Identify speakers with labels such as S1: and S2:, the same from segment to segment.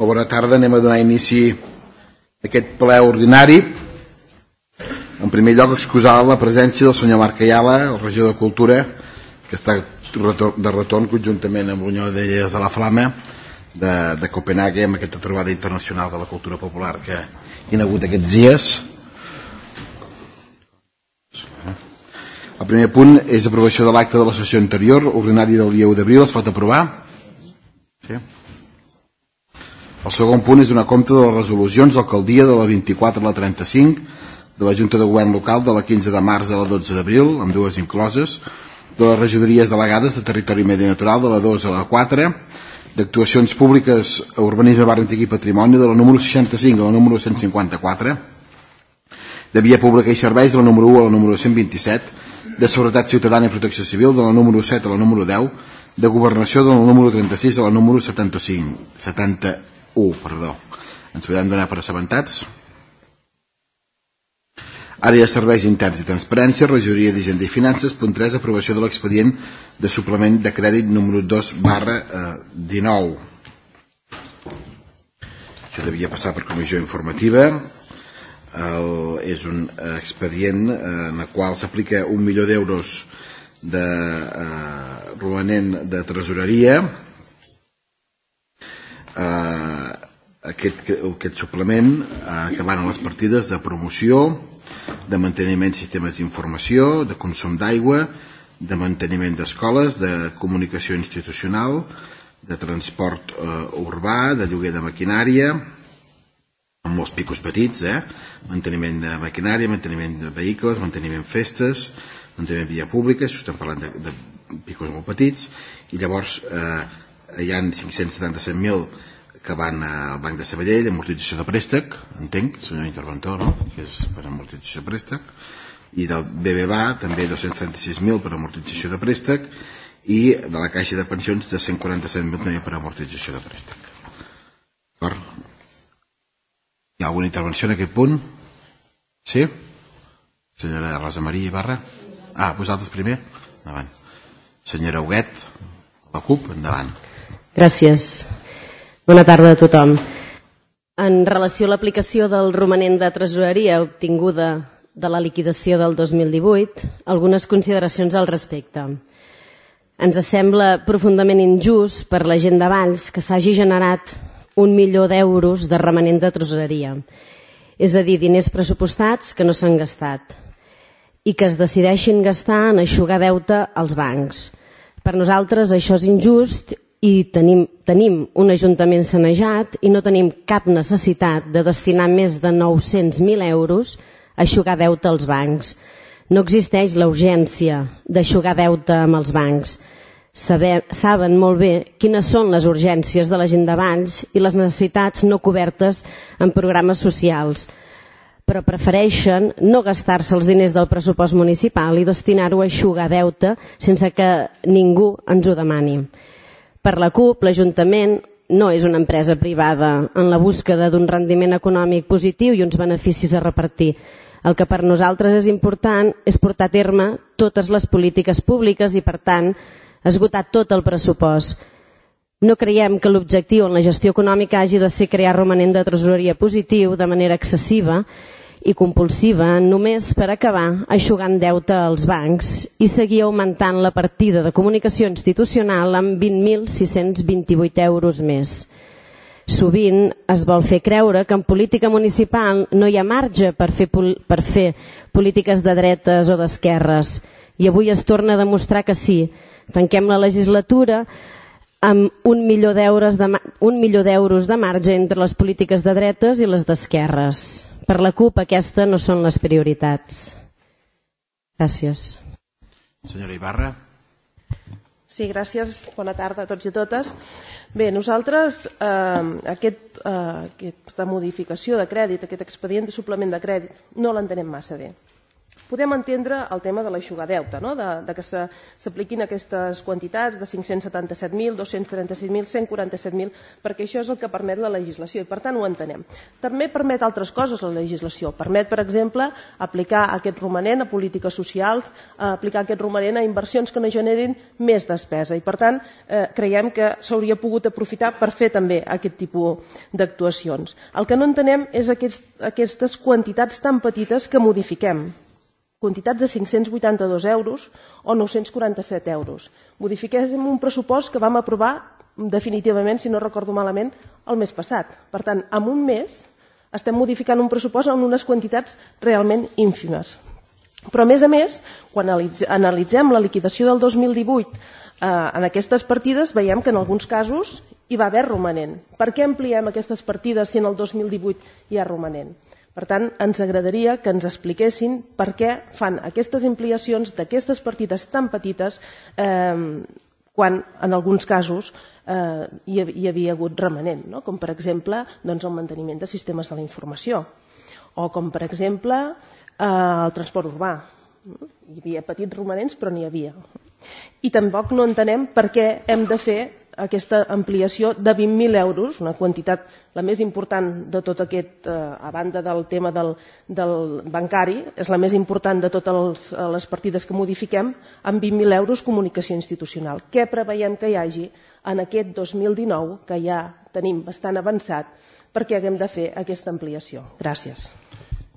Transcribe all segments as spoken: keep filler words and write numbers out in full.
S1: Bona tarda, anem a donar inici a aquest ple ordinari. En primer lloc, excusar la presència del senyor Marc Ayala, el regidor de Cultura, que està de retorn conjuntament amb l'Unió d'Illes de la Flama de, de Copenhague, amb aquesta trobada internacional de la cultura popular que hi ha hagut aquests dies. El primer punt és aprovació de l'acte de la sessió anterior, ordinari del dia u d'abril. Es pot aprovar? Sí. El segon punt és donar compte de les resolucions d'alcaldia de la vint-i-quatre a la trenta-cinc, de la Junta de Govern Local de la quinze de març a la dotze d'abril, amb dues incloses, de les regidories delegades de Territori i Medi Natural de la dos a la quatre, d'actuacions públiques a Urbanisme, Barri Antic i Patrimoni de la número seixanta-cinc a la número cent cinquanta-quatre, de Via Pública i Serveis de la número u a la número cent vint-i-set, de Seguretat Ciutadana i Protecció Civil de la número set a la número deu, de Governació de la número trenta-sis a la número setanta-cinc, setanta-u, perdó. Ens podem donar per assabentats. Àrea de Serveis Interns i Transparència, Regidoria d'Hisenda i Finances. Punt tres, aprovació de l'expedient de suplement de crèdit número dos barra dinou. Això devia passar per comissió informativa. El, és un expedient en el qual s'aplica un milió d'euros de eh, romanent de tresoreria. Eh, aquest, aquest suplement eh, que van a les partides de promoció, de manteniment de sistemes d'informació, de consum d'aigua, de manteniment d'escoles, de comunicació institucional, de transport eh, urbà, de lloguer de maquinària, amb molts picos petits, eh? Manteniment de maquinària, manteniment de vehicles, manteniment festes, manteniment de via pública, això estem parlant de, de picos molt petits, i llavors eh, hi ha cinc-cents setanta-set mil que van al Banc de Sabadell, amortització de préstec, entenc, senyor interventor, no? Que és per amortització de préstec, i del B B V A també dos-cents trenta-sis mil per amortització de préstec, i de la Caixa de Pensions de cent quaranta-set mil també per amortització de préstec. D'acord? Hi ha alguna intervenció en aquest punt? Sí? Senyora Rosa Maria Ibarra? Ah, vosaltres primer? Endavant. Senyora Huguet, la CUP, endavant.
S2: Gràcies. Bona tarda a tothom. En relació a l'aplicació del romanent de tresoreria obtinguda de la liquidació del dos mil divuit, algunes consideracions al respecte. Ens sembla profundament injust per la gent de Valls que s'hagi generat un milió d'euros de romanent de tresoreria, és a dir, diners pressupostats que no s'han gastat i que es decideixin gastar en eixugar deute als bancs. Per nosaltres això és injust i tenim, tenim un ajuntament sanejat i no tenim cap necessitat de destinar més de nou-cents mil euros a eixugar deute als bancs. No existeix la urgència d'eixugar deute amb els bancs. Saber, saben molt bé quines són les urgències de la gent de Valls i les necessitats no cobertes en programes socials, però prefereixen no gastar-se els diners del pressupost municipal i destinar-ho a eixugar deute sense que ningú ens ho demani. Per la CUP, l'Ajuntament no és una empresa privada en la búsqueda d'un rendiment econòmic positiu i uns beneficis a repartir. El que per nosaltres és important és portar a terme totes les polítiques públiques i, per tant, esgotar tot el pressupost. No creiem que l'objectiu en la gestió econòmica hagi de ser crear romanent de tresoreria positiu de manera excessiva i compulsiva només per acabar eixugant deute als bancs i seguir augmentant la partida de comunicació institucional amb vint mil sis-cents vint-i-vuit euros més. Sovint es vol fer creure que en política municipal no hi ha marge per fer, per fer polítiques de dretes o d'esquerres i avui es torna a demostrar que sí. Tanquem la legislatura amb un milió d'euros de, un milió d'euros de marge entre les polítiques de dretes i les d'esquerres. Per la CUP aquesta no són les prioritats. Gràcies.
S1: Senyora Ibarra.
S3: Sí, gràcies. Bona tarda a tots i a totes. Bé, nosaltres eh, aquest, eh, aquesta modificació de crèdit, aquest expedient de suplement de crèdit, no l'entenem massa bé. podem entendre el tema de l'aixugadeute, no? de, de que s'apliquin aquestes quantitats de cinc-cents setanta-set mil, dos-cents trenta-sis mil, cent quaranta-set mil, perquè això és el que permet la legislació i per tant ho entenem. També permet altres coses la legislació. Permet, per exemple, aplicar aquest romanent a polítiques socials, aplicar aquest romanent a inversions que no generin més despesa i per tant eh, creiem que s'hauria pogut aprofitar per fer també aquest tipus d'actuacions. El que no entenem és aquests, aquestes quantitats tan petites que modifiquem. Quantitats de cinc-cents vuitanta-dos euros o nou-cents quaranta-set euros. Modifiquem un pressupost que vam aprovar definitivament, si no recordo malament, el mes passat. Per tant, en un mes estem modificant un pressupost en unes quantitats realment ínfimes. Però, a més a més, quan analitzem la liquidació del dos mil divuit eh, en aquestes partides, veiem que en alguns casos hi va haver romanent. Per què ampliem aquestes partides si en el dos mil divuit hi ha romanent? Per tant, ens agradaria que ens expliquessin per què fan aquestes ampliacions d'aquestes partides tan petites eh, quan en alguns casos eh, hi, hi havia hagut remanent, no? Com per exemple doncs, el manteniment de sistemes de la informació o com per exemple eh, el transport urbà. Hi havia petits romanents però n'hi havia. I tampoc no entenem per què hem de fer aquesta ampliació de vint mil euros, una quantitat la més important de tot aquest, eh, a banda del tema del, del bancari, és la més important de totes els, les partides que modifiquem, amb vint mil euros comunicació institucional. Què preveiem que hi hagi en aquest dos mil dinou, que ja tenim bastant avançat, perquè haguem de fer aquesta ampliació? Gràcies.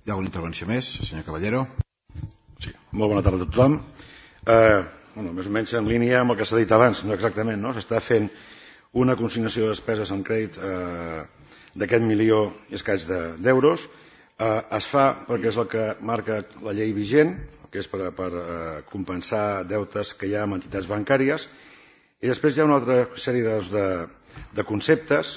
S1: Hi ha una intervenció més, senyor Caballero.
S4: Sí, molt bona tarda a tothom. Eh... Bueno, més o menys en línia amb el que s'ha dit abans, no exactament, no? S'està fent una consignació de despeses en crèdit eh, d'aquest milió i escaig d'euros. De, eh, es fa perquè és el que marca la llei vigent, que és per, per eh, compensar deutes que hi ha amb entitats bancàries, i després hi ha una altra sèrie de, de, de conceptes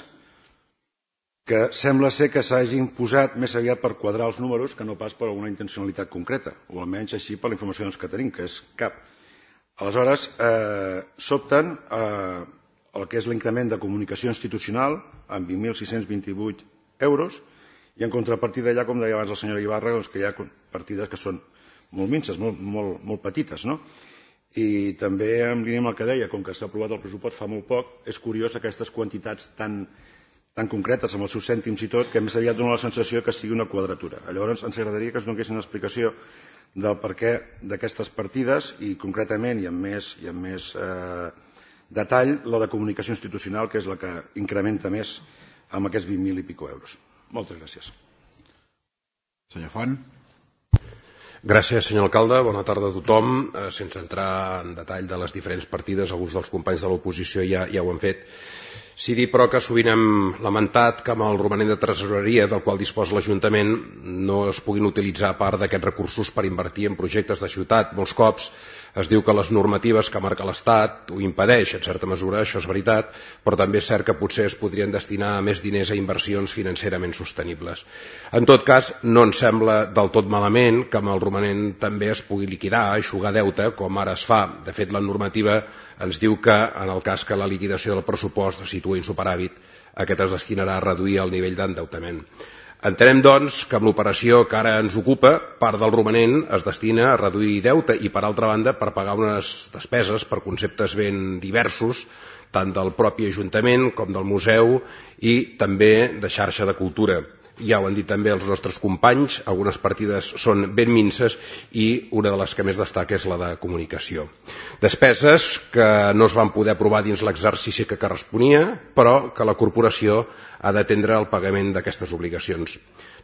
S4: que sembla ser que s'hagin posat més aviat per quadrar els números que no pas per alguna intencionalitat concreta, o almenys així per la informació que tenim, que és cap. Aleshores, eh, s'opten eh, el que és l'increment de comunicació institucional amb vint mil sis-cents vint-i-vuit euros i en contrapartida hi ha, com deia abans la senyora Ibarra, doncs que hi ha partides que són molt minces, molt, molt, molt petites, no? I també en línia amb el que deia, com que s'ha aprovat el pressupost fa molt poc, és curiós aquestes quantitats tan, tan concretes amb els seus cèntims i tot, que més aviat dona la sensació que sigui una quadratura. Llavors ens agradaria que es donessin una explicació del perquè d'aquestes partides i concretament i amb més, i amb més eh, detall la de comunicació institucional, que és la que incrementa més amb aquests vint mil i pico euros. Moltes gràcies.
S1: Senyor Font.
S5: Gràcies, senyor alcalde. Bona tarda a tothom. Eh, sense entrar en detall de les diferents partides, alguns dels companys de l'oposició ja, ja ho han fet. Sí dir, però, que sovint hem lamentat que amb el romanent de tresoreria del qual disposa l'Ajuntament no es puguin utilitzar part d'aquests recursos per invertir en projectes de ciutat. Molts cops es diu que les normatives que marca l'Estat ho impedeix, en certa mesura, això és veritat, però també és cert que potser es podrien destinar més diners a inversions financerament sostenibles. En tot cas, no ens sembla del tot malament que amb el romanent també es pugui liquidar, eixugar deute, com ara es fa. De fet, la normativa ens diu que, en el cas que la liquidació del pressupost es situa en superàvit, aquest es destinarà a reduir el nivell d'endeutament. Entenem, doncs, que amb l'operació que ara ens ocupa, part del romanent es destina a reduir deute i, per altra banda, per pagar unes despeses per conceptes ben diversos, tant del propi Ajuntament com del museu i també de xarxa de cultura. Ja ho han dit també els nostres companys, algunes partides són ben minces i una de les que més destaca és la de comunicació. Despeses que no es van poder aprovar dins l'exercici que corresponia, però que la corporació ha d'atendre el pagament d'aquestes obligacions.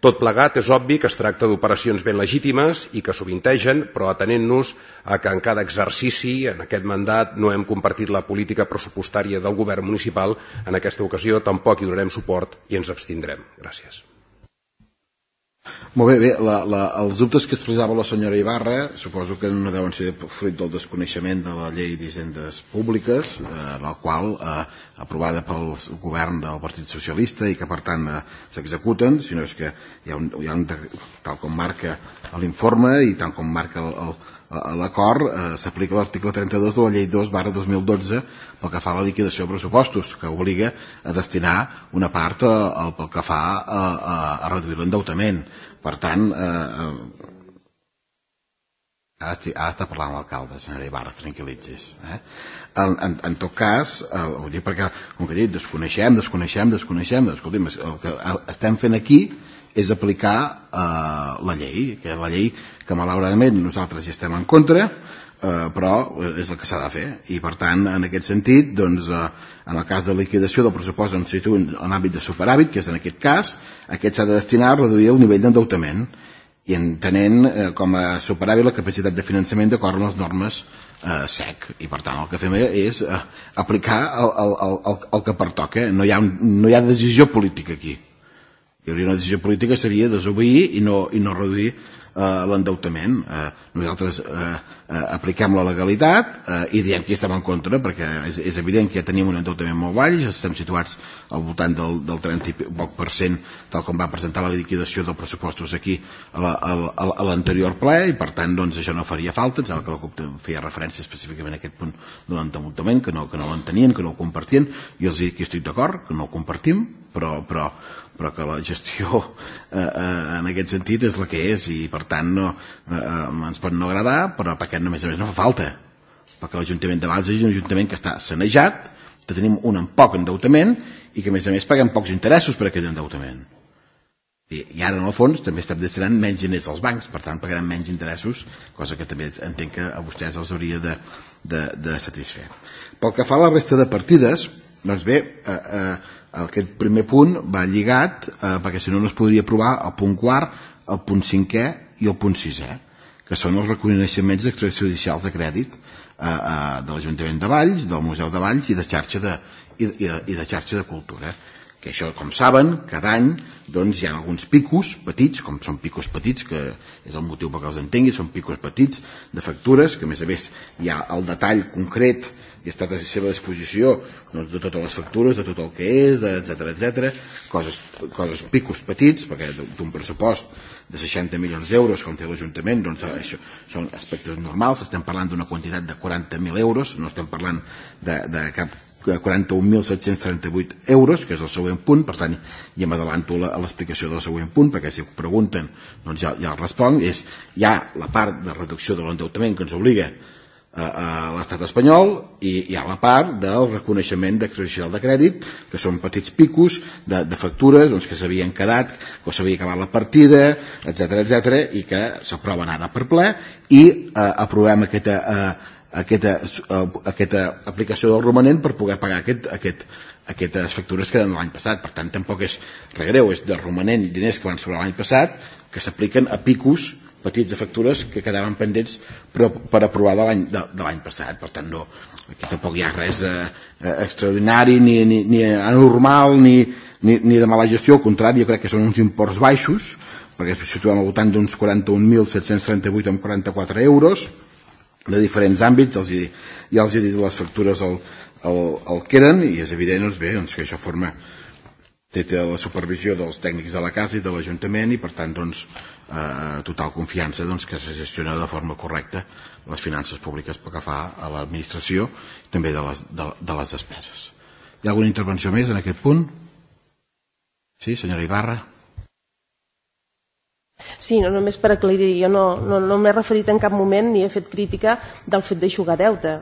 S5: Tot plegat és obvi que es tracta d'operacions ben legítimes i que sovintegen, però atenent-nos a que en cada exercici, en aquest mandat, no hem compartit la política pressupostària del govern municipal, en aquesta ocasió tampoc hi donarem suport i ens abstindrem. Gràcies.
S1: Molt bé, bé la, la, els dubtes que expressava la senyora Ibarra suposo que no deuen ser fruit del desconeixement de la llei d'hisendes públiques, eh, la qual eh, aprovada pel govern del Partit Socialista i que per tant eh, s'executen, sinó és que hi ha un, hi ha un, tal com marca l'informe i tal com marca l'acord, eh, s'aplica l'article trenta-dos de la llei dos barra dos mil dotze pel que fa a la liquidació de pressupostos, que obliga a destinar una part a, a, pel que fa a, a, a reduir l'endeutament. Per tant, eh, Ara, estic, ara està parlant l'alcalde, senyora Ibarra, tranquil·litzis. Eh? En, en, en tot cas, el, ho dic perquè, com que he dit, desconeixem, desconeixem, desconeixem, escolti'm, el que estem fent aquí és aplicar eh, la llei, que és la llei que malauradament nosaltres hi estem en contra, eh, però és el que s'ha de fer. I per tant, en aquest sentit, doncs, eh, en el cas de liquidació del pressupost on se situa en l'àmbit de superàvit, que és en aquest cas, aquest s'ha de destinar a reduir el nivell d'endeutament i entenent eh, com a superàvit la capacitat de finançament d'acord amb les normes eh, S E C. I per tant el que fem és eh, aplicar el, el, el, el que pertoca. No hi ha, un, no hi ha decisió política aquí. Hi hauria una decisió política, seria desobeir i no, i no reduir eh, l'endeutament. Eh, nosaltres eh, eh, apliquem la legalitat eh, i diem que hi estem en contra, perquè és, és evident que ja tenim un endeutament molt baix, estem situats al voltant del, del trenta i poc per cent, tal com va presentar la liquidació dels pressupostos aquí a l'anterior ple, i per tant doncs, això no faria falta. Em sembla que la CUP feia referència específicament a aquest punt de l'endeutament, que no, que no l'entenien, que no ho compartien. Jo els dic que estic d'acord, que no ho compartim, però, però, però que la gestió eh, eh, en aquest sentit és la que és, i per tant no, eh, ens pot no agradar, però perquè a més a més no fa falta, perquè l'Ajuntament de Valls és un ajuntament que està sanejat, que tenim un poc endeutament i que a més a més paguem pocs interessos per aquest endeutament. I, i ara en el fons també estem destinant menys diners als bancs, per tant pagarem menys interessos, cosa que també entenc que a vostès els hauria de, de, de satisfer. Pel que fa a la resta de partides, doncs bé, eh, eh, aquest primer punt va lligat, eh, perquè si no no es podria aprovar el punt quart, el punt cinquè i el punt sisè, que són els reconeixements extrajudicials de crèdit eh, eh, de l'Ajuntament de Valls, del Museu de Valls i de xarxa de, i, i, i de, xarxa de cultura. Que això, com saben, cada any doncs, hi ha alguns picos petits, com són picos petits, que és el motiu perquè els entengui, són picos petits de factures, que a més a més hi ha el detall concret i està a la seva disposició doncs, de totes les factures, de tot el que és, etcètera, etcètera, coses, coses picos petits, perquè d'un pressupost de seixanta milions d'euros com té l'Ajuntament, doncs això són aspectes normals, estem parlant d'una quantitat de quaranta mil euros, no estem parlant de, de cap quaranta-un mil set-cents trenta-vuit euros, que és el següent punt. Per tant, ja m'adelanto a l'explicació del següent punt, perquè si ho pregunten doncs ja, ja el responc. És, hi ha la part de reducció de l'endeutament que ens obliga a, a l'estat espanyol, i hi ha la part del reconeixement d'extrajudicial de crèdit, que són petits picos de, de factures doncs, que s'havien quedat, que s'havia acabat la partida, etcètera, etcètera, i que s'aproven ara per ple, i eh, aprovem aquesta eh, Aquesta, aquesta aplicació del romanent per poder pagar aquest, aquest, aquestes factures que eren de l'any passat. Per tant, tampoc és res greu, és de romanent diners que van sobre l'any passat que s'apliquen a picos petits de factures que quedaven pendents per, per aprovar de l'any de, de l'any passat. Per tant, no, aquí tampoc hi ha res de, eh, extraordinari ni, ni, ni anormal ni, ni, ni de mala gestió. Al contrari, jo crec que són uns imports baixos, perquè ens situem al voltant d'uns quaranta-un mil set-cents trenta-vuit amb quaranta-quatre euros de diferents àmbits. Els hi, ja els he dit les factures el, el, el que eren, i és evident doncs bé, doncs, que això forma té la supervisió dels tècnics de la casa i de l'Ajuntament, i per tant doncs, eh, total confiança doncs, que se gestiona de forma correcta les finances públiques pel que fa a l'administració i també de les, de, de les despeses. Hi ha alguna intervenció més en aquest punt? Sí, senyora Ibarra.
S3: Sí, no, només per aclarir, jo no, no, no m'he referit en cap moment ni he fet crítica del fet d'eixugar deute.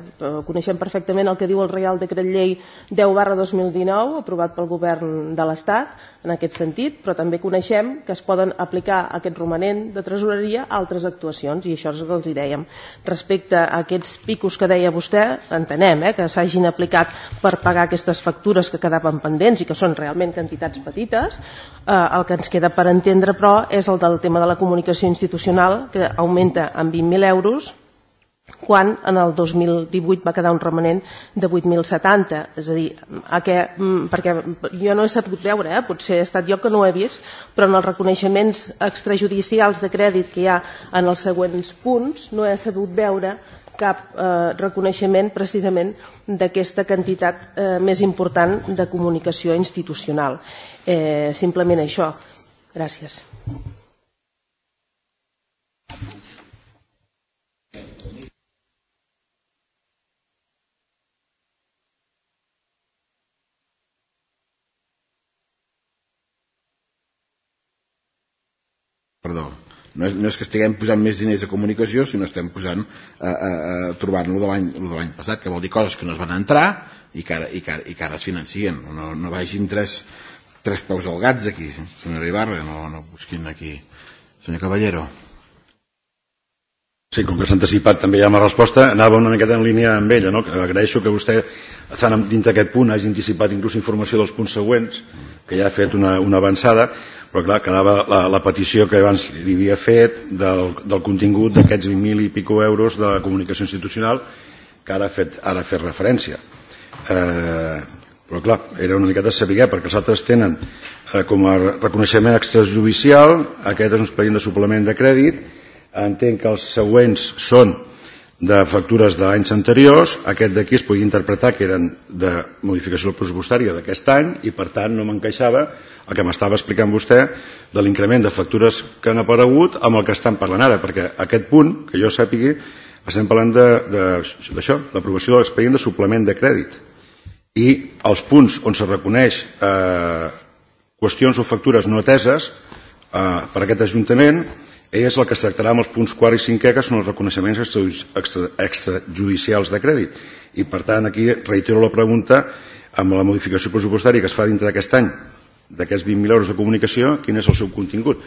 S3: Coneixem perfectament el que diu el Reial Decret Llei deu barra dos mil dinou, aprovat pel Govern de l'Estat, en aquest sentit, però també coneixem que es poden aplicar aquest romanent de tresoreria a altres actuacions, i això és el que els hi dèiem. Respecte a aquests picos que deia vostè, entenem eh, que s'hagin aplicat per pagar aquestes factures que quedaven pendents i que són realment quantitats petites. Eh, el que ens queda per entendre, però, és el del tema de la comunicació institucional, que augmenta en vint mil euros, quan en el dos mil divuit va quedar un romanent de vuit mil setanta. És a dir, a què, perquè jo no he sabut veure, eh, potser he estat jo que no ho he vist, però en els reconeixements extrajudicials de crèdit que hi ha en els següents punts no he sabut veure cap eh, reconeixement precisament d'aquesta quantitat eh, més important de comunicació institucional. Eh, simplement això. Gràcies.
S1: Perdó, No és, no és que estiguem posant més diners a comunicació, sinó estem posant a, a, a trobar-lo de l'any passat, que vol dir coses que no es van entrar i que ara, i que ara, i que ara es financien. No, no vagin tres, tres peus al gats aquí, senyora Ibarra, no, no busquin aquí. Senyor Caballero.
S4: Sí, com que s'ha anticipat també ja amb la resposta, anava una miqueta en línia amb ella, no? Agraeixo que vostè, dins d'aquest punt, hagi anticipat inclús informació dels punts següents, que ja ha fet una, una avançada, però clar, quedava la, la petició que abans li havia fet del, del contingut d'aquests vint mil i pico euros de comunicació institucional que ara ha fet, ara ha fet referència. Eh, però clar, era una miqueta saber, perquè els altres tenen eh, com a reconeixement extrajudicial, aquest és un expedient de suplement de crèdit, entenc que els següents són de factures d'anys anteriors, aquest d'aquí es podia interpretar que eren de modificació pressupostària d'aquest any i per tant no m'encaixava el que m'estava explicant vostè de l'increment de factures que han aparegut amb el que estan parlant ara, perquè aquest punt, que jo sàpigui, estem parlant d'això, l'aprovació de l'expedient de suplement de crèdit. I els punts on se reconeix eh, qüestions o factures no ateses eh, per aquest Ajuntament és el que es tractarà amb els punts quart i cinquè, que són els reconeixements extrajudicials de crèdit. I, per tant, aquí reitero la pregunta, amb la modificació pressupostària que es fa dintre d'aquest any, d'aquests vint mil euros de comunicació, quin és el seu contingut?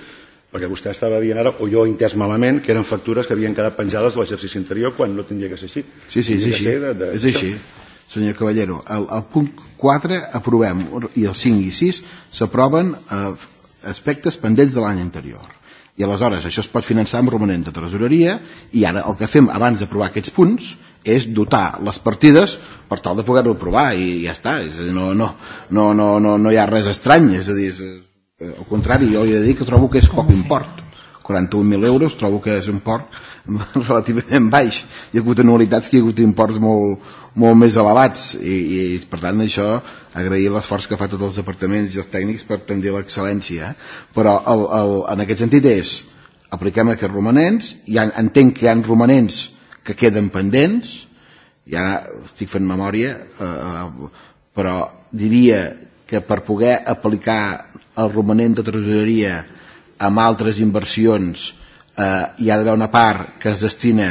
S4: Perquè vostè estava dient ara, o jo he entès malament, que eren factures que havien quedat penjades de l'exercici anterior quan no tindria que ser així.
S1: Sí, sí, és així. De, de, és així. Senyor Caballero, el, el punt quatre aprovem, i el cinc i sis s'aproven eh, aspectes pendents de l'any anterior. I aleshores això es pot finançar amb romanent de tresoreria i ara el que fem abans d'aprovar aquests punts és dotar les partides per tal de poder-ho aprovar i ja està, és a dir, no, no, no, no, no, no hi ha res estrany, és a dir, és, al contrari, jo he de dir que trobo que és poc import, quaranta-un mil euros trobo que és un import relativament baix, hi ha hagut anualitats que hi ha hagut imports molt, molt més elevats i, i per tant això agrair l'esforç que fa tots els departaments i els tècnics per tendir a l'excel·lència, però el, el, en aquest sentit és apliquem aquests romanents, ha, entenc que hi ha romanents que queden pendents i ara estic fent memòria eh, però diria que per poder aplicar el romanent de tresoreria amb altres inversions eh, hi ha d'haver una part que es destina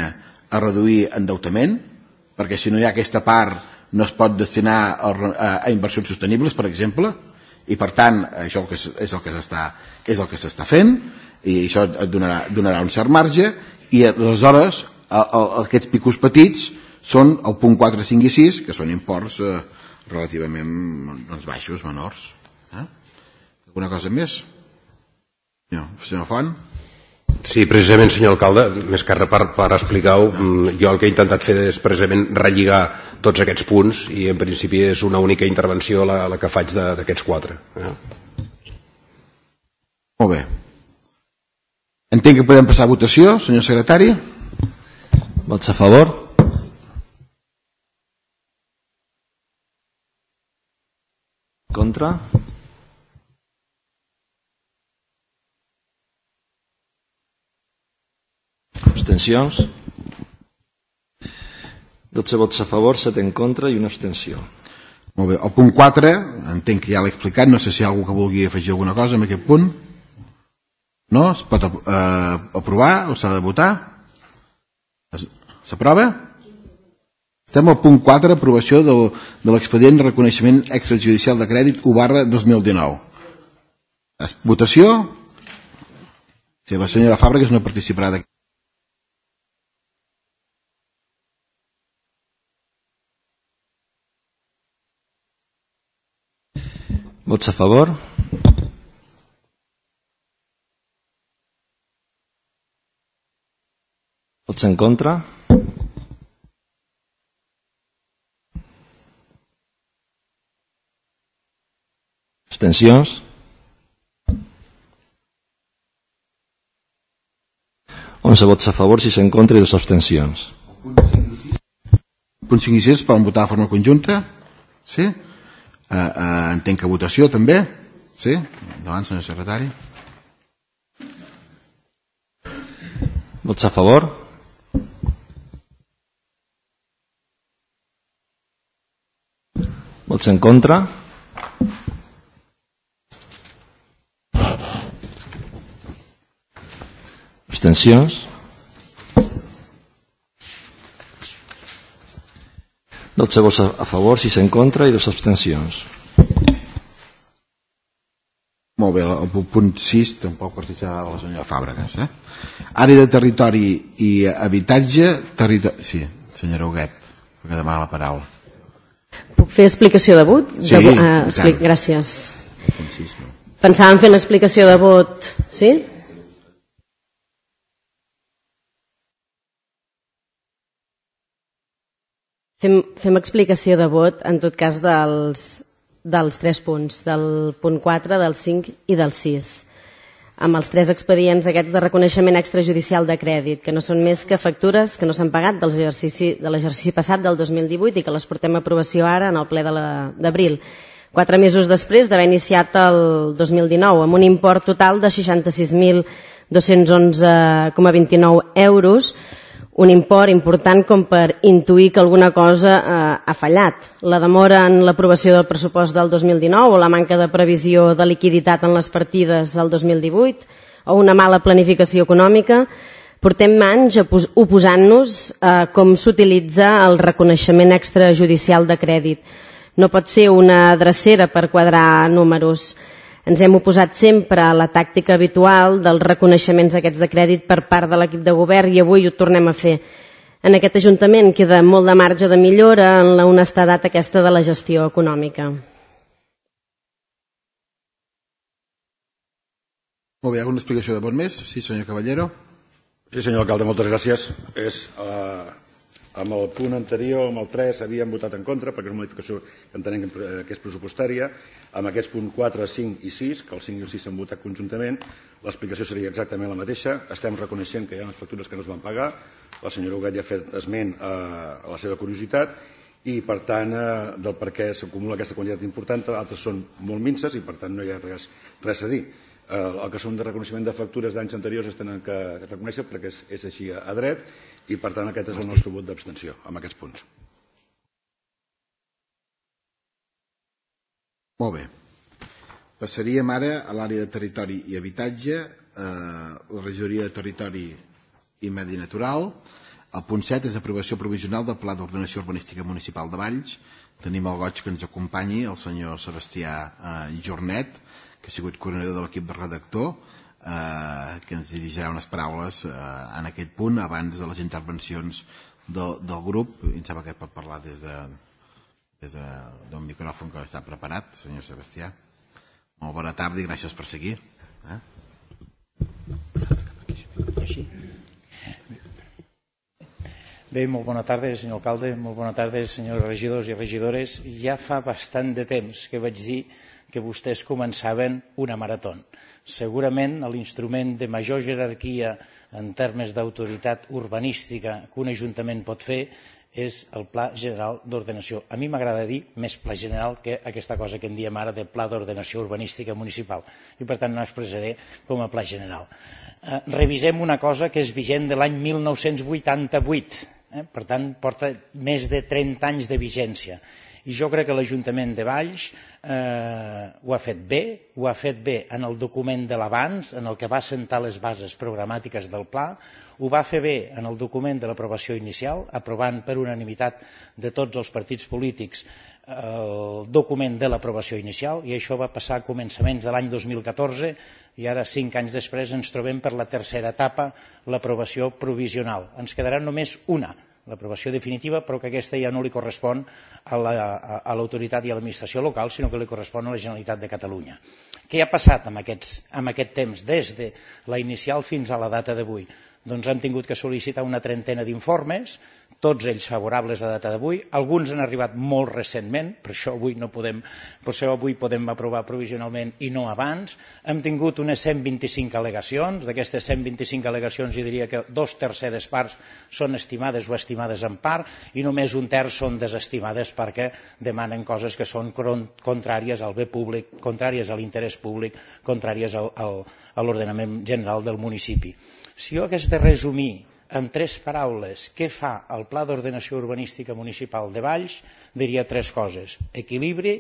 S1: a reduir endeutament, perquè si no hi ha aquesta part no es pot destinar a, a, a inversions sostenibles, per exemple, i per tant això és el que s'està és el que s'està fent i això et donarà, donarà un cert marge i aleshores a, a, aquests picos petits són el punt quatre, cinc i sis, que són imports eh, relativament doncs, baixos, menors. Eh? Alguna cosa més? No, senyor Font?
S5: Sí, precisament, senyor alcalde, més que res per, per explicar-ho, jo el que he intentat fer és precisament relligar tots aquests punts i en principi és una única intervenció la, la que faig d'aquests quatre. Eh?
S1: Molt bé. Entenc que podem passar a votació, senyor secretari.
S6: Vots a favor? Contra? Abstencions? dotze vots a favor, set en contra i una abstenció.
S1: Molt bé. El punt quatre, entenc que ja l'he explicat, no sé si hi ha algú que vulgui afegir alguna cosa en aquest punt. No? Es pot eh, aprovar o s'ha de votar? S'aprova? Estem al punt quatre, aprovació del, de l'expedient de reconeixement extrajudicial de crèdit u barra dos mil dinou. Votació? Sí, la senyora Fàbregas no participarà d'aquí.
S6: Vots a favor? Vots en contra? Abstencions? onze vots a favor, sis en contra i dues abstencions.
S1: Punt cinc i sis poden votar de forma conjunta? Sí? Uh, uh, entenc que votació també? Sí? Endavant, senyor secretari.
S6: Vots a favor? Vots en contra? Abstencions? dotze vots a favor, sis en contra i dues abstencions.
S1: Molt bé, el punt sis tampoc participava la senyora Fàbregas. Eh? Àrea de territori i habitatge, territori... Sí, senyora Huguet, que demana la paraula.
S2: Puc fer explicació de vot?
S1: Sí,
S2: de, uh, explic... gràcies.
S1: sis, no?
S2: Pensàvem fer una explicació de vot, sí? Fem, fem explicació de vot, en tot cas, dels, dels tres punts, del punt quatre, del cinc i del sis, amb els tres expedients aquests de reconeixement extrajudicial de crèdit, que no són més que factures que no s'han pagat de l'exercici passat del dos mil divuit i que les portem a aprovació ara en el ple d'abril, quatre mesos després d'haver iniciat el dos mil dinou, amb un import total de seixanta-sis mil dos-cents onze coma vint-i-nou euros, un import important com per intuir que alguna cosa eh, ha fallat. La demora en l'aprovació del pressupost del dos mil dinou o la manca de previsió de liquiditat en les partides del dos mil divuit o una mala planificació econòmica. Portem anys oposant-nos a com s'utilitza el reconeixement extrajudicial de crèdit. No pot ser una drecera per quadrar números. Ens hem oposat sempre a la tàctica habitual dels reconeixements aquests de crèdit per part de l'equip de govern i avui ho tornem a fer. En aquest Ajuntament queda molt de marge de millora en la honestedat aquesta de la gestió econòmica.
S1: Molt bé, alguna explicació de vot més? Sí, senyor Caballero.
S4: Sí, senyor alcalde, moltes gràcies. És... Uh... Amb el punt anterior, amb el tres, havíem votat en contra perquè és una modificació que entenem que és pressupostària. Amb aquests punts quatre, cinc i sis, que el cinc i el sis s'han votat conjuntament, l'explicació seria exactament la mateixa. Estem reconeixent que hi ha unes factures que no es van pagar. La senyora Huguet ja ha fet esment a la seva curiositat i, per tant, del per què s'acumula aquesta quantitat important. Altres són molt minces i, per tant, no hi ha res, res a dir. El que són de reconeixement de factures d'anys anteriors es tenen que reconèixer perquè és, és així a dret i, per tant, aquest és el nostre vot d'abstenció amb aquests punts.
S1: Molt bé. Passaríem ara a l'àrea de territori i habitatge, eh, la regidoria de territori i medi natural. El punt set és aprovació provisional del Pla d'Ordenació Urbanística Municipal de Valls. Tenim el goig que ens acompanyi el senyor Sebastià eh, Jornet, que ha sigut coordinador de l'equip de redactor, eh, que ens dirigirà unes paraules eh, en aquest punt abans de les intervencions del, del grup. Em sembla que pot parlar des de des d'un de, micròfon que està preparat, senyor Sebastià. Molt bona tarda i gràcies per seguir. Eh?
S7: Bé, molt bona tarda, senyor alcalde, molt bona tarda, senyors regidors i regidores. Ja fa bastant de temps que vaig dir que vostès començaven una marató. Segurament l'instrument de major jerarquia en termes d'autoritat urbanística que un ajuntament pot fer és el Pla General d'Ordenació. A mi m'agrada dir més Pla General que aquesta cosa que en diem ara de Pla d'Ordenació Urbanística Municipal i per tant no expressaré com a Pla General. Eh, revisem una cosa que és vigent de l'any mil nou-cents vuitanta-vuit, eh? Per tant porta més de trenta anys de vigència. I jo crec que l'Ajuntament de Valls eh, ho ha fet bé, ho ha fet bé en el document de l'abans, en el que va assentar les bases programàtiques del pla, ho va fer bé en el document de l'aprovació inicial, aprovant per unanimitat de tots els partits polítics el document de l'aprovació inicial, i això va passar a començaments de l'any dos mil catorze, i ara, cinc anys després, ens trobem per la tercera etapa, l'aprovació provisional. Ens quedarà només una, l'aprovació definitiva, però que aquesta ja no li correspon a l'autoritat i a l'administració local, sinó que li correspon a la Generalitat de Catalunya. Què ha passat amb, aquests, amb aquest temps, des de la inicial fins a la data d'avui? Doncs hem tingut que sol·licitar una trentena d'informes, tots ells favorables a data d'avui, alguns han arribat molt recentment, per això avui no podem, per això avui podem aprovar provisionalment i no abans. Hem tingut unes cent vint-i-cinc al·legacions, d'aquestes cent vint-i-cinc al·legacions jo diria que dos terceres parts són estimades o estimades en part i només un terç són desestimades perquè demanen coses que són contràries al bé públic, contràries a l'interès públic, contràries al, al, a l'ordenament general del municipi. Si jo hagués de resumir en tres paraules què fa el Pla d'Ordenació Urbanística Municipal de Valls, diria tres coses: equilibri,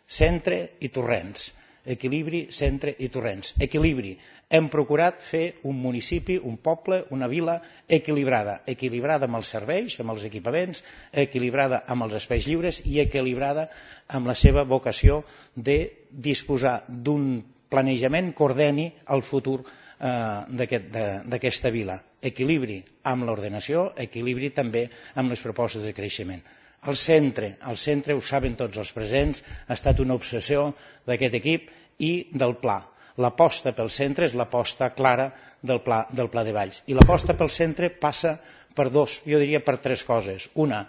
S7: centre i torrents. equilibri, centre i torrents. Equilibri. Hem procurat fer un municipi, un poble, una vila equilibrada, equilibrada amb els serveis, amb els equipaments, equilibrada amb els espais lliures i equilibrada amb la seva vocació de disposar d'un planejament que ordeni el futur d'aquesta vila. Equilibri amb l'ordenació, equilibri també amb les propostes de creixement. El centre, el centre, ho saben tots els presents, ha estat una obsessió d'aquest equip i del pla. L'aposta pel centre és l'aposta clara del pla, del pla de Valls. I l'aposta pel centre passa per dos, jo diria per tres coses. Una,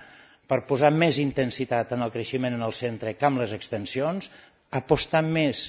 S7: per posar més intensitat en el creixement en el centre que amb les extensions, apostar més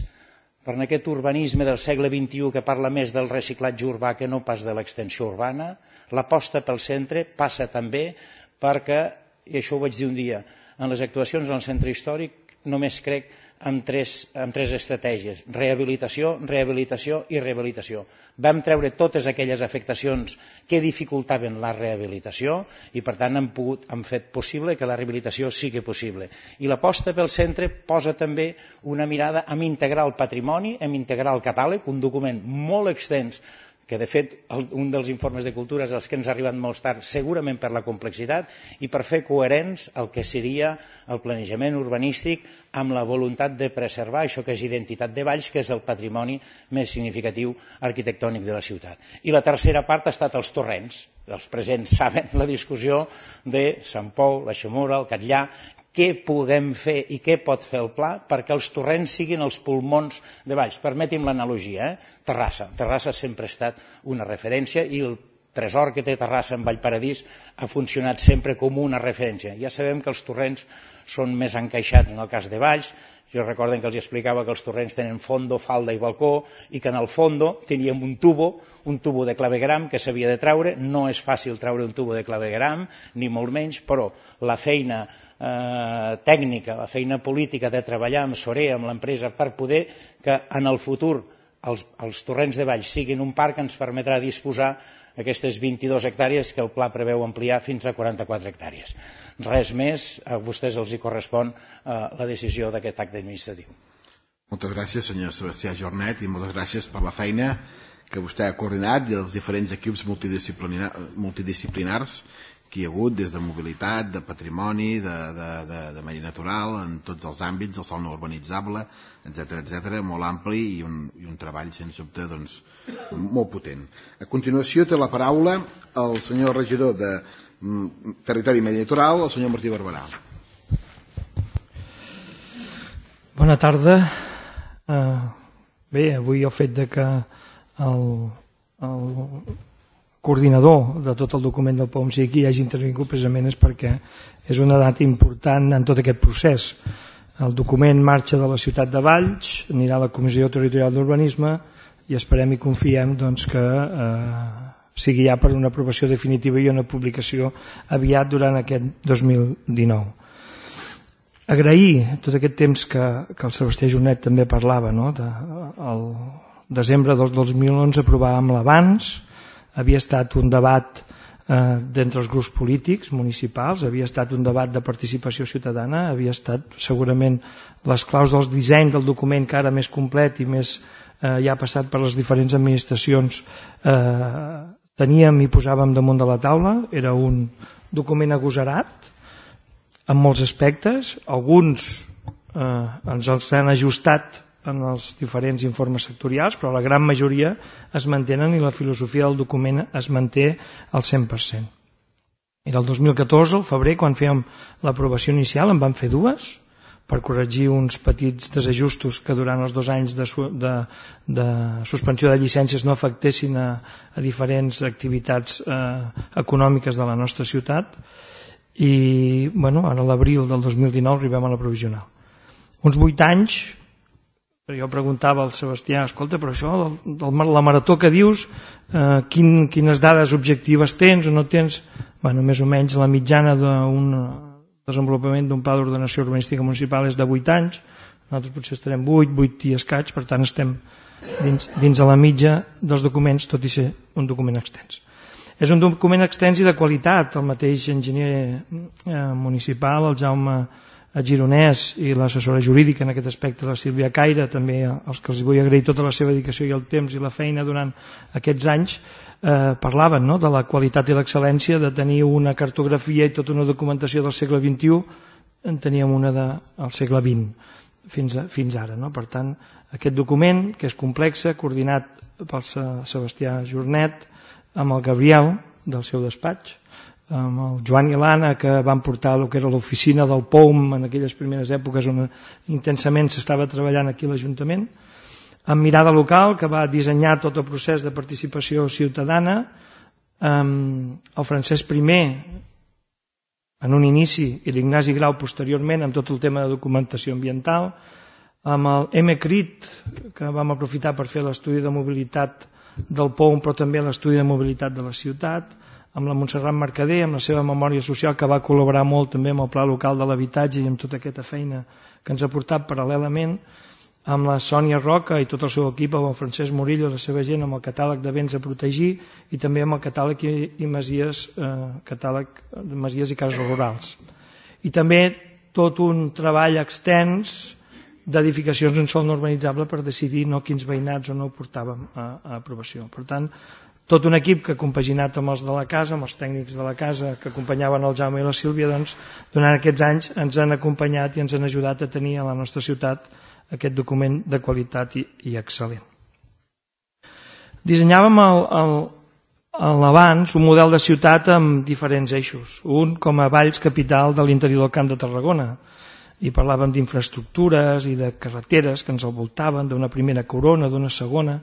S7: per aquest urbanisme del segle vint-i-u que parla més del reciclatge urbà que no pas de l'extensió urbana. L'aposta pel centre passa també perquè, i això ho vaig dir un dia, en les actuacions en el centre històric només crec en tres, en tres estratègies: rehabilitació, rehabilitació i rehabilitació. Vam treure totes aquelles afectacions que dificultaven la rehabilitació i per tant hem, pogut, hem fet possible que la rehabilitació sigui possible. I l'aposta pel centre posa també una mirada en integrar el patrimoni, en integrar el catàleg, un document molt extens que de fet un dels informes de cultura és els que ens ha arribat molt tard, segurament per la complexitat i per fer coherents el que seria el planejament urbanístic amb la voluntat de preservar això que és identitat de Valls, que és el patrimoni més significatiu arquitectònic de la ciutat. I la tercera part ha estat els torrents. Els presents saben la discussió de Sant Pou, la Xamura, el Catllà, què podem fer i què pot fer el pla perquè els torrents siguin els pulmons de Valls. Permeti'm l'analogia, eh? Terrassa. Terrassa sempre ha estat una referència i el tresor que té Terrassa en Vallparadís ha funcionat sempre com una referència. Ja sabem que els torrents són més encaixats en el cas de Valls. Jo recorden que els explicava que els torrents tenen fondo, falda i balcó i que en el fondo teníem un tubo, un tubo de clavegram que s'havia de treure. No és fàcil treure un tubo de clavegram, ni molt menys, però la feina eh, tècnica, la feina política de treballar amb Soré, amb l'empresa, per poder que en el futur els, els torrents de Valls siguin un parc ens permetrà disposar aquestes vint-i-dues hectàrees que el pla preveu ampliar fins a quaranta-quatre hectàrees. Res més, a vostès els hi correspon eh, la decisió d'aquest acte administratiu.
S1: Moltes gràcies, senyor Sebastià Jornet, i moltes gràcies per la feina que vostè ha coordinat i els diferents equips multidisciplinar, multidisciplinars que hi ha hagut, des de mobilitat, de patrimoni, de, de, de, de medi natural, en tots els àmbits, el sòl no urbanitzable, etcètera, etcètera, molt ampli i un, i un treball, sens dubte, doncs, molt potent. A continuació té la paraula el senyor regidor de Territori i Medi Natural, el senyor Martí Barberà.
S8: Bona tarda. Uh, bé, avui el fet de que el, el coordinador de tot el document del P O M sigui aquí i hagi intervingut precisament és perquè és una data important en tot aquest procés. El document marxa de la ciutat de Valls, anirà a la Comissió Territorial d'Urbanisme i esperem i confiem doncs, que eh, sigui ja per una aprovació definitiva i una publicació aviat durant aquest dos mil dinou. Agrair tot aquest temps que, que el Sebastià Jornet també parlava, no? de, el desembre del dos mil onze aprovàvem l'abans, havia estat un debat eh, d'entre els grups polítics municipals, havia estat un debat de participació ciutadana, havia estat segurament les claus del disseny del document que ara més complet i més eh, ja ha passat per les diferents administracions eh, teníem i posàvem damunt de la taula. Era un document agosarat en molts aspectes, alguns eh, ens els han ajustat en els diferents informes sectorials, però la gran majoria es mantenen i la filosofia del document es manté al cent per cent. Era el dos mil catorze, al febrer, quan fèiem l'aprovació inicial, en vam fer dues, per corregir uns petits desajustos que durant els dos anys de, de, de suspensió de llicències no afectessin a, a diferents activitats eh, econòmiques de la nostra ciutat, i bueno, ara a l'abril del dos mil dinou arribem a la provisional. Uns vuit anys. Jo preguntava al Sebastià, escolta, però això, del, del, la marató que dius, eh, quin, quines dades objectives tens o no tens? Bueno, més o menys la mitjana d'un desenvolupament d'un pla d'ordenació urbanística municipal és de vuit anys, nosaltres potser estarem vuit, vuit i escaig, per tant estem dins, dins de la mitja dels documents, tot i ser un document extens. És un document extens i de qualitat. El mateix enginyer eh, municipal, el Jaume gironès i l'assessora jurídica en aquest aspecte, la Sílvia Caire, també als que els vull agrair tota la seva dedicació i el temps i la feina durant aquests anys, eh, parlaven, no?, de la qualitat i l'excel·lència, de tenir una cartografia i tota una documentació del segle vint-i-u, en teníem una del segle vint fins, a, fins ara, no? Per tant, aquest document, que és complex, coordinat pel Sebastià Jornet, amb el Gabriel del seu despatx, amb el Joan i l'Anna, que van portar el que era l'oficina del P O U M en aquelles primeres èpoques on intensament s'estava treballant aquí a l'Ajuntament, amb Mirada Local, que va dissenyar tot el procés de participació ciutadana, amb el Francesc Primer en un inici i l'Ignasi Grau posteriorment amb tot el tema de documentació ambiental, amb el M C R I T, que vam aprofitar per fer l'estudi de mobilitat del P O U M, però també l'estudi de mobilitat de la ciutat, amb la Montserrat Mercader, amb la seva memòria social, que va col·laborar molt també amb el Pla Local de l'Habitatge i amb tota aquesta feina que ens ha portat paral·lelament, amb la Sònia Roca i tot el seu equip, amb el Francesc Murillo i la seva gent, amb el catàleg de béns a protegir i també amb el catàleg i, i masies, eh, catàleg de masies i cases rurals. I també tot un treball extens d'edificacions en sòl no urbanitzable per decidir no quins veïnats o no portàvem a, a aprovació. Per tant, tot un equip que compaginat amb els de la casa, amb els tècnics de la casa que acompanyaven el Jaume i la Sílvia, doncs, durant aquests anys ens han acompanyat i ens han ajudat a tenir a la nostra ciutat aquest document de qualitat i, i excel·lent. Dissenyàvem el, el, l'abans un model de ciutat amb diferents eixos. Un com a Valls capital de l'interior del Camp de Tarragona, i parlàvem d'infraestructures i de carreteres que ens envoltaven, d'una primera corona, d'una segona,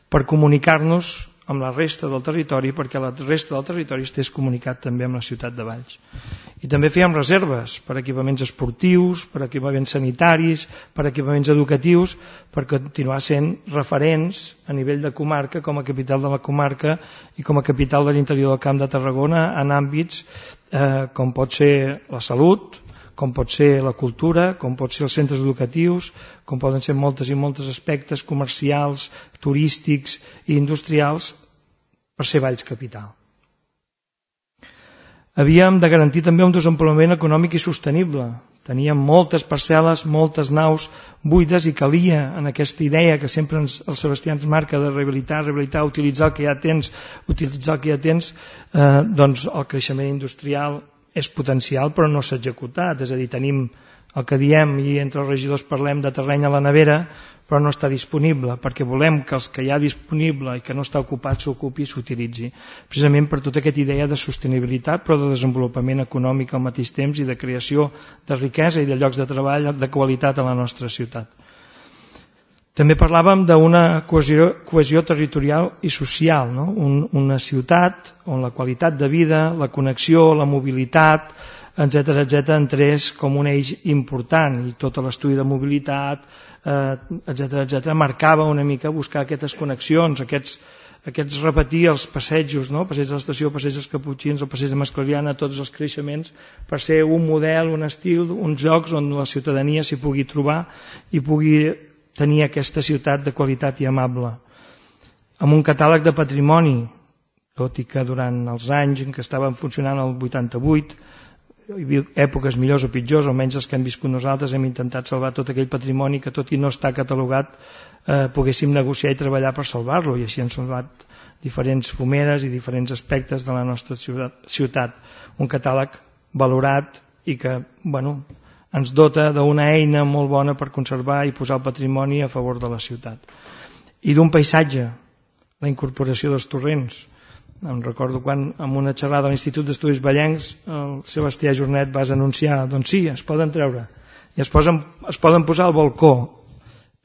S8: per comunicar-nos amb la resta del territori, perquè la resta del territori estés comunicat també amb la ciutat de Valls. I també fèiem reserves per equipaments esportius, per equipaments sanitaris, per equipaments educatius, per continuar sent referents a nivell de comarca, com a capital de la comarca i com a capital de l'interior del Camp de Tarragona, en àmbits eh, com pot ser la salut, com pot ser la cultura, com pot ser els centres educatius, com poden ser moltes i moltes aspectes comercials, turístics i industrials per ser Valls capital. Havíem de garantir també un desenvolupament econòmic i sostenible. Teníem moltes parcel·les, moltes naus buides i calia en aquesta idea que sempre ens, el Sebastià ens marca de rehabilitar, rehabilitar, utilitzar el que ja tens, utilitzar el que ja tens, eh, doncs el creixement industrial és potencial però no s'ha executat, és a dir, tenim el que diem i entre els regidors parlem de terreny a la nevera però no està disponible, perquè volem que els que hi ha disponible i que no està ocupat s'ocupi i s'utilitzi, precisament per tota aquesta idea de sostenibilitat però de desenvolupament econòmic al mateix temps i de creació de riquesa i de llocs de treball de qualitat a la nostra ciutat. També parlàvem d'una cohesió, cohesió territorial i social, no? Un, una ciutat on la qualitat de vida, la connexió, la mobilitat, etcètera, etcètera, entrés com un eix important i tot l'estudi de mobilitat, eh, etcètera, etcètera, marcava una mica buscar aquestes connexions, aquests, aquests repetir els passejos, no? Passeig de l'estació, passeig dels Caputxins, el passeig de Masclariana, tots els creixements, per ser un model, un estil, uns llocs on la ciutadania s'hi pugui trobar i pugui tenir aquesta ciutat de qualitat i amable. Amb un catàleg de patrimoni, tot i que durant els anys en què estaven funcionant el vuitanta-vuit, hi havia èpoques millors o pitjors, almenys els que hem viscut nosaltres, hem intentat salvar tot aquell patrimoni que tot i no està catalogat eh, poguéssim negociar i treballar per salvar-lo, i així hem salvat diferents fumeres i diferents aspectes de la nostra ciutat. Un catàleg valorat i que, bueno, ens dota d'una eina molt bona per conservar i posar el patrimoni a favor de la ciutat. I d'un paisatge, la incorporació dels torrents. Em recordo quan en una xerrada a l'Institut d'Estudis Vallencs el Sebastià Jornet va anunciar, doncs sí, es poden treure i es, posen, es poden posar al balcó,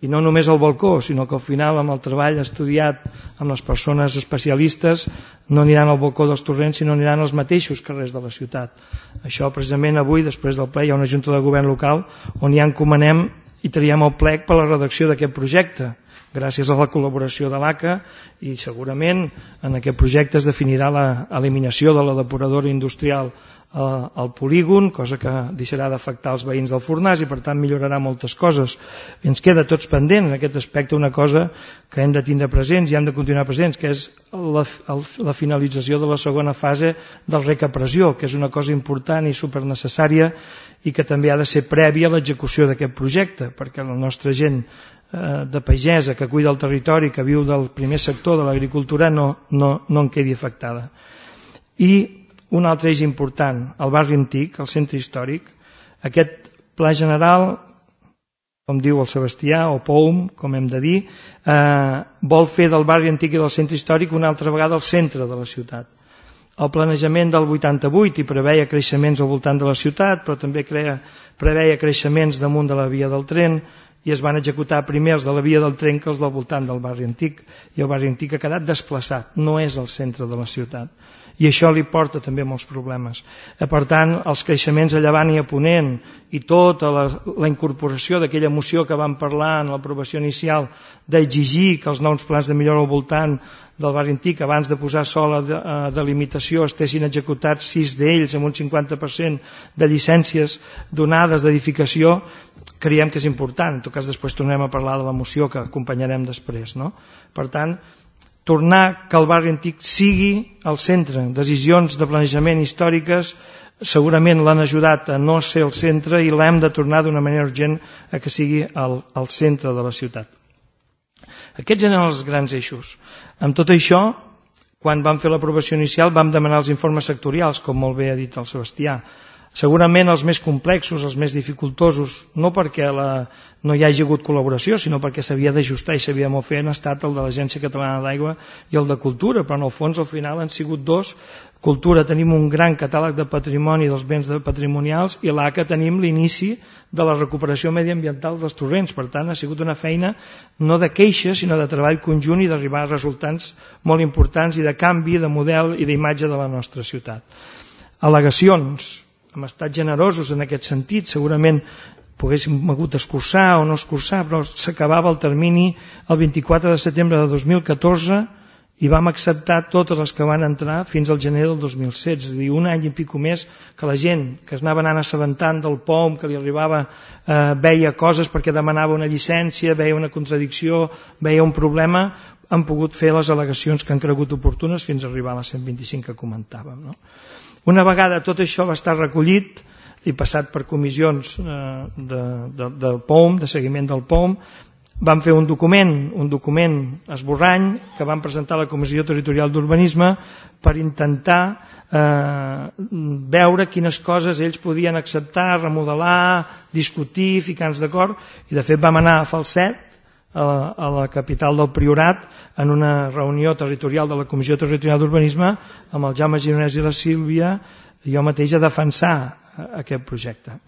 S8: i no només al balcó, sinó que al final amb el treball estudiat amb les persones especialistes no aniran al balcó dels torrents sinó aniran als mateixos carrers de la ciutat. Això precisament avui, després del ple, hi ha una junta de govern local on ja encomanem i traiem el plec per la redacció d'aquest projecte, gràcies a la col·laboració de l'A C A, i segurament en aquest projecte es definirà l'eliminació de la depuradora industrial al polígon, cosa que deixarà d'afectar els veïns del Fornàs i per tant millorarà moltes coses. Ens queda tots pendent en aquest aspecte una cosa que hem de tindre presents i hem de continuar presents, que és la, la finalització de la segona fase del rec a pressió, que és una cosa important i supernecessària i que també ha de ser prèvia a l'execució d'aquest projecte, perquè la nostra gent eh, de pagesa que cuida el territori, que viu del primer sector de l'agricultura, no, no, no en quedi afectada. I un altre eix important, el barri antic, el centre històric. Aquest pla general, com diu el Sebastià, o P O U M, com hem de dir, eh, vol fer del barri antic i del centre històric una altra vegada el centre de la ciutat. El planejament del vuitanta-vuit hi preveia creixements al voltant de la ciutat, però també crea, preveia creixements damunt de la via del tren, i es van executar primer els de la via del tren que els del voltant del barri antic, i el barri antic ha quedat desplaçat, no és el centre de la ciutat. I això li porta també molts problemes. Per tant, els creixements a llevant i a ponent i tota la, la incorporació d'aquella moció que vam parlar en l'aprovació inicial d'exigir que els nous plans de millora al voltant del barri antic, abans de posar sola de, de delimitació, estessin executats sis d'ells amb un cinquanta per cent de llicències donades d'edificació, creiem que és important. En tot cas, després tornem a parlar de la moció que acompanyarem després, no? Per tant, tornar que el barri antic sigui el centre. Decisions de planejament històriques segurament l'han ajudat a no ser el centre i l'hem de tornar d'una manera urgent a que sigui el, el centre de la ciutat. Aquests eren els grans eixos. Amb tot això, quan vam fer l'aprovació inicial vam demanar els informes sectorials, com molt bé ha dit el Sebastià. Segurament els més complexos, els més dificultosos, no perquè la, no hi hagi hagut col·laboració, sinó perquè s'havia d'ajustar i s'havia de fer, han estat el de l'Agència Catalana d'Aigua i el de Cultura, però en el fons al final han sigut dos. Cultura tenim un gran catàleg de patrimoni dels béns patrimonials i l'A C A tenim l'inici de la recuperació mediambiental dels torrents. Per tant, ha sigut una feina no de queixa, sinó de treball conjunt i d'arribar a resultats molt importants i de canvi de model i d'imatge de la nostra ciutat. Al·legacions. Hem estat generosos en aquest sentit, segurament poguéssim hagut d'escurçar o no escurçar, però s'acabava el termini el vint-i-quatre de setembre de dos mil catorze i vam acceptar totes les que van entrar fins al gener del dos mil setze, és a dir, un any i pico més que la gent que es anava anant assabentant del P O M, que li arribava, eh, veia coses perquè demanava una llicència, veia una contradicció, veia un problema, han pogut fer les al·legacions que han cregut oportunes fins a arribar a les cent vint-i-cinc que comentàvem, no? Una vegada tot això va estar recollit i passat per comissions de, de, del P O M, de seguiment del P O M, vam fer un document, un document esborrany que vam presentar a la Comissió Territorial d'Urbanisme per intentar eh, veure quines coses ells podien acceptar, remodelar, discutir, ficar-nos d'acord, i de fet vam anar a Falset, a la, a la capital del Priorat, en una reunió territorial de la Comissió Territorial d'Urbanisme amb el Jaume Gironès i la Sílvia i jo mateix a defensar aquest projecte.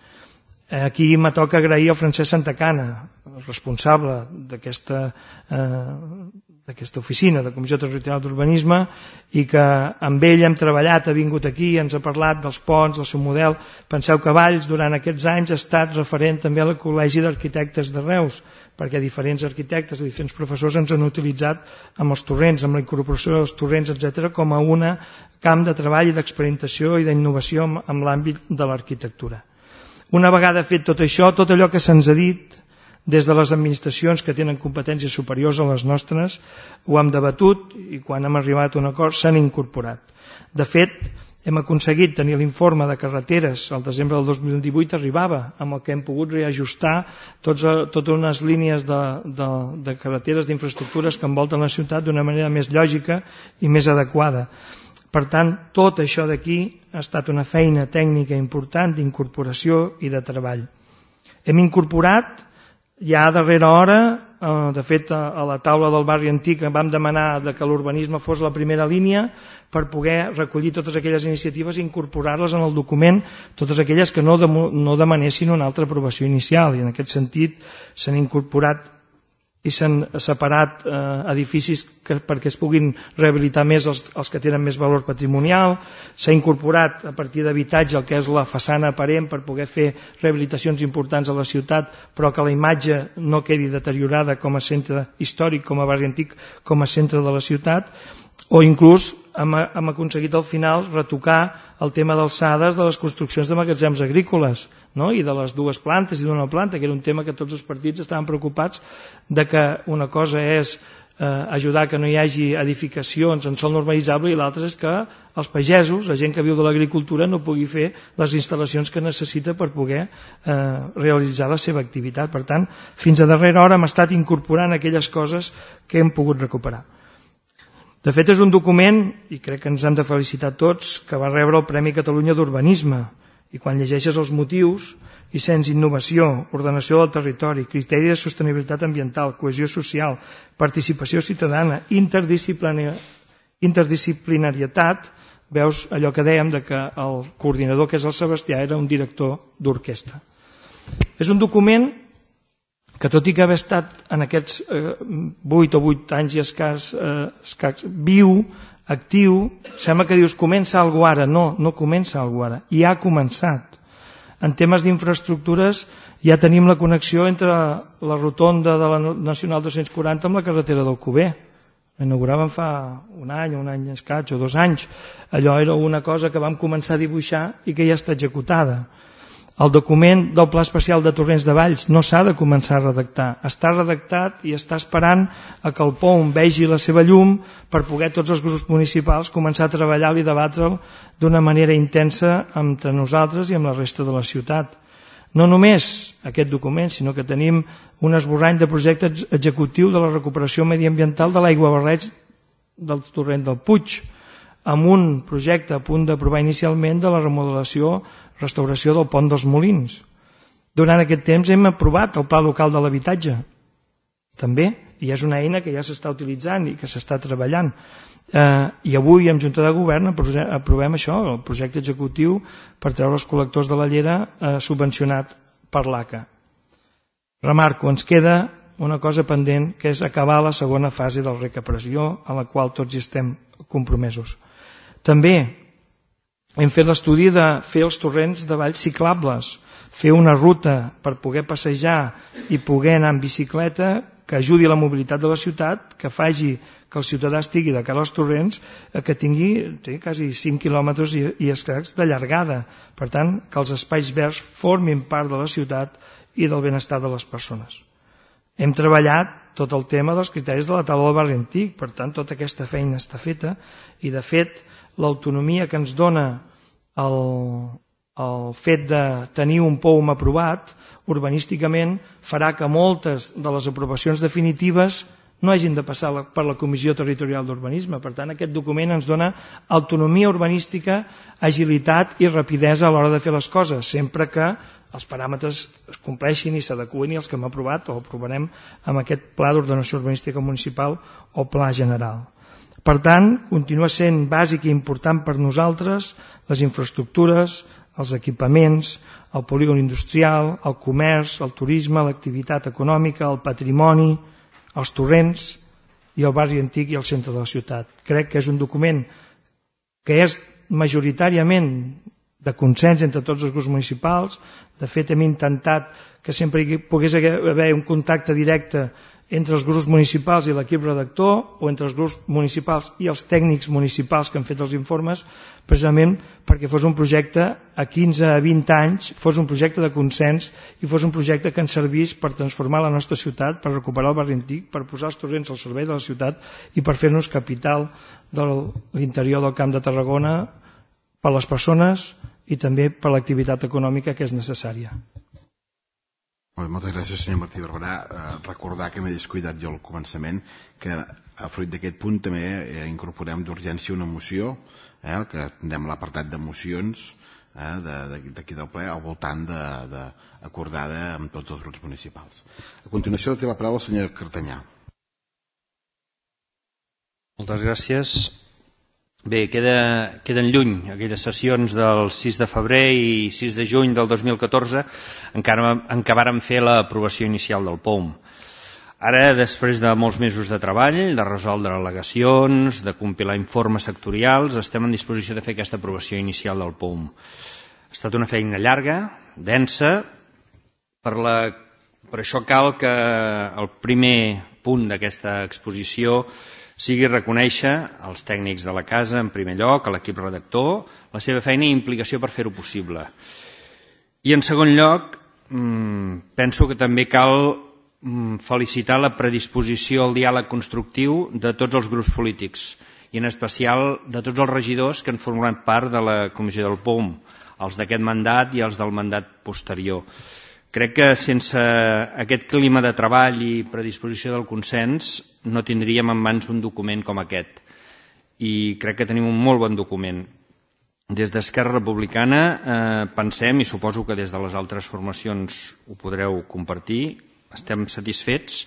S8: Aquí me toca agrair al Francesc Santacana, el responsable d'aquesta eh, d'aquesta oficina de Comissió Territorial d'Urbanisme, i que amb ell hem treballat, ha vingut aquí, ens ha parlat dels ponts, del seu model. Penseu que Valls durant aquests anys ha estat referent també al Col·legi d'Arquitectes de Reus, perquè diferents arquitectes, diferents professors ens han utilitzat amb els torrents, amb la incorporació dels torrents, etcètera, com a un camp de treball i d'experimentació i d'innovació en l'àmbit de l'arquitectura. Una vegada fet tot això, tot allò que se'ns ha dit des de les administracions que tenen competències superiors a les nostres, ho hem debatut i quan hem arribat a un acord s'han incorporat. De fet, hem aconseguit tenir l'informe de carreteres al desembre del dos mil divuit, arribava amb el que hem pogut reajustar tots, totes unes línies de, de, de carreteres, d'infraestructures que envolten la ciutat d'una manera més lògica i més adequada. Per tant, tot això d'aquí ha estat una feina tècnica important d'incorporació i de treball. Hem incorporat ja a darrera hora, de fet a la taula del barri antic vam demanar que l'urbanisme fos la primera línia per poder recollir totes aquelles iniciatives i incorporar-les en el document, totes aquelles que no, no demanessin una altra aprovació inicial, i en aquest sentit s'han incorporat i s'han separat eh, edificis que, perquè es puguin rehabilitar més els, els que tenen més valor patrimonial. S'ha incorporat a partir d'habitatge el que és la façana aparent per poder fer rehabilitacions importants a la ciutat, però que la imatge no quedi deteriorada com a centre històric, com a barri antic, com a centre de la ciutat. O inclús hem, hem aconseguit al final retocar el tema d'alçades de les construccions de magatzems agrícoles, no? I de les dues plantes i d'una planta, que era un tema que tots els partits estaven preocupats de que una cosa és eh, ajudar que no hi hagi edificacions en sòl normalitzable i l'altra és que els pagesos, la gent que viu de l'agricultura, no pugui fer les instal·lacions que necessita per poder eh, realitzar la seva activitat. Per tant, fins a darrera hora hem estat incorporant aquelles coses que hem pogut recuperar. De fet, és un document, i crec que ens hem de felicitar tots, que va rebre el Premi Catalunya d'Urbanisme. I quan llegeixes els motius, i sents innovació, ordenació del territori, criteri de sostenibilitat ambiental, cohesió social, participació ciutadana, interdisciplinarietat, veus allò que dèiem de que el coordinador, que és el Sebastià, era un director d'orquestra. És un document que tot i que haver estat en aquests eh, vuit o vuit anys i escàs, eh, escàs viu, actiu, sembla que dius comença algú ara. No, no comença algú ara, i ha començat. En temes d'infraestructures ja tenim la connexió entre la rotonda de la Nacional dos-cents quaranta amb la carretera d'Alcover. L'inauguraven fa un any, un any escaig o dos anys. Allò era una cosa que vam començar a dibuixar i que ja està executada. El document del Pla Especial de Torrents de Valls no s'ha de començar a redactar. Està redactat i està esperant a que el P O M vegi la seva llum per poder tots els grups municipals començar a treballar-lo i debatre'l d'una manera intensa entre nosaltres i amb la resta de la ciutat. No només aquest document, sinó que tenim un esborrany de projecte executiu de la recuperació mediambiental de l'aiguabarreig del torrent del Puig, amb un projecte a punt d'aprovar inicialment de la remodelació, restauració del pont dels Molins. Durant aquest temps hem aprovat el Pla Local de l'Habitatge, també, i és una eina que ja s'està utilitzant i que s'està treballant. Eh, I avui, en Junta de Govern, aprovem això, el projecte executiu per treure els col·lectors de la Llera eh, subvencionat per l'A C A. Remarco, ens queda una cosa pendent, que és acabar la segona fase del rec a pressió, a la qual tots hi estem compromesos. També hem fet l'estudi de fer els torrents de valls ciclables, fer una ruta per poder passejar i poder anar en bicicleta que ajudi a la mobilitat de la ciutat, que faci que el ciutadà estigui de cara als torrents, que tingui té, quasi cinc quilòmetres i, i escacs de llargada. Per tant, que els espais verds formin part de la ciutat i del benestar de les persones. Hem treballat tot el tema dels criteris de la taula del barri antic, per tant, tota aquesta feina està feta i, de fet, l'autonomia que ens dona el, el fet de tenir un P O M aprovat urbanísticament farà que moltes de les aprovacions definitives no hagin de passar per la Comissió Territorial d'Urbanisme. Per tant, aquest document ens dona autonomia urbanística, agilitat i rapidesa a l'hora de fer les coses, sempre que els paràmetres es compleixin i s'adeqüin i els que hem aprovat o aprovarem amb aquest Pla d'Ordenació Urbanística Municipal o Pla General. Per tant, continua sent bàsic i important per nosaltres les infraestructures, els equipaments, el polígon industrial, el comerç, el turisme, l'activitat econòmica, el patrimoni, els torrents i el barri antic i el centre de la ciutat. Crec que és un document que és majoritàriament de consens entre tots els grups municipals. De fet, hem intentat que sempre hi pogués haver un contacte directe entre els grups municipals i l'equip redactor, o entre els grups municipals i els tècnics municipals que han fet els informes, precisament perquè fos un projecte a quinze a vint anys, fos un projecte de consens i fos un projecte que ens servís per transformar la nostra ciutat, per recuperar el barri antic, per posar els torrents al servei de la ciutat i per fer-nos capital de l'interior del Camp de Tarragona per les persones i també per l'activitat econòmica que és necessària.
S1: Moltes gràcies, senyor Martí Barberà. Eh, recordar que m'he descuidat jo al començament que a fruit d'aquest punt també eh, incorporem d'urgència una moció, eh, que tindrem l'apartat de mocions eh, d'aquí del ple al voltant de, de, acordada amb tots els grups municipals. A continuació té la paraula el senyor Cartanyà.
S9: Moltes gràcies. Bé, queda, queden lluny aquelles sessions del sis de febrer i sis de juny del dos mil catorze, encara en què vàrem fer l'aprovació inicial del P O M. Ara, després de molts mesos de treball, de resoldre al·legacions, de compilar informes sectorials, estem en disposició de fer aquesta aprovació inicial del P O U M. Ha estat una feina llarga, densa, per, la, per això cal que el primer punt d'aquesta exposició sigui reconèixer als tècnics de la casa, en primer lloc, a l'equip redactor, la seva feina i implicació per fer-ho possible. I en segon lloc, penso que també cal felicitar la predisposició al diàleg constructiu de tots els grups polítics i en especial de tots els regidors que han format part de la comissió del P O U M, els d'aquest mandat i els del mandat posterior. Crec que sense aquest clima de treball i predisposició del consens no tindríem en mans un document com aquest. I crec que tenim un molt bon document. Des d'Esquerra Republicana eh, pensem, i suposo que des de les altres formacions ho podreu compartir, estem satisfets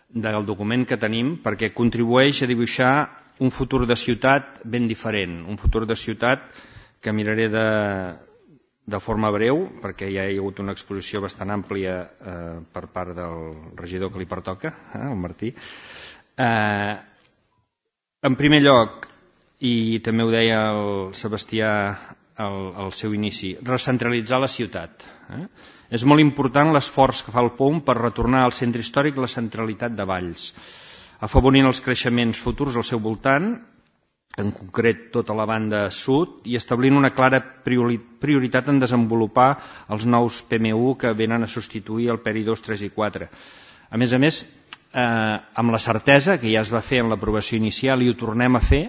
S9: del document que tenim perquè contribueix a dibuixar un futur de ciutat ben diferent, un futur de ciutat que miraré de... de forma breu, perquè ja hi ha hagut una exposició bastant àmplia eh, per part del regidor que li pertoca, eh, el Martí. Eh, en primer lloc, i també ho deia el Sebastià al, al seu inici, recentralitzar la ciutat. Eh? És molt important l'esforç que fa el P O U M per retornar al centre històric la centralitat de Valls, afavorint els creixements futurs al seu voltant, en concret tota la banda sud, i establint una clara prioritat en desenvolupar els nous P M U que venen a substituir el P E R I dos, tres i quatre. A més a més, eh, amb la certesa, que ja es va fer en l'aprovació inicial i ho tornem a fer,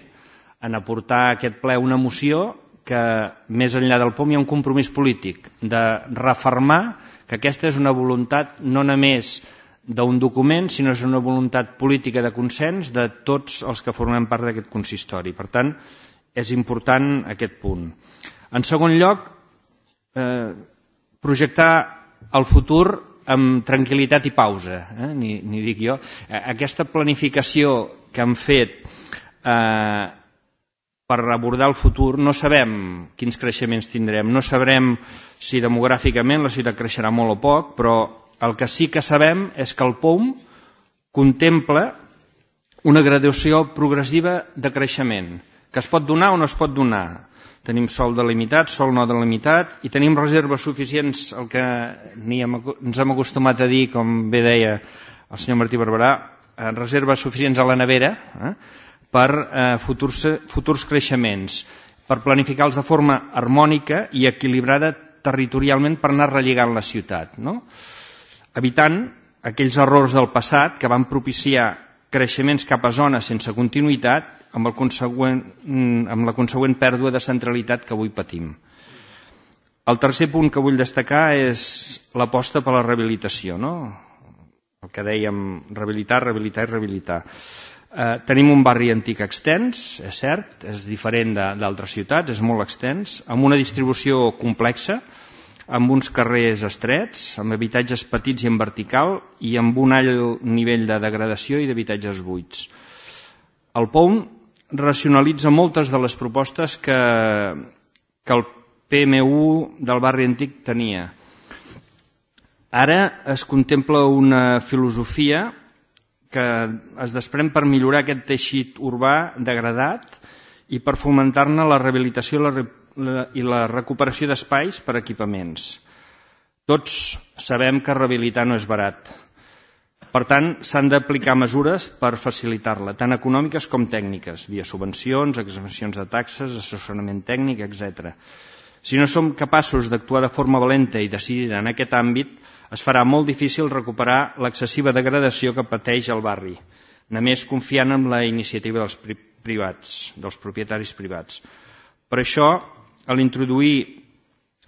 S9: en aportar a aquest ple una moció que, més enllà del P O U M, hi ha un compromís polític de refermar que aquesta és una voluntat no només d'un document, sinó és una voluntat política de consens de tots els que formem part d'aquest consistori. Per tant, és important aquest punt. En segon lloc, eh, projectar el futur amb tranquil·litat i pausa, eh? ni, ni dic jo. Aquesta planificació que hem fet eh, per abordar el futur, no sabem quins creixements tindrem, no sabrem si demogràficament la ciutat creixerà molt o poc, però el que sí que sabem és que el P O U M contempla una graduació progressiva de creixement, que es pot donar o no es pot donar. Tenim sòl delimitat, sòl no delimitat, i tenim reserves suficients, el que ens hem acostumat a dir, com bé deia el senyor Martí Barberà, reserves suficients a la nevera eh, per eh, futurs, futurs creixements, per planificar-los de forma harmònica i equilibrada territorialment per anar relligant la ciutat, no? Evitant aquells errors del passat que van propiciar creixements cap a zones sense continuïtat amb, el consegüent, amb la consegüent pèrdua de centralitat que avui patim. El tercer punt que vull destacar és l'aposta per la rehabilitació, no? El que dèiem, rehabilitar, rehabilitar i rehabilitar. Eh, tenim un barri antic extens, és cert, és diferent d'altres ciutats, és molt extens, amb una distribució complexa, amb uns carrers estrets, amb habitatges petits i en vertical i amb un alt nivell de degradació i d'habitatges buits. El P O U M racionalitza moltes de les propostes que, que el P M U del barri antic tenia. Ara es contempla una filosofia que es desprèn per millorar aquest teixit urbà degradat i per fomentar-ne la rehabilitació i la rehabilitació i la recuperació d'espais per equipaments. Tots sabem que rehabilitar no és barat. Per tant, s'han d'aplicar mesures per facilitar-la, tant econòmiques com tècniques, via subvencions, exempcions de taxes, assessorament tècnic, etcètera. Si no som capaços d'actuar de forma valenta i decidida en aquest àmbit, es farà molt difícil recuperar l'excessiva degradació que pateix el barri, només confiant en la iniciativa dels privats, dels propietaris privats. Per això, a l'introduir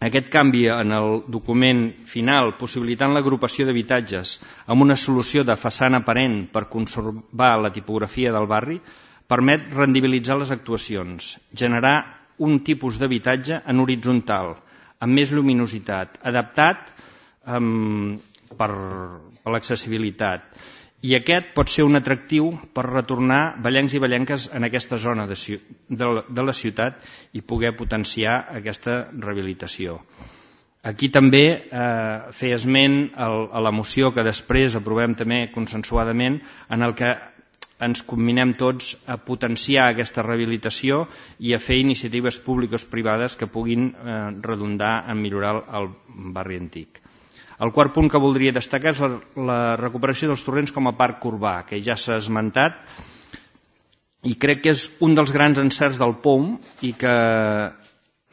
S9: aquest canvi en el document final, possibilitant l'agrupació d'habitatges amb una solució de façana aparent per conservar la tipografia del barri, permet rendibilitzar les actuacions, generar un tipus d'habitatge en horitzontal, amb més lluminositat, adaptat um, per, per l'accessibilitat. I aquest pot ser un atractiu per retornar vallencs i vallenques en aquesta zona de, de, de la ciutat i poder potenciar aquesta rehabilitació. Aquí també eh, fer esment a la moció que després aprovem també consensuadament, en el que ens combinem tots a potenciar aquesta rehabilitació i a fer iniciatives públiques privades que puguin eh, redundar en millorar el barri antic. El quart punt que voldria destacar és la, la recuperació dels torrents com a parc urbà, que ja s'ha esmentat, i crec que és un dels grans encerts del P O U M i que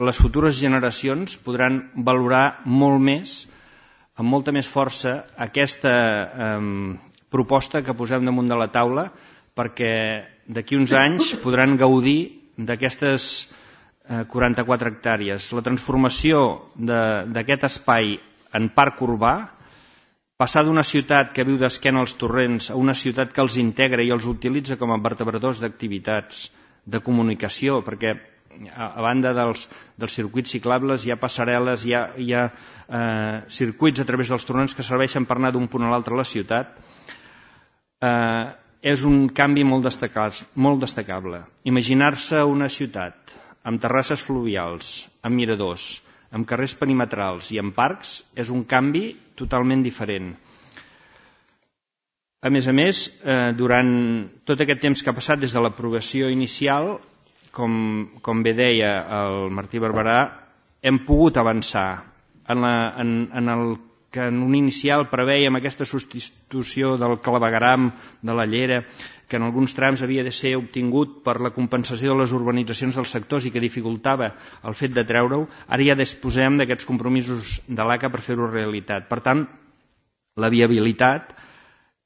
S9: les futures generacions podran valorar molt més, amb molta més força, aquesta eh, proposta que posem damunt de la taula, perquè d'aquí uns anys podran gaudir d'aquestes eh, quaranta-quatre hectàrees. La transformació d'aquest espai en parc urbà, passar d'una ciutat que viu d'esquena als torrents a una ciutat que els integra i els utilitza com a vertebradors d'activitats, de comunicació, perquè a banda dels, dels circuits ciclables hi ha passarel·les, hi ha, hi ha eh, circuits a través dels torrents que serveixen per anar d'un punt a l'altre a la ciutat, eh, és un canvi molt, destacat, molt destacable. Imaginar-se una ciutat amb terrasses fluvials, amb miradors, amb carrers perimetrals i amb parcs és un canvi totalment diferent. A més a més, eh, durant tot aquest temps que ha passat des de l'aprovació inicial, Com, com bé deia el Martí Barberà, hem pogut avançar en, la, en, en el que en un inicial preveiem aquesta substitució del clavegueram de la llera, que en alguns trams havia de ser obtingut per la compensació de les urbanitzacions dels sectors i que dificultava el fet de treure-ho. Ara ja disposem d'aquests compromisos de l'A C A per fer-ho realitat. Per tant, la viabilitat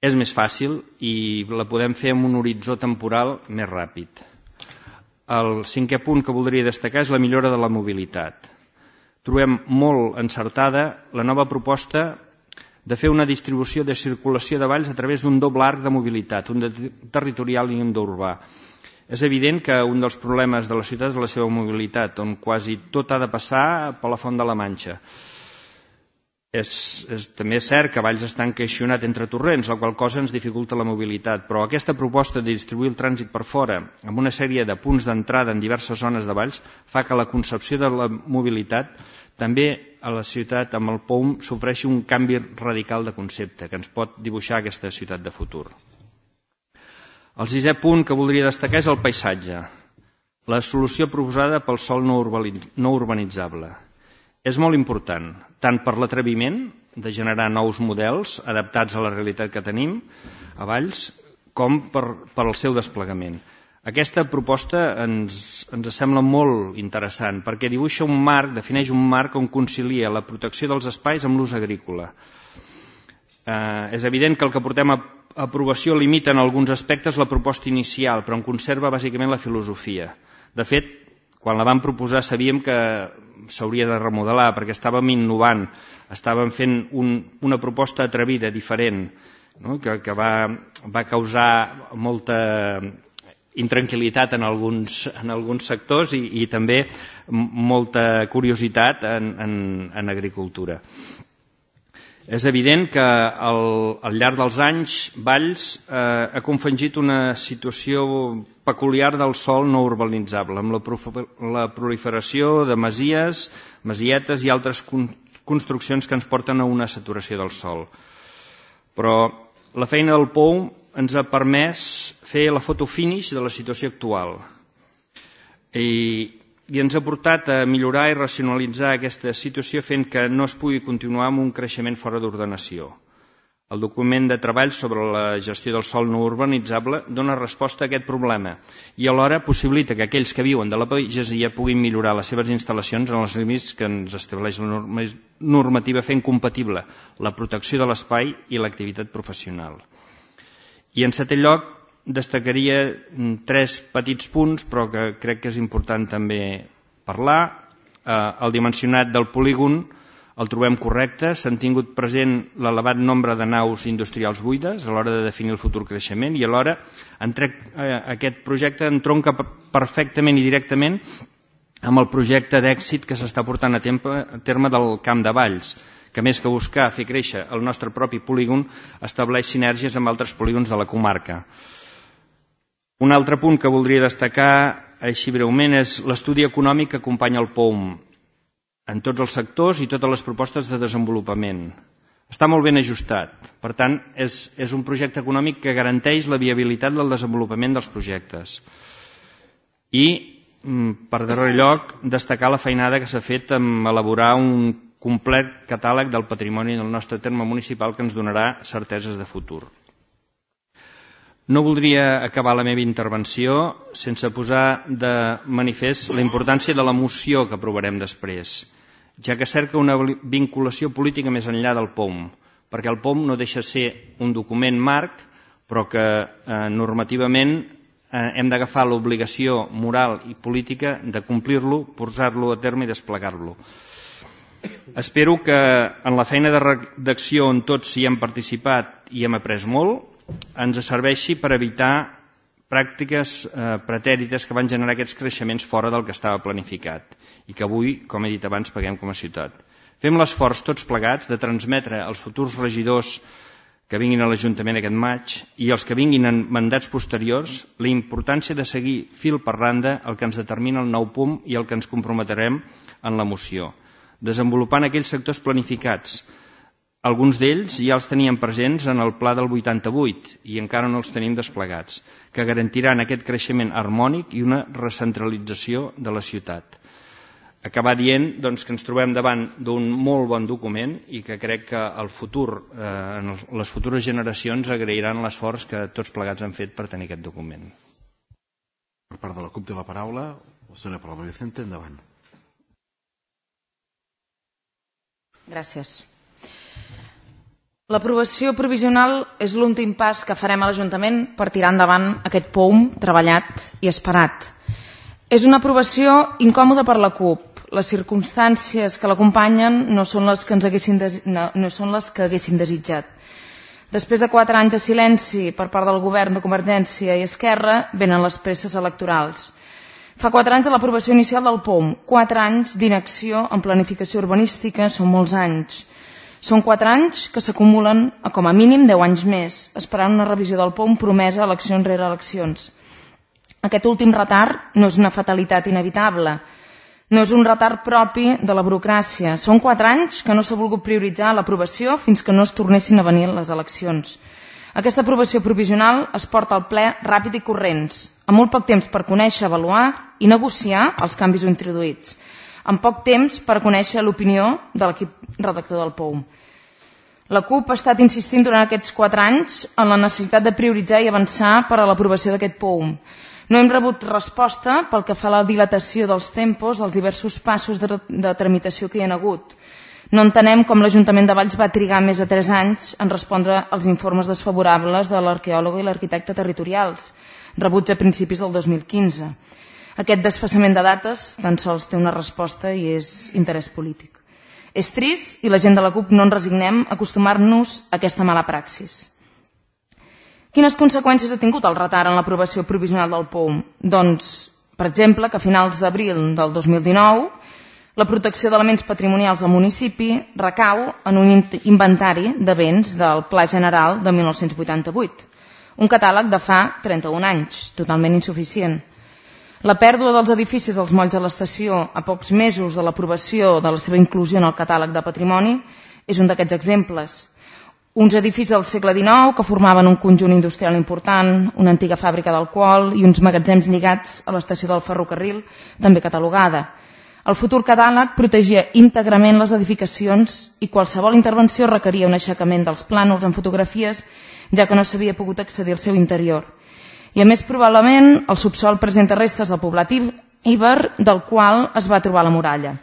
S9: és més fàcil i la podem fer amb un horitzó temporal més ràpid. El cinquè punt que voldria destacar és la millora de la mobilitat. Trobem molt encertada la nova proposta de fer una distribució de circulació de Valls a través d'un doble arc de mobilitat, un de territorial i un d'urbà. És evident que un dels problemes de la ciutat és la seva mobilitat, on quasi tot ha de passar per la Font de la Manxa. És, és també cert que Valls està encaixonat entre torrents, la qual cosa ens dificulta la mobilitat, però aquesta proposta de distribuir el trànsit per fora amb una sèrie de punts d'entrada en diverses zones de Valls fa que la concepció de la mobilitat també a la ciutat amb el P O U M s'ofreixi un canvi radical de concepte que ens pot dibuixar aquesta ciutat de futur. El sisè punt que voldria destacar és el paisatge, la solució proposada pel sòl no urbanitzable. És molt important, tant per l'atreviment de generar nous models adaptats a la realitat que tenim a Valls, com per, per al seu desplegament. Aquesta proposta ens, ens sembla molt interessant perquè dibuixa un marc, defineix un marc on concilia la protecció dels espais amb l'ús agrícola. Eh, és evident que el que portem a aprovació limita en alguns aspectes la proposta inicial, però en conserva bàsicament la filosofia. De fet, quan la vam proposar sabíem que s'hauria de remodelar perquè estàvem innovant, estàvem fent un, una proposta atrevida, diferent, no? que, que va, va causar molta intranquil·litat en alguns, en alguns sectors i, i també molta curiositat en, en, en agricultura. És evident que al, al llarg dels anys Valls eh, ha confegit una situació peculiar del sòl no urbanitzable, amb la, la proliferació de masies, masietes i altres con, construccions que ens porten a una saturació del sòl. Però la feina del P O U M ens ha permès fer la foto finish de la situació actual i i ens ha portat a millorar i racionalitzar aquesta situació fent que no es pugui continuar amb un creixement fora d'ordenació. El document de treball sobre la gestió del sòl no urbanitzable dona resposta a aquest problema i alhora possibilita que aquells que viuen de la pagesia puguin millorar les seves instal·lacions en els límits que ens estableix la normativa fent compatible la protecció de l'espai i l'activitat professional. I en setè lloc, destacaria tres petits punts, però que crec que és important també parlar. El dimensionat del polígon el trobem correcte, s'han tingut present l'elevat nombre de naus industrials buides a l'hora de definir el futur creixement i alhora aquest projecte entronca perfectament i directament amb el projecte d'èxit que s'està portant a terme del Camp de Valls, que més que buscar fer créixer el nostre propi polígon estableix sinergies amb altres polígons de la comarca. Un altre punt que voldria destacar així breument és l'estudi econòmic que acompanya el P O U M. en tots els sectors i totes les propostes de desenvolupament. Està molt ben ajustat. Per tant, és, és un projecte econòmic que garanteix la viabilitat del desenvolupament dels projectes. I, per darrer lloc, destacar la feinada que s'ha fet en elaborar un complet catàleg del patrimoni del nostre terme municipal que ens donarà certeses de futur. No voldria acabar la meva intervenció sense posar de manifest la importància de la moció que aprovarem després, ja que cerca una vinculació política més enllà del P O M, perquè el P O M no deixa ser un document marc, però que eh, normativament eh, hem d'agafar l'obligació moral i política de complir-lo, posar-lo a terme i desplegar-lo. Espero que en la feina de redacció on tots hi hem participat i hem après molt, ens serveixi per evitar pràctiques eh, pretèrites que van generar aquests creixements fora del que estava planificat i que avui, com he dit abans, paguem com a ciutat. Fem l'esforç tots plegats de transmetre als futurs regidors que vinguin a l'Ajuntament aquest maig i els que vinguin en mandats posteriors la importància de seguir fil per randa el que ens determina el nou P U M i el que ens comprometerem en la moció, desenvolupant aquells sectors planificats. Alguns d'ells ja els teníem presents en el pla del vuitanta-vuit i encara no els tenim desplegats, que garantiran aquest creixement harmònic i una recentralització de la ciutat. Acabar dient doncs, que ens trobem davant d'un molt bon document i que crec que el futur, eh, les futures generacions agrairan l'esforç que tots plegats han fet per tenir aquest document.
S1: Per part de la CUP té la paraula la senyora Paloma Vicente, endavant.
S10: Gràcies. L'aprovació provisional és l'últim pas que farem a l'Ajuntament per tirar endavant aquest P O M treballat i esperat. És una aprovació incòmoda per la CUP. Les circumstàncies que l'acompanyen no són les que ens haguessin des... no, no són les que haguéssim desitjat. Després de quatre anys de silenci per part del govern de Convergència i Esquerra, venen les presses electorals. Fa quatre anys de l'aprovació inicial del P O M, quatre anys d'inacció en planificació urbanística, són molts anys. Són quatre anys que s'acumulen a com a mínim deu anys més, esperant una revisió del P O M promesa eleccions rere eleccions. Aquest últim retard no és una fatalitat inevitable, no és un retard propi de la burocràcia. Són quatre anys que no s'ha volgut prioritzar l'aprovació fins que no es tornessin a venir les eleccions. Aquesta aprovació provisional es porta al ple ràpid i corrents, amb molt poc temps per conèixer, avaluar i negociar els canvis introduïts, amb poc temps per conèixer l'opinió de l'equip redactor del P O M. La CUP ha estat insistint durant aquests quatre anys en la necessitat de prioritzar i avançar per a l'aprovació d'aquest P O M. No hem rebut resposta pel que fa a la dilatació dels tempos dels diversos passos de, de tramitació que hi ha hagut. No entenem com l'Ajuntament de Valls va trigar més de tres anys en respondre als informes desfavorables de l'arqueòloga i l'arquitecte territorials, rebuts a principis del dos mil quinze. Aquest desfasament de dates tan sols té una resposta i és interès polític. És trist i la gent de la CUP no ens resignem a acostumar-nos a aquesta mala praxis. Quines conseqüències ha tingut el retard en l'aprovació provisional del P O M? Doncs, per exemple, que a finals d'abril del dos mil dinou la protecció d'elements patrimonials del municipi recau en un inventari de béns del Pla General de mil nou-cents vuitanta-vuit, un catàleg de fa trenta-un anys, totalment insuficient. La pèrdua dels edificis dels molls de l'estació a pocs mesos de l'aprovació de la seva inclusió en el catàleg de patrimoni és un d'aquests exemples. Uns edificis del segle dinou que formaven un conjunt industrial important, una antiga fàbrica d'alcohol i uns magatzems lligats a l'estació del ferrocarril, també catalogada. El futur catàleg protegia íntegrament les edificacions i qualsevol intervenció requeria un aixecament dels plànols en fotografies, ja que no s'havia pogut accedir al seu interior. I a més, probablement, el subsol presenta restes del poblat íber del qual es va trobar la muralla.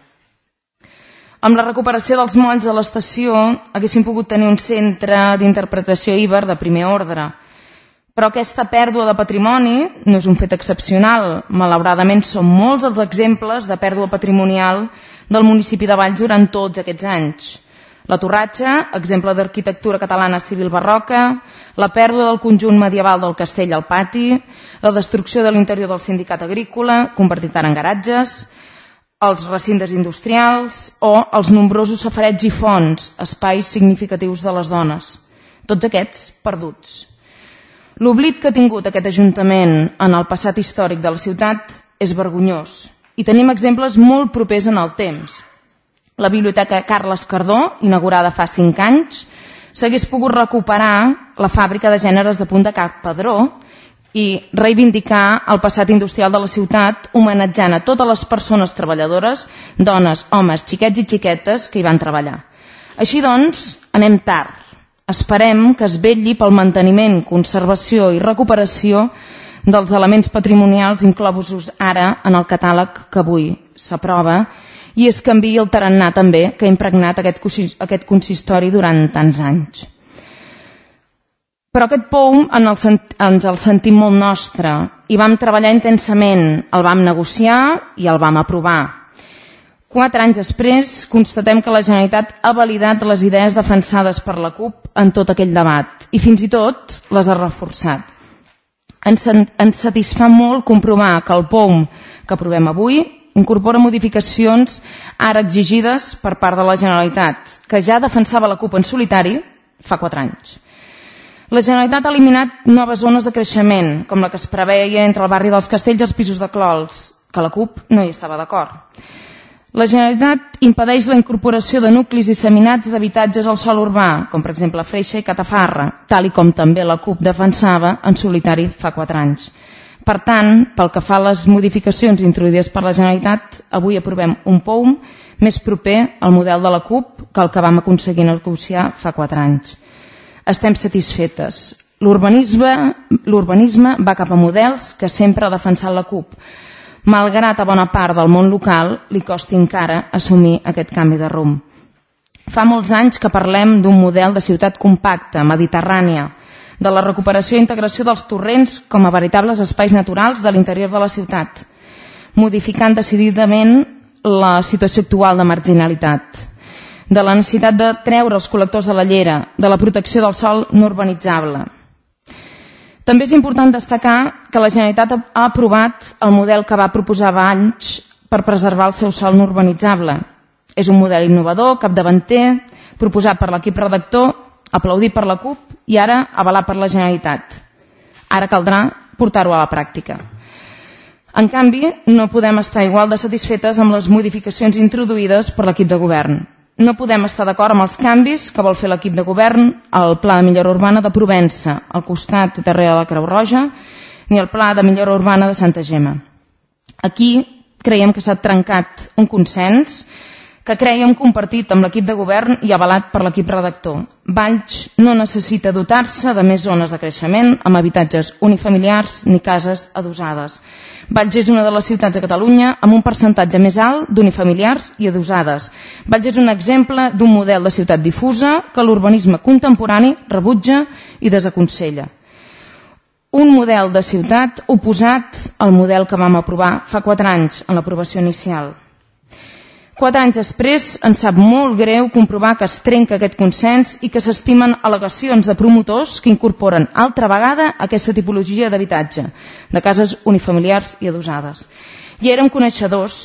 S10: Amb la recuperació dels molls de l'estació haguéssim pogut tenir un centre d'interpretació íber de primer ordre. Però aquesta pèrdua de patrimoni no és un fet excepcional. Malauradament són molts els exemples de pèrdua patrimonial del municipi de Valls durant tots aquests anys. La torratxa, exemple d'arquitectura catalana civil barroca, la pèrdua del conjunt medieval del castell al pati, la destrucció de l'interior del sindicat agrícola, convertit ara en garatges, els recintes industrials o els nombrosos safarets i fonts, espais significatius de les dones. Tots aquests perduts. L'oblit que ha tingut aquest Ajuntament en el passat històric de la ciutat és vergonyós i tenim exemples molt propers en el temps. la Biblioteca Carles Cardó, inaugurada fa cinc anys, s'hagués pogut recuperar la fàbrica de gèneres de Punt de Can Padró i reivindicar el passat industrial de la ciutat, homenatjant a totes les persones treballadores, dones, homes, xiquets i xiquetes que hi van treballar. Així doncs, anem tard. Esperem que es vetlli pel manteniment, conservació i recuperació dels elements patrimonials inclosos ara en el catàleg que avui s'aprova i es canviï el tarannà també que ha impregnat aquest, aquest consistori durant tants anys. Però aquest P O U en el, ens el sentim molt nostre i vam treballar intensament, el vam negociar i el vam aprovar. Quatre anys després constatem que la Generalitat ha validat les idees defensades per la CUP en tot aquell debat i fins i tot les ha reforçat. Ens, ens satisfà molt comprovar que el P O U que aprovem avui incorpora modificacions ara exigides per part de la Generalitat, que ja defensava la CUP en solitari fa quatre anys. La Generalitat ha eliminat noves zones de creixement, com la que es preveia entre el barri dels Castells i els pisos de Clols, que la CUP no hi estava d'acord. La Generalitat impedeix la incorporació de nuclis disseminats d'habitatges al sòl urbà, com per exemple Freixa i Catafarra, tal i com també la CUP defensava en solitari fa quatre anys. Per tant, pel que fa a les modificacions introduïdes per la Generalitat, avui aprovem un P O U més proper al model de la CUP que el que vam aconseguir negociar fa quatre anys. Estem satisfetes. L'urbanisme va cap a models que sempre ha defensat la CUP, malgrat a bona part del món local li costi encara assumir aquest canvi de rumb. Fa molts anys que parlem d'un model de ciutat compacta, mediterrània, de la recuperació i integració dels torrents com a veritables espais naturals de l'interior de la ciutat, modificant decididament la situació actual de marginalitat, de la necessitat de treure els col·lectors de la llera, de la protecció del sòl no urbanitzable. També és important destacar que la Generalitat ha aprovat el model que va proposar Valls per preservar el seu sòl no urbanitzable. És un model innovador, capdavanter, proposat per l'equip redactor, aplaudit per la CUP i ara avalat per la Generalitat. Ara caldrà portar-ho a la pràctica. En canvi, no podem estar igual de satisfetes amb les modificacions introduïdes per l'equip de govern. No podem estar d'acord amb els canvis que vol fer l'equip de govern al Pla de Millora Urbana de Provença, al costat darrere de la Creu Roja, ni al Pla de Millora Urbana de Santa Gemma. Aquí creiem que s'ha trencat un consens que creiem compartit amb l'equip de govern i avalat per l'equip redactor. Valls no necessita dotar-se de més zones de creixement amb habitatges unifamiliars ni cases adossades. Valls és una de les ciutats de Catalunya amb un percentatge més alt d'unifamiliars i adossades. Valls és un exemple d'un model de ciutat difusa que l'urbanisme contemporani rebutja i desaconsella. Un model de ciutat oposat al model que vam aprovar fa quatre anys en l'aprovació inicial. Quatre anys després ens sap molt greu comprovar que es trenca aquest consens i que s'estimen al·legacions de promotors que incorporen altra vegada aquesta tipologia d'habitatge, de cases unifamiliars i adossades. I érem coneixedors,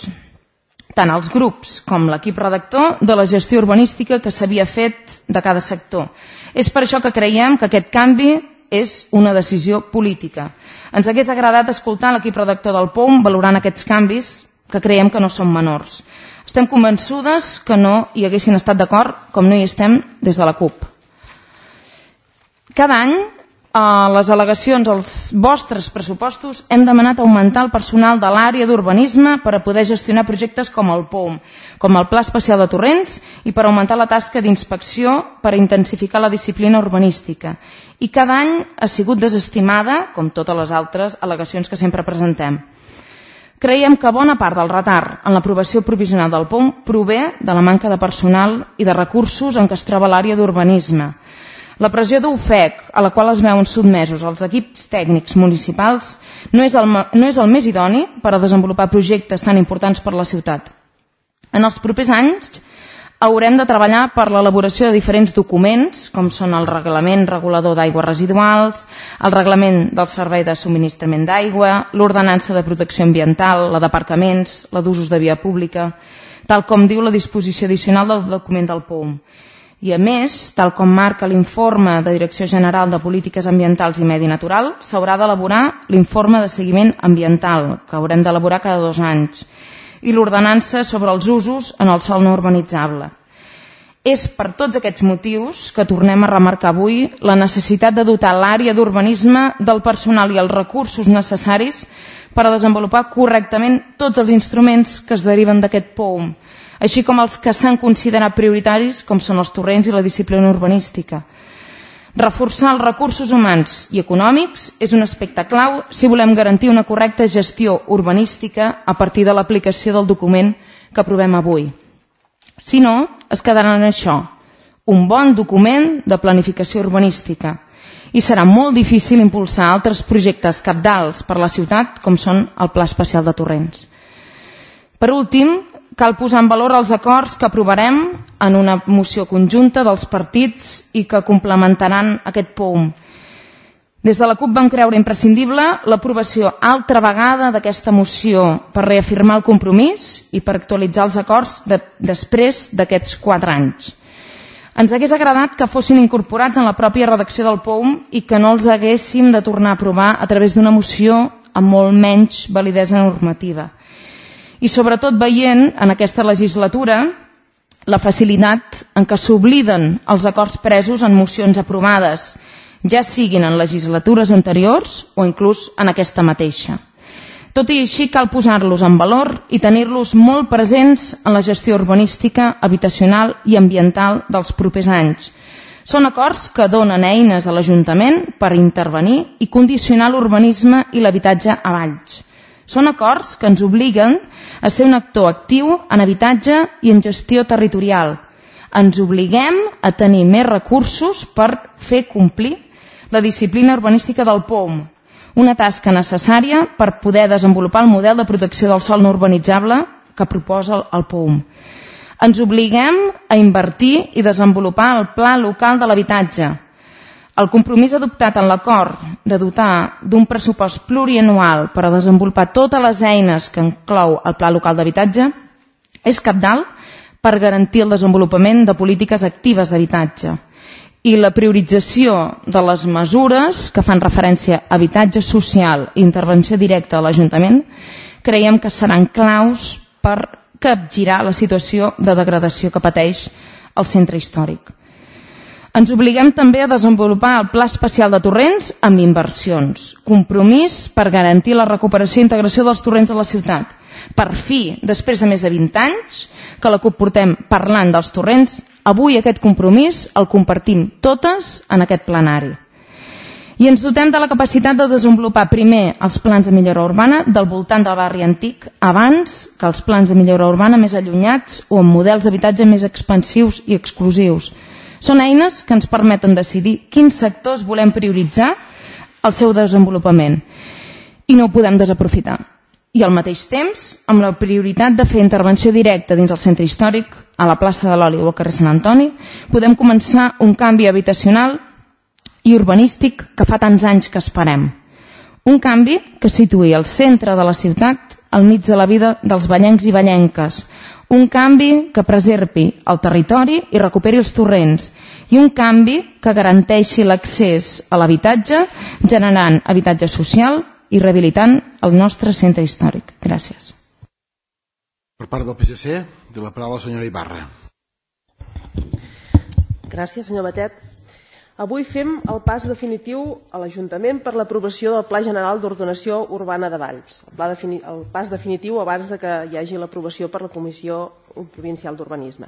S10: tant els grups com l'equip redactor, de la gestió urbanística que s'havia fet de cada sector. És per això que creiem que aquest canvi és una decisió política. Ens hagués agradat escoltar l'equip redactor del P O U valorant aquests canvis que creiem que no són menors. Estem convençudes que no hi haguessin estat d'acord, com no hi estem des de la CUP. Cada any, a les al·legacions als vostres pressupostos, hem demanat augmentar el personal de l'àrea d'urbanisme per a poder gestionar projectes com el P O U M, com el Pla Especial de Torrents i per augmentar la tasca d'inspecció per a intensificar la disciplina urbanística. I cada any ha sigut desestimada, com totes les altres al·legacions que sempre presentem. Creiem que bona part del retard en l'aprovació provisional del P O U M prové de la manca de personal i de recursos en què es troba l'àrea d'urbanisme. La pressió d'U F E C, a la qual es veuen sotmesos els equips tècnics municipals, no és el, no és el més idoni per a desenvolupar projectes tan importants per a la ciutat. En els propers anys haurem de treballar per l'elaboració de diferents documents, com són el Reglament Regulador d'Aigües Residuals, el Reglament del Servei de Subministrament d'Aigua, l'Ordenança de Protecció Ambiental, la d'aparcaments, la d'usos de via pública, tal com diu la disposició addicional del document del P O U M. I a més, tal com marca l'informe de Direcció General de Polítiques Ambientals i Medi Natural, s'haurà d'elaborar l'informe de seguiment ambiental, que haurem d'elaborar cada dos anys. i l'ordenança sobre els usos en el sòl no urbanitzable. És per tots aquests motius que tornem a remarcar avui la necessitat de dotar l'àrea d'urbanisme del personal i els recursos necessaris per a desenvolupar correctament tots els instruments que es deriven d'aquest P O U M, així com els que s'han considerat prioritaris, com són els torrents i la disciplina urbanística. Reforçar els recursos humans i econòmics és un aspecte clau si volem garantir una correcta gestió urbanística a partir de l'aplicació del document que aprovem avui. Si no, es quedarà en això, un bon document de planificació urbanística, i serà molt difícil impulsar altres projectes cabdals per a la ciutat, com són el Pla Especial de Torrents. Per últim, cal posar en valor els acords que aprovarem en una moció conjunta dels partits i que complementaran aquest P O U M. Des de la CUP vam creure imprescindible l'aprovació altra vegada d'aquesta moció per reafirmar el compromís i per actualitzar els acords de, després d'aquests quatre anys. Ens hagués agradat que fossin incorporats en la pròpia redacció del P O U M i que no els haguéssim de tornar a aprovar a través d'una moció amb molt menys validesa normativa. I sobretot veient en aquesta legislatura la facilitat en què s'obliden els acords presos en mocions aprovades, ja siguin en legislatures anteriors o inclús en aquesta mateixa. Tot i així cal posar-los en valor i tenir-los molt presents en la gestió urbanística, habitacional i ambiental dels propers anys. Són acords que donen eines a l'Ajuntament per intervenir i condicionar l'urbanisme i l'habitatge a Valls. Són acords que ens obliguen a ser un actor actiu en habitatge i en gestió territorial. Ens obliguem a tenir més recursos per fer complir la disciplina urbanística del P O U M, una tasca necessària per poder desenvolupar el model de protecció del sòl no urbanitzable que proposa el P O U M. Ens obliguem a invertir i desenvolupar el Pla Local de l'Habitatge. El compromís adoptat en l'acord de dotar d'un pressupost plurianual per a desenvolupar totes les eines que inclou el Pla Local d'Habitatge és cabdal per garantir el desenvolupament de polítiques actives d'habitatge i la priorització de les mesures que fan referència a habitatge social i intervenció directa a l'Ajuntament creiem que seran claus per capgirar la situació de degradació que pateix el centre històric. Ens obliguem també a desenvolupar el Pla Especial de Torrents amb inversions, compromís per garantir la recuperació i integració dels torrents a la ciutat. Per fi, després de més de vint anys que la CUP portem parlant dels torrents, avui aquest compromís el compartim totes en aquest plenari. I ens dotem de la capacitat de desenvolupar primer els plans de millora urbana del voltant del barri antic abans que els plans de millora urbana més allunyats o amb models d'habitatge més expansius i exclusius. Són eines que ens permeten decidir quins sectors volem prioritzar el seu desenvolupament i no ho podem desaprofitar. I al mateix temps, amb la prioritat de fer intervenció directa dins el centre històric, a la plaça de l'Oli o al carrer Sant Antoni, podem començar un canvi habitacional i urbanístic que fa tants anys que esperem. Un canvi que situï el centre de la ciutat al mig de la vida dels vallencs i vallenques, un canvi que preservi el territori i recuperi els torrents i un canvi que garanteixi l'accés a l'habitatge generant habitatge social i rehabilitant el nostre centre històric. Gràcies.
S1: Per part del P S C, de la paraula la senyora Ibarra.
S3: Gràcies, senyor Batet. Avui fem el pas definitiu a l'Ajuntament per l'aprovació del Pla General d'Ordenació Urbana de Valls. El, pla defini el pas definitiu abans de que hi hagi l'aprovació per la Comissió Provincial d'Urbanisme.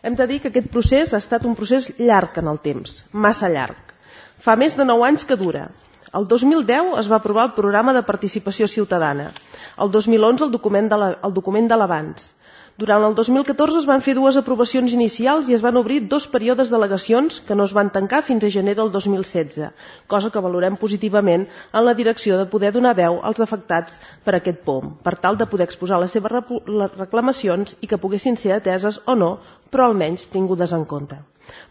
S3: Hem de dir que aquest procés ha estat un procés llarg en el temps, massa llarg. Fa més de nou anys que dura. El dos mil deu es va aprovar el programa de participació ciutadana. El dos mil onze el document de la, el document de l'abans. Durant el dos mil catorze es van fer dues aprovacions inicials i es van obrir dos períodes d'al·legacions que no es van tancar fins a gener del dos mil setze, cosa que valorem positivament en la direcció de poder donar veu als afectats per aquest P O U M, per tal de poder exposar les seves reclamacions i que poguessin ser ateses o no, però almenys tingudes en compte.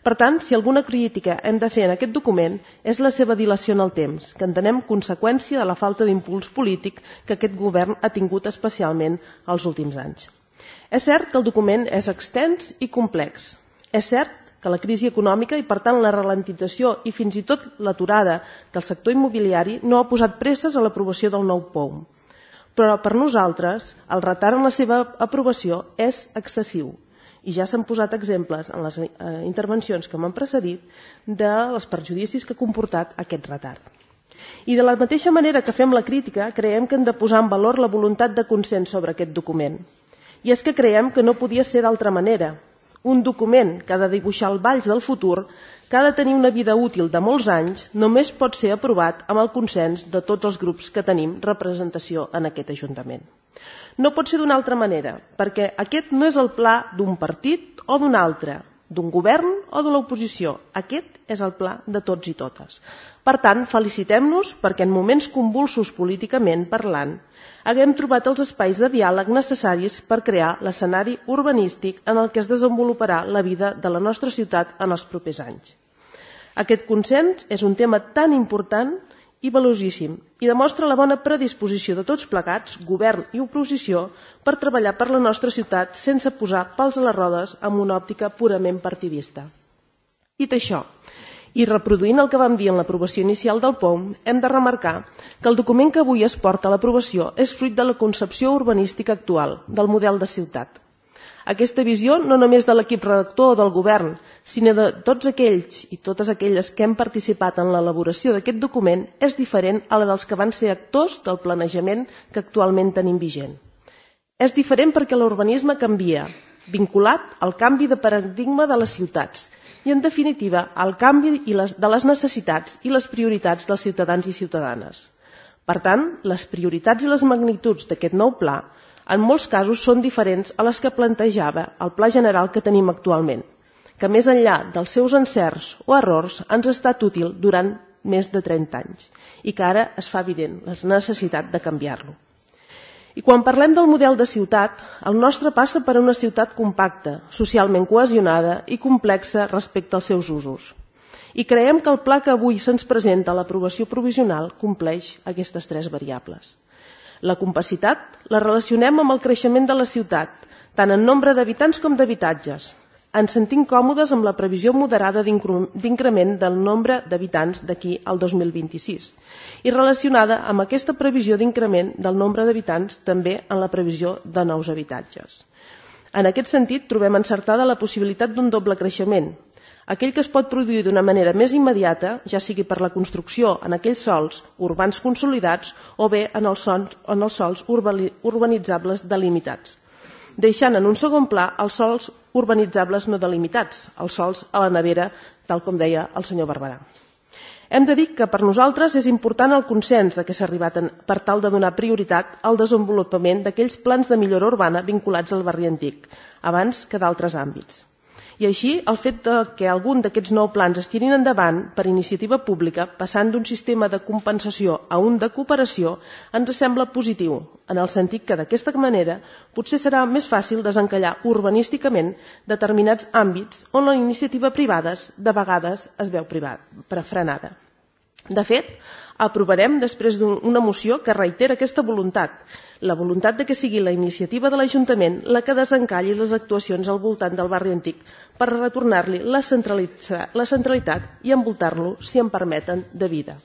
S3: Per tant, si alguna crítica hem de fer en aquest document és la seva dilació en el temps, que entenem conseqüència de la falta d'impuls polític que aquest govern ha tingut especialment els últims anys. És cert que el document és extens i complex. És cert que la crisi econòmica i, per tant, la ralentització i fins i tot l'aturada del sector immobiliari no ha posat presses a l'aprovació del nou P O U M. però per nosaltres el retard en la seva aprovació és excessiu. I ja s'han posat exemples en les intervencions que m'han precedit dels perjudicis que ha comportat aquest retard. I de la mateixa manera que fem la crítica, creiem que hem de posar en valor la voluntat de consens sobre aquest document. I és que creiem que no podia ser d'altra manera. Un document que ha de dibuixar el valls del futur, que ha de tenir una vida útil de molts anys, només pot ser aprovat amb el consens de tots els grups que tenim representació en aquest Ajuntament. No pot ser d'una altra manera, perquè aquest no és el pla d'un partit o d'un altre, d'un govern o de l'oposició. Aquest és el pla de tots i totes. Per tant, felicitem-nos perquè en moments convulsos políticament parlant haguem trobat els espais de diàleg necessaris per crear l'escenari urbanístic en el que es desenvoluparà la vida de la nostra ciutat en els propers anys. Aquest consens és un tema tan important i valuosíssim i demostra la bona predisposició de tots plegats, govern i oposició, per treballar per la nostra ciutat sense posar pals a les rodes amb una òptica purament partidista. Dit això, i reproduint el que vam dir en l'aprovació inicial del P O M, hem de remarcar que el document que avui es porta a l'aprovació és fruit de la concepció urbanística actual, del model de ciutat. Aquesta visió no només de l'equip redactor o del govern, sinó de tots aquells i totes aquelles que hem participat en l'elaboració d'aquest document, és diferent a la dels que van ser actors del planejament que actualment tenim vigent. És diferent perquè l'urbanisme canvia, vinculat al canvi de paradigma de les ciutats i, en definitiva, al canvi de les necessitats i les prioritats dels ciutadans i ciutadanes. Per tant, les prioritats i les magnituds d'aquest nou pla en molts casos són diferents a les que plantejava el pla general que tenim actualment, que més enllà dels seus encerts o errors ens ha estat útil durant més de trenta anys i que ara es fa evident la necessitat de canviar-lo. I quan parlem del model de ciutat, el nostre passa per una ciutat compacta, socialment cohesionada i complexa respecte als seus usos. I creiem que el pla que avui se'ns presenta a l'aprovació provisional compleix aquestes tres variables. La compacitat la relacionem amb el creixement de la ciutat, tant en nombre d'habitants com d'habitatges. Ens sentim còmodes amb la previsió moderada d'increment del nombre d'habitants d'aquí al dos mil vint-i-sis i relacionada amb aquesta previsió d'increment del nombre d'habitants també en la previsió de nous habitatges. En aquest sentit, trobem encertada la possibilitat d'un doble creixement, aquell que es pot produir d'una manera més immediata, ja sigui per la construcció en aquells sols urbans consolidats o bé en els sols, en els sols urbanitzables delimitats, deixant en un segon pla els sols urbanitzables no delimitats, els sols a la nevera, tal com deia el senyor Barberà. Hem de dir que per nosaltres és important el consens de què s'ha arribat per tal de donar prioritat al desenvolupament d'aquells plans de millora urbana vinculats al barri antic, abans que d'altres àmbits. I així, el fet que algun d'aquests nou plans es tirin endavant per iniciativa pública, passant d'un sistema de compensació a un de cooperació, ens sembla positiu, en el sentit que d'aquesta manera potser serà més fàcil desencallar urbanísticament determinats àmbits on la iniciativa privada de vegades es veu frenada. De fet, aprovarem després d'una moció que reitera aquesta voluntat, la voluntat de que sigui la iniciativa de l'Ajuntament la que desencalli les actuacions al voltant del barri antic per retornar-li la centralitat i envoltar-lo, si em permeten, de vida.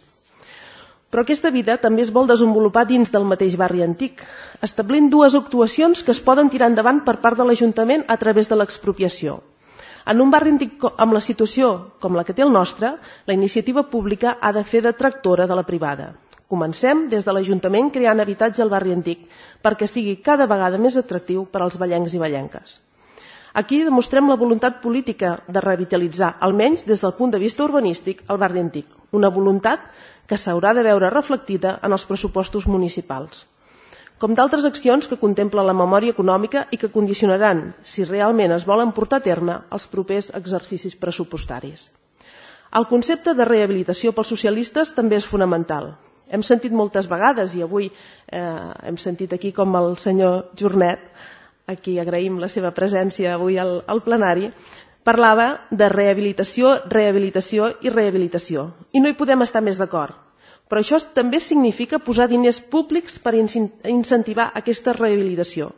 S3: Però aquesta vida també es vol desenvolupar dins del mateix barri antic, establint dues actuacions que es poden tirar endavant per part de l'Ajuntament a través de l'expropiació. En un barri antic amb la situació com la que té el nostre, la iniciativa pública ha de fer de tractora de la privada. Comencem des de l'Ajuntament creant habitatge al barri antic perquè sigui cada vegada més atractiu per als vallencs i vallenques. Aquí demostrem la voluntat política de revitalitzar, almenys des del punt de vista urbanístic, el barri antic, una voluntat que s'haurà de veure reflectida en els pressupostos municipals, com d'altres accions que contempla la memòria econòmica i que condicionaran, si realment es volen portar a terme, els propers exercicis pressupostaris. El concepte de rehabilitació pels socialistes també és fonamental. Hem sentit moltes vegades, i avui eh, hem sentit aquí com el senyor Jornet, a qui agraïm la seva presència avui al, al plenari, parlava de rehabilitació, rehabilitació i rehabilitació. I no hi podem estar més d'acord. Però això també significa posar diners públics per incentivar aquesta rehabilitació.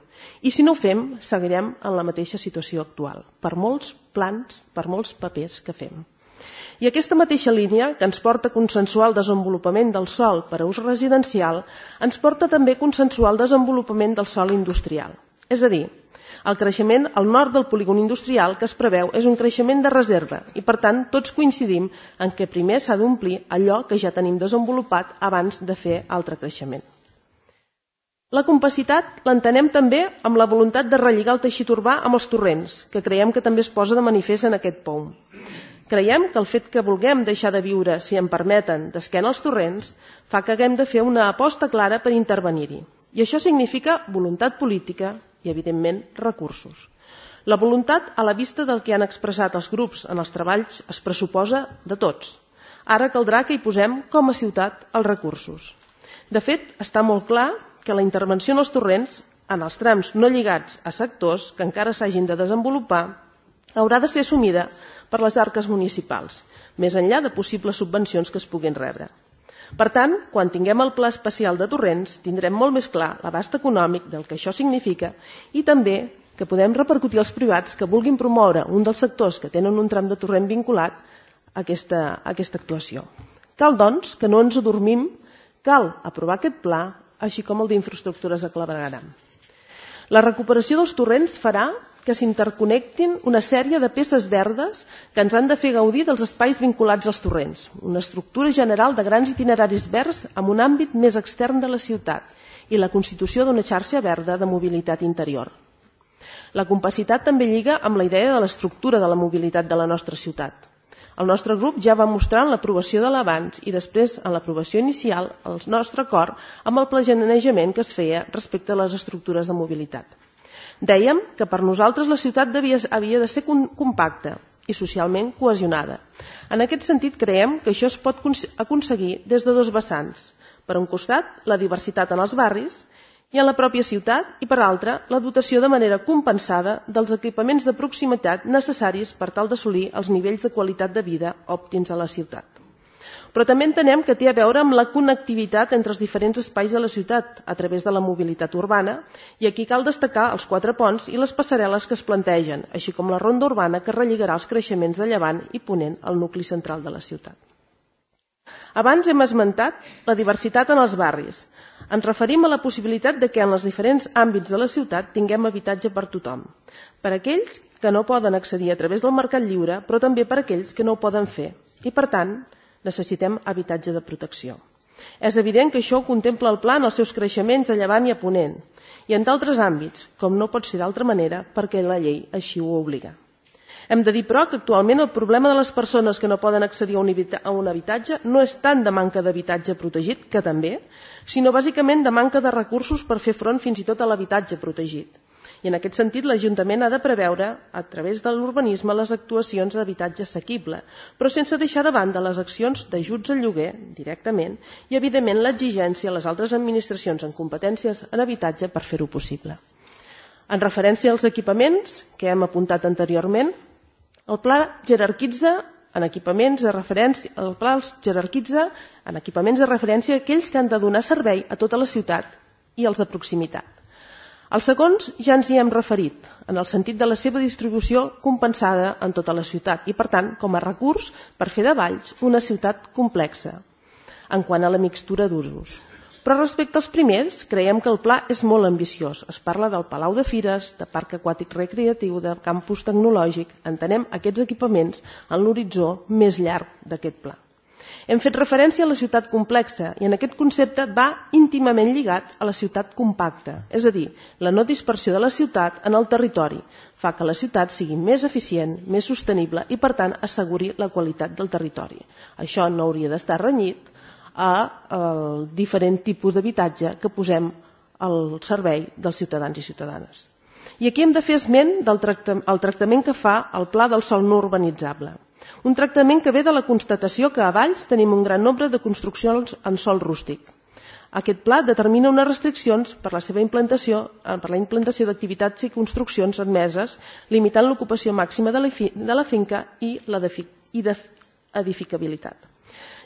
S3: I si no ho fem, seguirem en la mateixa situació actual, per molts plans, per molts papers que fem. I aquesta mateixa línia, que ens porta a consensuar el desenvolupament del sòl per a ús residencial, ens porta també a consensuar el desenvolupament del sòl industrial. És a dir, el creixement al nord del polígon industrial que es preveu és un creixement de reserva i, per tant, tots coincidim en què primer s'ha d'omplir allò que ja tenim desenvolupat abans de fer altre creixement. La compacitat l'entenem també amb la voluntat de relligar el teixit urbà amb els torrents, que creiem que també es posa de manifest en aquest P O U M. Creiem que el fet que vulguem deixar de viure, si em permeten, d'esquena als torrents, fa que haguem de fer una aposta clara per intervenir-hi. I això significa voluntat política i, evidentment, recursos. La voluntat, a la vista del que han expressat els grups en els treballs, es pressuposa de tots. Ara caldrà que hi posem, com a ciutat, els recursos. De fet, està molt clar que la intervenció en els torrents, en els trams no lligats a sectors que encara s'hagin de desenvolupar, haurà de ser assumida per les arques municipals, més enllà de possibles subvencions que es puguin rebre. Per tant, quan tinguem el pla especial de torrents, tindrem molt més clar l'abast econòmic del que això significa i també que podem repercutir als privats que vulguin promoure un dels sectors que tenen un tram de torrent vinculat a aquesta, a aquesta actuació. Cal, doncs, que no ens adormim, cal aprovar aquest pla, així com el d'infraestructures de clavegueram. La recuperació dels torrents farà que s'interconnectin una sèrie de peces verdes que ens han de fer gaudir dels espais vinculats als torrents, una estructura general de grans itineraris verds amb un àmbit més extern de la ciutat i la constitució d'una xarxa verda de mobilitat interior. La compacitat també lliga amb la idea de l'estructura de la mobilitat de la nostra ciutat. El nostre grup ja va mostrar en l'aprovació de l'abans i després en l'aprovació inicial el nostre acord amb el planejament que es feia respecte a les estructures de mobilitat. Dèiem que per nosaltres la ciutat devia, havia de ser compacta i socialment cohesionada. En aquest sentit, creiem que això es pot aconseguir des de dos vessants. Per un costat, la diversitat en els barris i en la pròpia ciutat i, per altra, la dotació de manera compensada dels equipaments de proximitat necessaris per tal d'assolir els nivells de qualitat de vida òptims a la ciutat. Però també entenem que té a veure amb la connectivitat entre els diferents espais de la ciutat a través de la mobilitat urbana i aquí cal destacar els quatre ponts i les passarel·les que es plantegen, així com la ronda urbana que relligarà els creixements de llevant i ponent al nucli central de la ciutat. Abans hem esmentat la diversitat en els barris. Ens referim a la possibilitat de que en els diferents àmbits de la ciutat tinguem habitatge per tothom. Per aquells que no poden accedir a través del mercat lliure, però també per aquells que no ho poden fer. I, per tant, necessitem habitatge de protecció. És evident que això ho contempla el pla en els seus creixements a llevant i a ponent, i en d'altres àmbits, com no pot ser d'altra manera, perquè la llei així ho obliga. Hem de dir, però, que actualment el problema de les persones que no poden accedir a un habitatge no és tant de manca d'habitatge protegit, que també, sinó bàsicament de manca de recursos per fer front fins i tot a l'habitatge protegit. I en aquest sentit l'Ajuntament ha de preveure, a través de l'urbanisme, les actuacions d'habitatge assequible, però sense deixar de banda les accions d'ajuts al lloguer, directament, i evidentment l'exigència a les altres administracions en competències en habitatge per fer-ho possible. En referència als equipaments, que hem apuntat anteriorment, el pla jerarquitza en equipaments de referència, el pla els jerarquitza en equipaments de referència aquells que han de donar servei a tota la ciutat i els de proximitat. Els segons ja ens hi hem referit, en el sentit de la seva distribució compensada en tota la ciutat i, per tant, com a recurs per fer de Valls una ciutat complexa en quant a la mixtura d'usos. Però respecte als primers, creiem que el pla és molt ambiciós. Es parla del Palau de Fires, de Parc Aquàtic Recreatiu, de campus tecnològic. Entenem aquests equipaments en l'horitzó més llarg d'aquest pla. Hem fet referència a la ciutat complexa i en aquest concepte va íntimament lligat a la ciutat compacta, és a dir, la no dispersió de la ciutat en el territori fa que la ciutat sigui més eficient, més sostenible i, per tant, asseguri la qualitat del territori. Això no hauria d'estar renyit al diferent tipus d'habitatge que posem al servei dels ciutadans i ciutadanes. I aquí hem de fer esment del tractament que fa el Pla del sòl no urbanitzable. Un tractament que ve de la constatació que a Valls tenim un gran nombre de construccions en sòl rústic. Aquest pla determina unes restriccions per la seva implantació, per la implantació d'activitats i construccions admeses, limitant l'ocupació màxima de la, fi, de la finca i l'edificabilitat.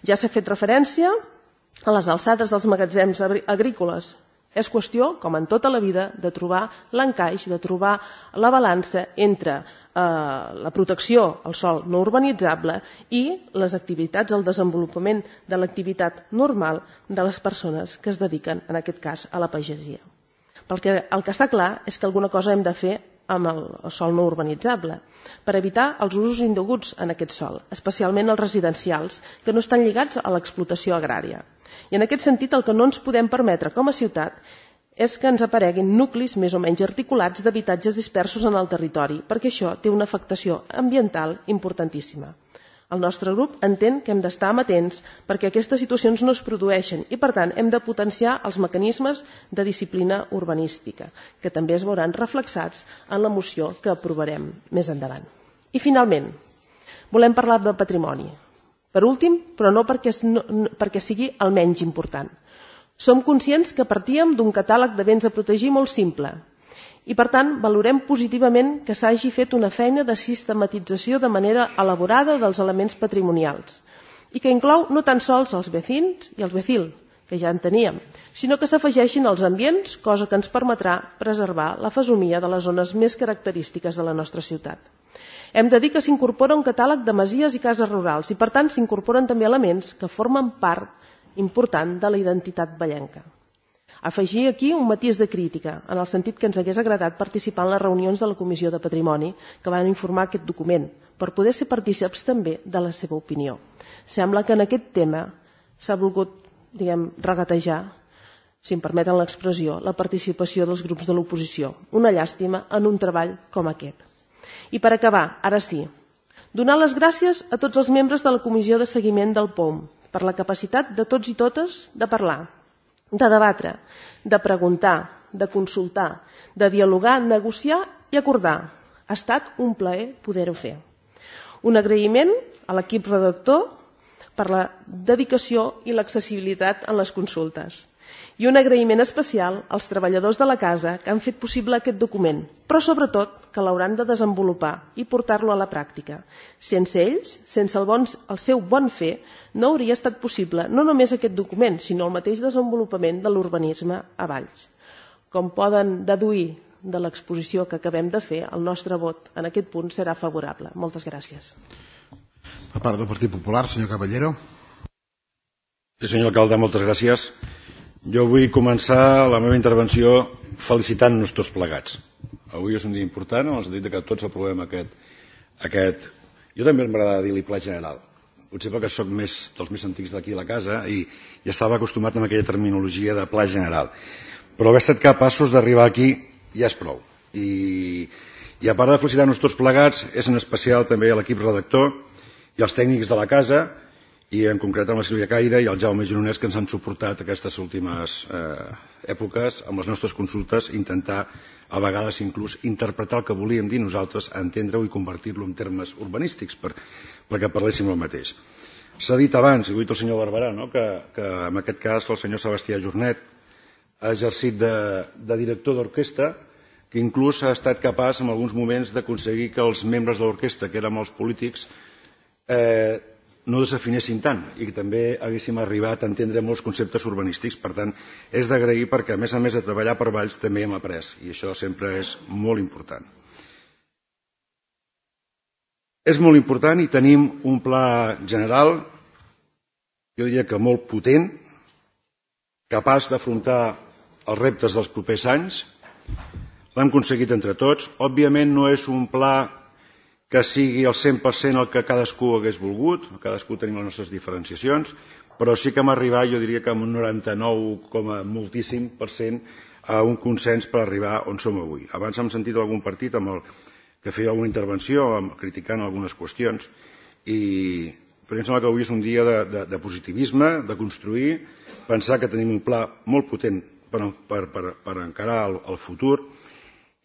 S3: Ja s'ha fet referència a les alçades dels magatzems agrícoles, És qüestió, com en tota la vida, de trobar l'encaix, de trobar la balança entre eh, la protecció al sòl no urbanitzable i les activitats, el desenvolupament de l'activitat normal de les persones que es dediquen, en aquest cas, a la pagesia. Perquè el que està clar és que alguna cosa hem de fer amb el, el sòl no urbanitzable per evitar els usos indeguts en aquest sòl, especialment els residencials, que no estan lligats a l'explotació agrària. I en aquest sentit el que no ens podem permetre com a ciutat és que ens apareguin nuclis més o menys articulats d'habitatges dispersos en el territori, perquè això té una afectació ambiental importantíssima. El nostre grup entén que hem d'estar amatents perquè aquestes situacions no es produeixen i, per tant, hem de potenciar els mecanismes de disciplina urbanística, que també es veuran reflexats en la moció que aprovarem més endavant. I, finalment, volem parlar de patrimoni. Per últim, però no perquè, no, perquè sigui el menys important. Som conscients que partíem d'un catàleg de béns a protegir molt simple i, per tant, valorem positivament que s'hagi fet una feina de sistematització de manera elaborada dels elements patrimonials i que inclou no tan sols els vecins i els vecil, que ja en teníem, sinó que s'afegeixin els ambients, cosa que ens permetrà preservar la fesomia de les zones més característiques de la nostra ciutat. Hem de dir que s'incorpora un catàleg de masies i cases rurals i, per tant, s'incorporen també elements que formen part important de la identitat vallenca. Afegir aquí un matís de crítica, en el sentit que ens hagués agradat participar en les reunions de la Comissió de Patrimoni que van informar aquest document, per poder ser partícips també de la seva opinió. Sembla que en aquest tema s'ha volgut, diguem, regatejar, si em permeten l'expressió, la participació dels grups de l'oposició. Una llàstima en un treball com aquest. I per acabar, ara sí, donar les gràcies a tots els membres de la Comissió de Seguiment del P O M per la capacitat de tots i totes de parlar, de debatre, de preguntar, de consultar, de dialogar, negociar i acordar. Ha estat un plaer poder-ho fer. Un agraïment a l'equip redactor per la dedicació i l'accessibilitat en les consultes. I un agraïment especial als treballadors de la casa que han fet possible aquest document, però sobretot que l'hauran de desenvolupar i portar-lo a la pràctica. Sense ells, sense el, bon, el seu bon fer, no hauria estat possible no només aquest document, sinó el mateix desenvolupament de l'urbanisme a Valls. Com poden deduir de l'exposició que acabem de fer, el nostre vot en aquest punt serà favorable. Moltes gràcies.
S1: Per part del Partit Popular, senyor Caballero.
S4: Sí, senyor alcalde, moltes gràcies. Jo vull començar la meva intervenció felicitant-nos tots plegats. Avui és un dia important, en el sentit que tots aprovem aquest... aquest... Jo també m'agrada dir-li pla general. Potser perquè soc més, dels més antics d'aquí a la casa i, i estava acostumat amb aquella terminologia de pla general. Però haver estat capaços d'arribar aquí ja és prou. I, i a part de felicitar-nos tots plegats, és en especial també a l'equip redactor i als tècnics de la casa, i en concret amb la Sílvia Caire i el Jaume Gironès, que ens han suportat aquestes últimes eh, èpoques amb les nostres consultes, intentar a vegades inclús interpretar el que volíem dir nosaltres, entendre-ho i convertir-lo en termes urbanístics per, perquè parléssim el mateix. S'ha dit abans, i ho ha dit el senyor Barberà, no? que, que en aquest cas el senyor Sebastià Jornet ha exercit de, de director d'orquestra, que inclús ha estat capaç en alguns moments d'aconseguir que els membres de l'orquestra, que érem els polítics, eh, no desafinessin tant i que també haguéssim arribat a entendre molts conceptes urbanístics. Per tant, és d'agrair perquè, a més a més de treballar per Valls, també hem après, i això sempre és molt important. És molt important i tenim un pla general, jo diria que molt potent, capaç d'afrontar els reptes dels propers anys. L'hem aconseguit entre tots. Òbviament no és un pla que sigui el cent per cent el que cadascú hagués volgut, cadascú tenim les nostres diferenciacions, però sí que hem arribat, jo diria que amb un noranta-nou coma moltíssim per cent a un consens per arribar on som avui. Abans hem sentit algun partit amb el que feia alguna intervenció amb, criticant algunes qüestions, i però em sembla que avui és un dia de, de, de positivisme, de construir, pensar que tenim un pla molt potent per, per, per, per encarar el, el futur,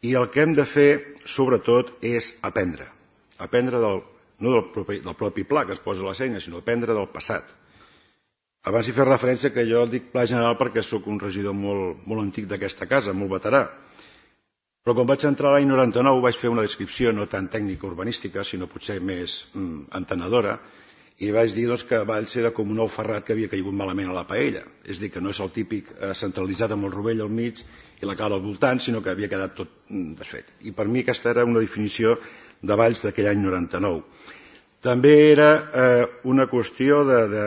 S4: i el que hem de fer, sobretot, és aprendre. Aprendre del, no del propi, del propi pla que es posa a les eines, sinó aprendre del passat. Abans hi fer referència que jo dic pla general perquè sóc un regidor molt, molt antic d'aquesta casa, molt veterà. Però quan vaig entrar l'any noranta-nou vaig fer una descripció no tan tècnica urbanística, sinó potser més mm, entenedora, i vaig dir doncs, que Valls era com un ou ferrat que havia caigut malament a la paella, és a dir, que no és el típic eh, centralitzat amb el rovell al mig i la cara al voltant, sinó que havia quedat tot desfet. I per mi aquesta era una definició de Valls d'aquell any noranta-nou. També era eh, una qüestió de, de,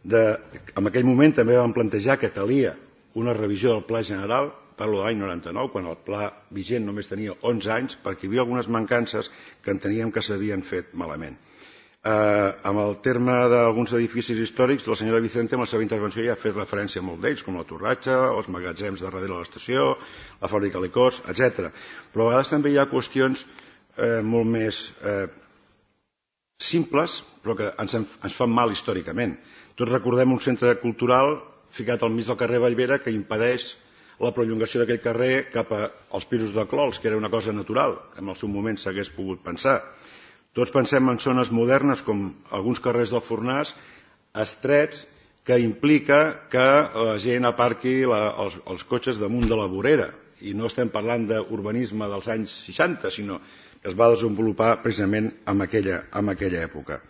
S4: de... En aquell moment també vam plantejar que calia una revisió del Pla General, parlo de l'any noranta-nou, quan el pla vigent només tenia onze anys, perquè hi havia algunes mancances que enteníem que s'havien fet malament. Eh, amb el terme d'alguns edificis històrics, la senyora Vicente, amb la seva intervenció, ja ha fet referència a molt d'ells, com la Torratxa, els magatzems de darrere de l'estació, la fàbrica de licors, etcètera. Però a vegades també hi ha qüestions eh, molt més eh, simples, però que ens, ens fan mal històricament. Tots recordem un centre cultural ficat al mig del carrer Vallvera que impedeix la prolongació d'aquell carrer cap als pisos de Clols, que era una cosa natural, que en el seu moment s'hagués pogut pensar. Tots pensem en zones modernes com alguns carrers del Fornàs, estrets, que implica que la gent aparqui la, els, els cotxes damunt de la vorera. I no estem parlant d'urbanisme dels anys seixanta, sinó que es va desenvolupar precisament en aquella, en aquella època.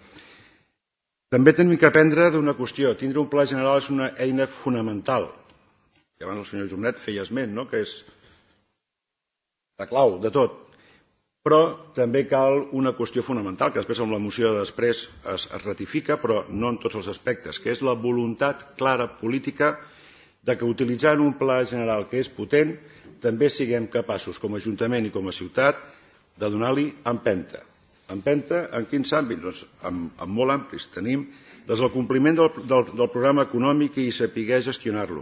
S4: També tenim que aprendre d'una qüestió. Tindre un pla general és una eina fonamental. I abans el senyor Jornet feia esment, no? Que és la clau de tot. Però també cal una qüestió fonamental, que després amb la moció de després es, es ratifica, però no en tots els aspectes, que és la voluntat clara política de que utilitzant un pla general que és potent, també siguem capaços, com a Ajuntament i com a ciutat, de donar-li empenta. Empenta en quins àmbits? Doncs en, en molt amplis. Tenim des del compliment del, del, del programa econòmic i saber gestionar-lo.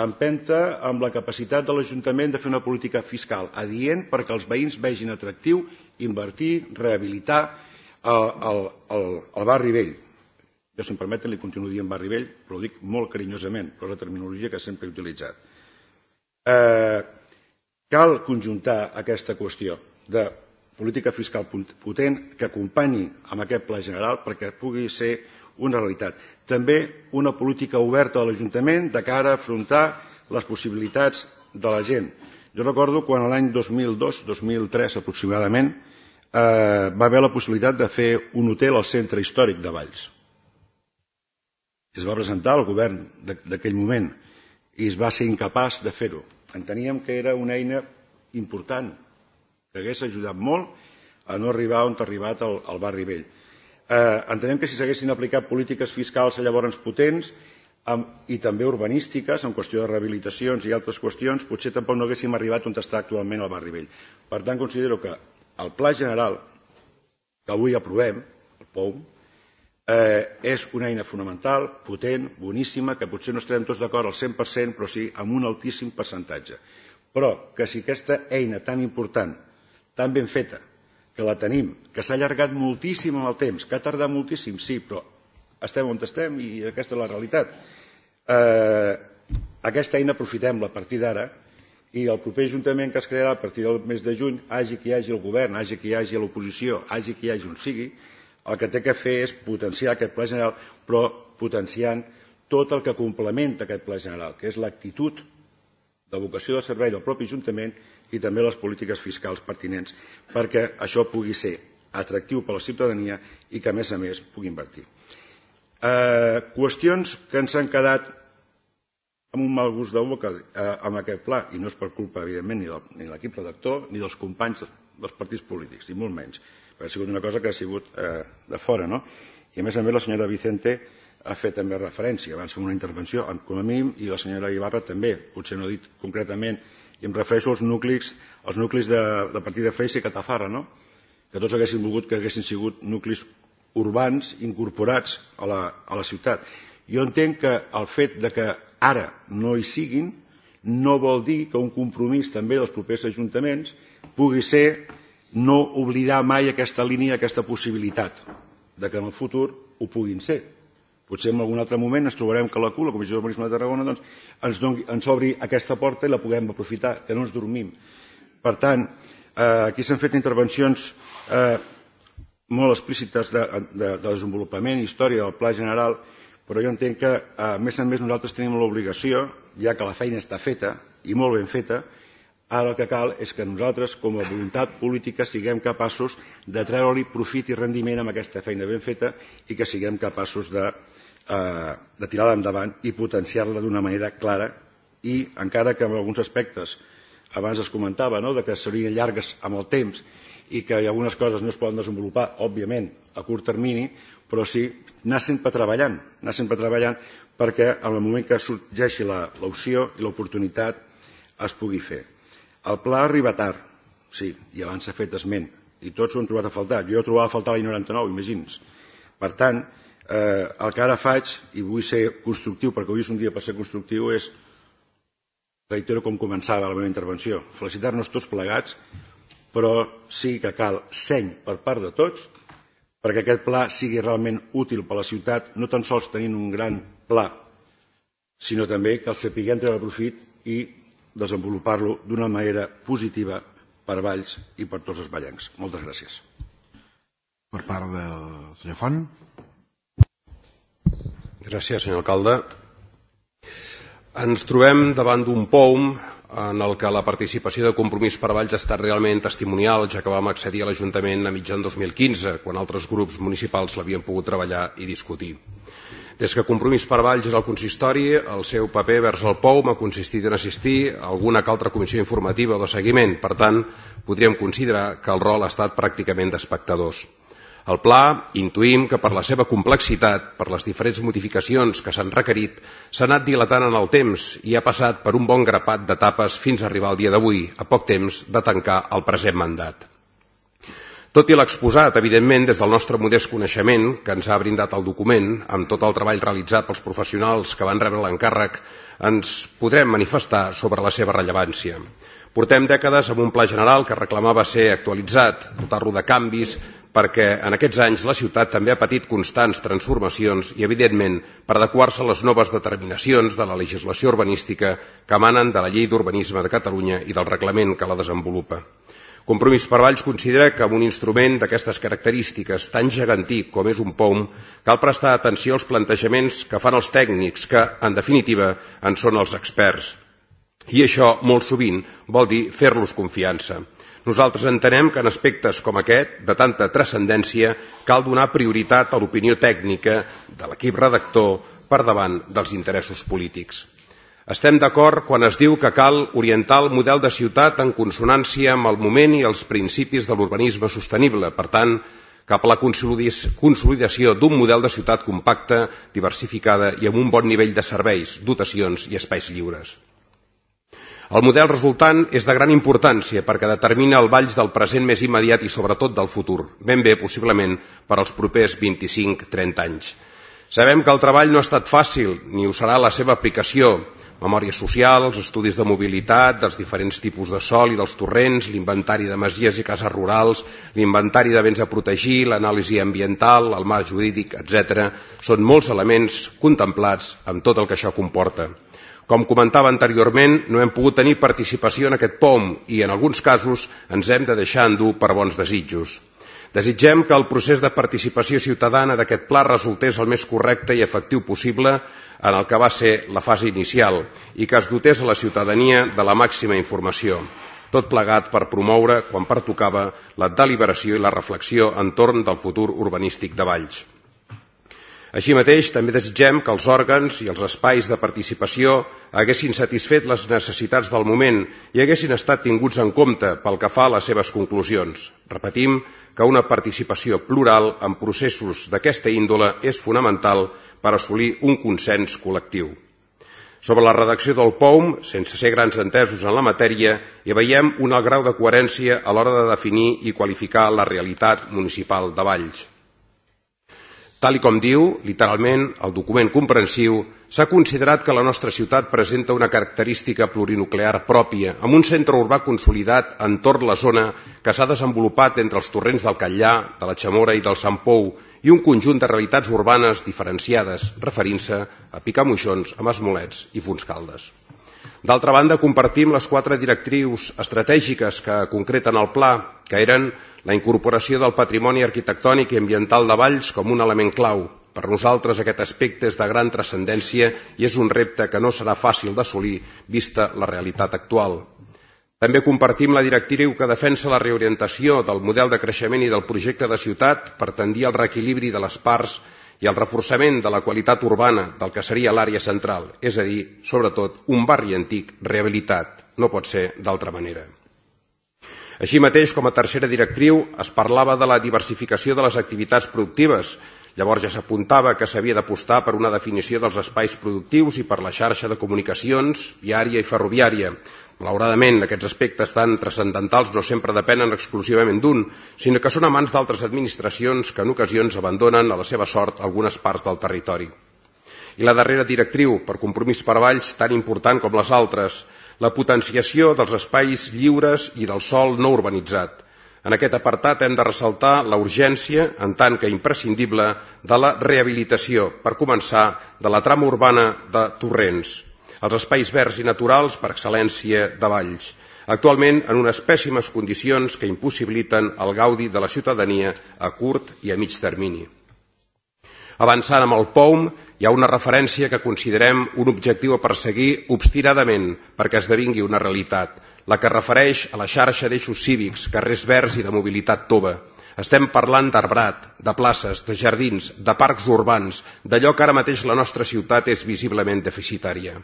S4: Empenta amb la capacitat de l'Ajuntament de fer una política fiscal adient perquè els veïns vegin atractiu invertir, rehabilitar el, el, el, el barri vell. Jo, si em permeten, li continuo dient barri vell, però ho dic molt carinyosament, però és la terminologia que sempre he utilitzat. Eh, cal conjuntar aquesta qüestió de política fiscal potent que acompanyi amb aquest pla general perquè pugui ser una realitat. També una política oberta de l'Ajuntament de cara a afrontar les possibilitats de la gent. Jo recordo quan l'any dos mil dos dos mil tres aproximadament eh, va haver la possibilitat de fer un hotel al centre històric de Valls. Es va presentar al govern d'aquell moment i es va ser incapaç de fer-ho. Enteníem que era una eina important que hagués ajudat molt a no arribar on ha arribat el, el barri vell. Eh, entenem que si s'haguessin aplicat polítiques fiscals llavors potents amb, i també urbanístiques en qüestió de rehabilitacions i altres qüestions, potser tampoc no haguéssim arribat on està actualment el barri vell. Per tant, considero que el pla general que avui aprovem, el P O U M, eh, és una eina fonamental, potent, boníssima, que potser no estarem tots d'acord al cent per cent, però sí amb un altíssim percentatge. Però que si aquesta eina tan important, tan ben feta, que la tenim, que s'ha allargat moltíssim en el temps, que ha tardat moltíssim, sí, però estem on estem i aquesta és la realitat. Eh, aquesta eina aprofitem-la a partir d'ara i el proper Ajuntament que es crearà a partir del mes de juny, hagi qui hi hagi el govern, hagi qui hi hagi l'oposició, hagi qui hi hagi on sigui, el que té que fer és potenciar aquest pla general, però potenciant tot el que complementa aquest pla general, que és l'actitud de vocació de servei del propi Ajuntament i també les polítiques fiscals pertinents perquè això pugui ser atractiu per a la ciutadania i que, a més a més, pugui invertir. Eh, qüestions que ens han quedat amb un mal gust de boca eh, amb aquest pla, i no és per culpa, evidentment, ni, del, ni de l'equip redactor ni dels companys dels partits polítics, ni molt menys, perquè ha sigut una cosa que ha sigut eh, de fora, no? I, a més a més, la senyora Vicente ha fet també referència, abans fem una intervenció, com a mínim, i la senyora Ibarra també, potser no ha dit concretament, i em refereixo als nuclis, als nuclis de, de Partida Freixa i Catafarra, no? Que tots haguessin volgut que haguessin sigut nuclis urbans incorporats a la, a la ciutat. Jo entenc que el fet de que ara no hi siguin no vol dir que un compromís també dels propers ajuntaments pugui ser no oblidar mai aquesta línia, aquesta possibilitat de que en el futur ho puguin ser. Potser en algun altre moment ens trobarem que la C U, la Comissió d'Urbanisme de Tarragona, doncs, ens, doni, ens obri aquesta porta i la puguem aprofitar, que no ens dormim. Per tant, eh, aquí s'han fet intervencions eh, molt explícites de, de, de desenvolupament i història del Pla General, però jo entenc que, a més a més, nosaltres tenim l'obligació, ja que la feina està feta, i molt ben feta, Ara el que cal és que nosaltres, com a voluntat política, siguem capaços de treure-li profit i rendiment amb aquesta feina ben feta i que siguem capaços de, eh, de tirar-la endavant i potenciar-la d'una manera clara i, encara que en alguns aspectes, abans es comentava, no?, de que serien llargues amb el temps i que algunes coses no es poden desenvolupar, òbviament, a curt termini, però sí anar sempre treballant, anar sempre treballant perquè en el moment que sorgeixi l'opció i l'oportunitat es pugui fer. El pla arriba tard, sí, i abans s'ha fet esment, i tots ho han trobat a faltar. Jo ho trobava a faltar l'any noranta-nou, imagini's. Per tant, eh, el que ara faig, i vull ser constructiu, perquè avui és un dia per ser constructiu, és, reitero com començava la meva intervenció, felicitar-nos tots plegats, però sí que cal seny per part de tots, perquè aquest pla sigui realment útil per a la ciutat, no tan sols tenint un gran pla, sinó també que el sapiguem treure profit i desenvolupar-lo d'una manera positiva per Valls i per tots els vallencs. Moltes gràcies.
S1: Per part del senyor Font.
S5: Gràcies, senyor alcalde. Ens trobem davant d'un P O U M en el que la participació de Compromís per Valls ha estat realment testimonial, ja que vam accedir a l'Ajuntament a mitjan dos mil quinze, quan altres grups municipals l'havien pogut treballar i discutir. Des que Compromís per Valls és el consistori, el seu paper vers el P O U M ha consistit en assistir a alguna que altra comissió informativa o de seguiment. Per tant, podríem considerar que el rol ha estat pràcticament d'espectadors. El pla, intuïm que per la seva complexitat, per les diferents modificacions que s'han requerit, s'ha anat dilatant en el temps i ha passat per un bon grapat d'etapes fins a arribar al dia d'avui, a poc temps de tancar el present mandat. Tot i l'exposat, evidentment, des del nostre modest coneixement, que ens ha brindat el document, amb tot el treball realitzat pels professionals que van rebre l'encàrrec, ens podrem manifestar sobre la seva rellevància. Portem dècades amb un pla general que reclamava ser actualitzat, dotar-lo de canvis, perquè en aquests anys la ciutat també ha patit constants transformacions i, evidentment, per adequar-se a les noves determinacions de la legislació urbanística que emanen de la Llei d'Urbanisme de Catalunya i del reglament que la desenvolupa. Compromís per Valls considera que amb un instrument d'aquestes característiques tan gegantí com és un P O U M cal prestar atenció als plantejaments que fan els tècnics que, en definitiva, en són els experts. I això, molt sovint, vol dir fer-los confiança. Nosaltres entenem que en aspectes com aquest, de tanta transcendència, cal donar prioritat a l'opinió tècnica de l'equip redactor per davant dels interessos polítics. Estem d'acord quan es diu que cal orientar el model de ciutat en consonància amb el moment i els principis de l'urbanisme sostenible, per tant, cap a la consolidació d'un model de ciutat compacta, diversificada i amb un bon nivell de serveis, dotacions i espais lliures. El model resultant és de gran importància perquè determina el Valls del present més immediat i sobretot del futur, ben bé possiblement per als propers vint-i-cinc a trenta anys. Sabem que el treball no ha estat fàcil, ni ho serà la seva aplicació. Memòria social, els estudis de mobilitat, dels diferents tipus de sòl i dels torrents, l'inventari de masies i cases rurals, l'inventari de béns a protegir, l'anàlisi ambiental, el marc jurídic, etcètera, són molts elements contemplats amb tot el que això comporta. Com comentava anteriorment, no hem pogut tenir participació en aquest P O U M i en alguns casos ens hem de deixar endur per bons desitjos. Desitgem que el procés de participació ciutadana d'aquest pla resultés el més correcte i efectiu possible en el que va ser la fase inicial i que es dotés a la ciutadania de la màxima informació, tot plegat per promoure, quan pertocava, la deliberació i la reflexió entorn del futur urbanístic de Valls. Així mateix, també desitgem que els òrgans i els espais de participació haguessin satisfet les necessitats del moment i haguessin estat tinguts en compte pel que fa a les seves conclusions. Repetim que una participació plural en processos d'aquesta índole és fonamental per assolir un consens col·lectiu. Sobre la redacció del P O U M, sense ser grans entesos en la matèria, hi veiem un alt grau de coherència a l'hora de definir i qualificar la realitat municipal de Valls. Tal i com diu, literalment, el document comprensiu, s'ha considerat que la nostra ciutat presenta una característica plurinuclear pròpia, amb un centre urbà consolidat entorn la zona que s'ha desenvolupat entre els torrents del Catllà, de la Xamora i del Sant Pou, i un conjunt de realitats urbanes diferenciades, referint-se a Picamoixons, a Masmolets i Fontscaldes. D'altra banda, compartim les quatre directrius estratègiques que concreten el pla, que eren la incorporació del patrimoni arquitectònic i ambiental de Valls com un element clau. Per nosaltres aquest aspecte és de gran transcendència i és un repte que no serà fàcil d'assolir vista la realitat actual. També compartim la directriu que defensa la reorientació del model de creixement i del projecte de ciutat per tendir al reequilibri de les parts i al reforçament de la qualitat urbana del que seria l'àrea central, és a dir, sobretot, un barri antic rehabilitat. No pot ser d'altra manera. Així mateix, com a tercera directriu, es parlava de la diversificació de les activitats productives. Llavors ja s'apuntava que s'havia d'apostar per una definició dels espais productius i per la xarxa de comunicacions viària i ferroviària. Malauradament, aquests aspectes tan transcendentals no sempre depenen exclusivament d'un, sinó que són a mans d'altres administracions que en ocasions abandonen a la seva sort algunes parts del territori. I la darrera directriu, per compromís per Valls, tan important com les altres, la potenciació dels espais lliures i del sòl no urbanitzat. En aquest apartat hem de ressaltar la urgència, en tant que imprescindible, de la rehabilitació, per començar, de la trama urbana de Torrents, els espais verds i naturals per excel·lència de Valls, actualment en unes pèssimes condicions que impossibiliten el gaudi de la ciutadania a curt i a mig termini. Avançant amb el P O U M, hi ha una referència que considerem un objectiu a perseguir obstinadament perquè esdevingui una realitat, la que refereix a la xarxa d'eixos cívics, carrers verds i de mobilitat tova. Estem parlant d'arbrat, de places, de jardins, de parcs urbans, d'allò que ara mateix la nostra ciutat és visiblement deficitària.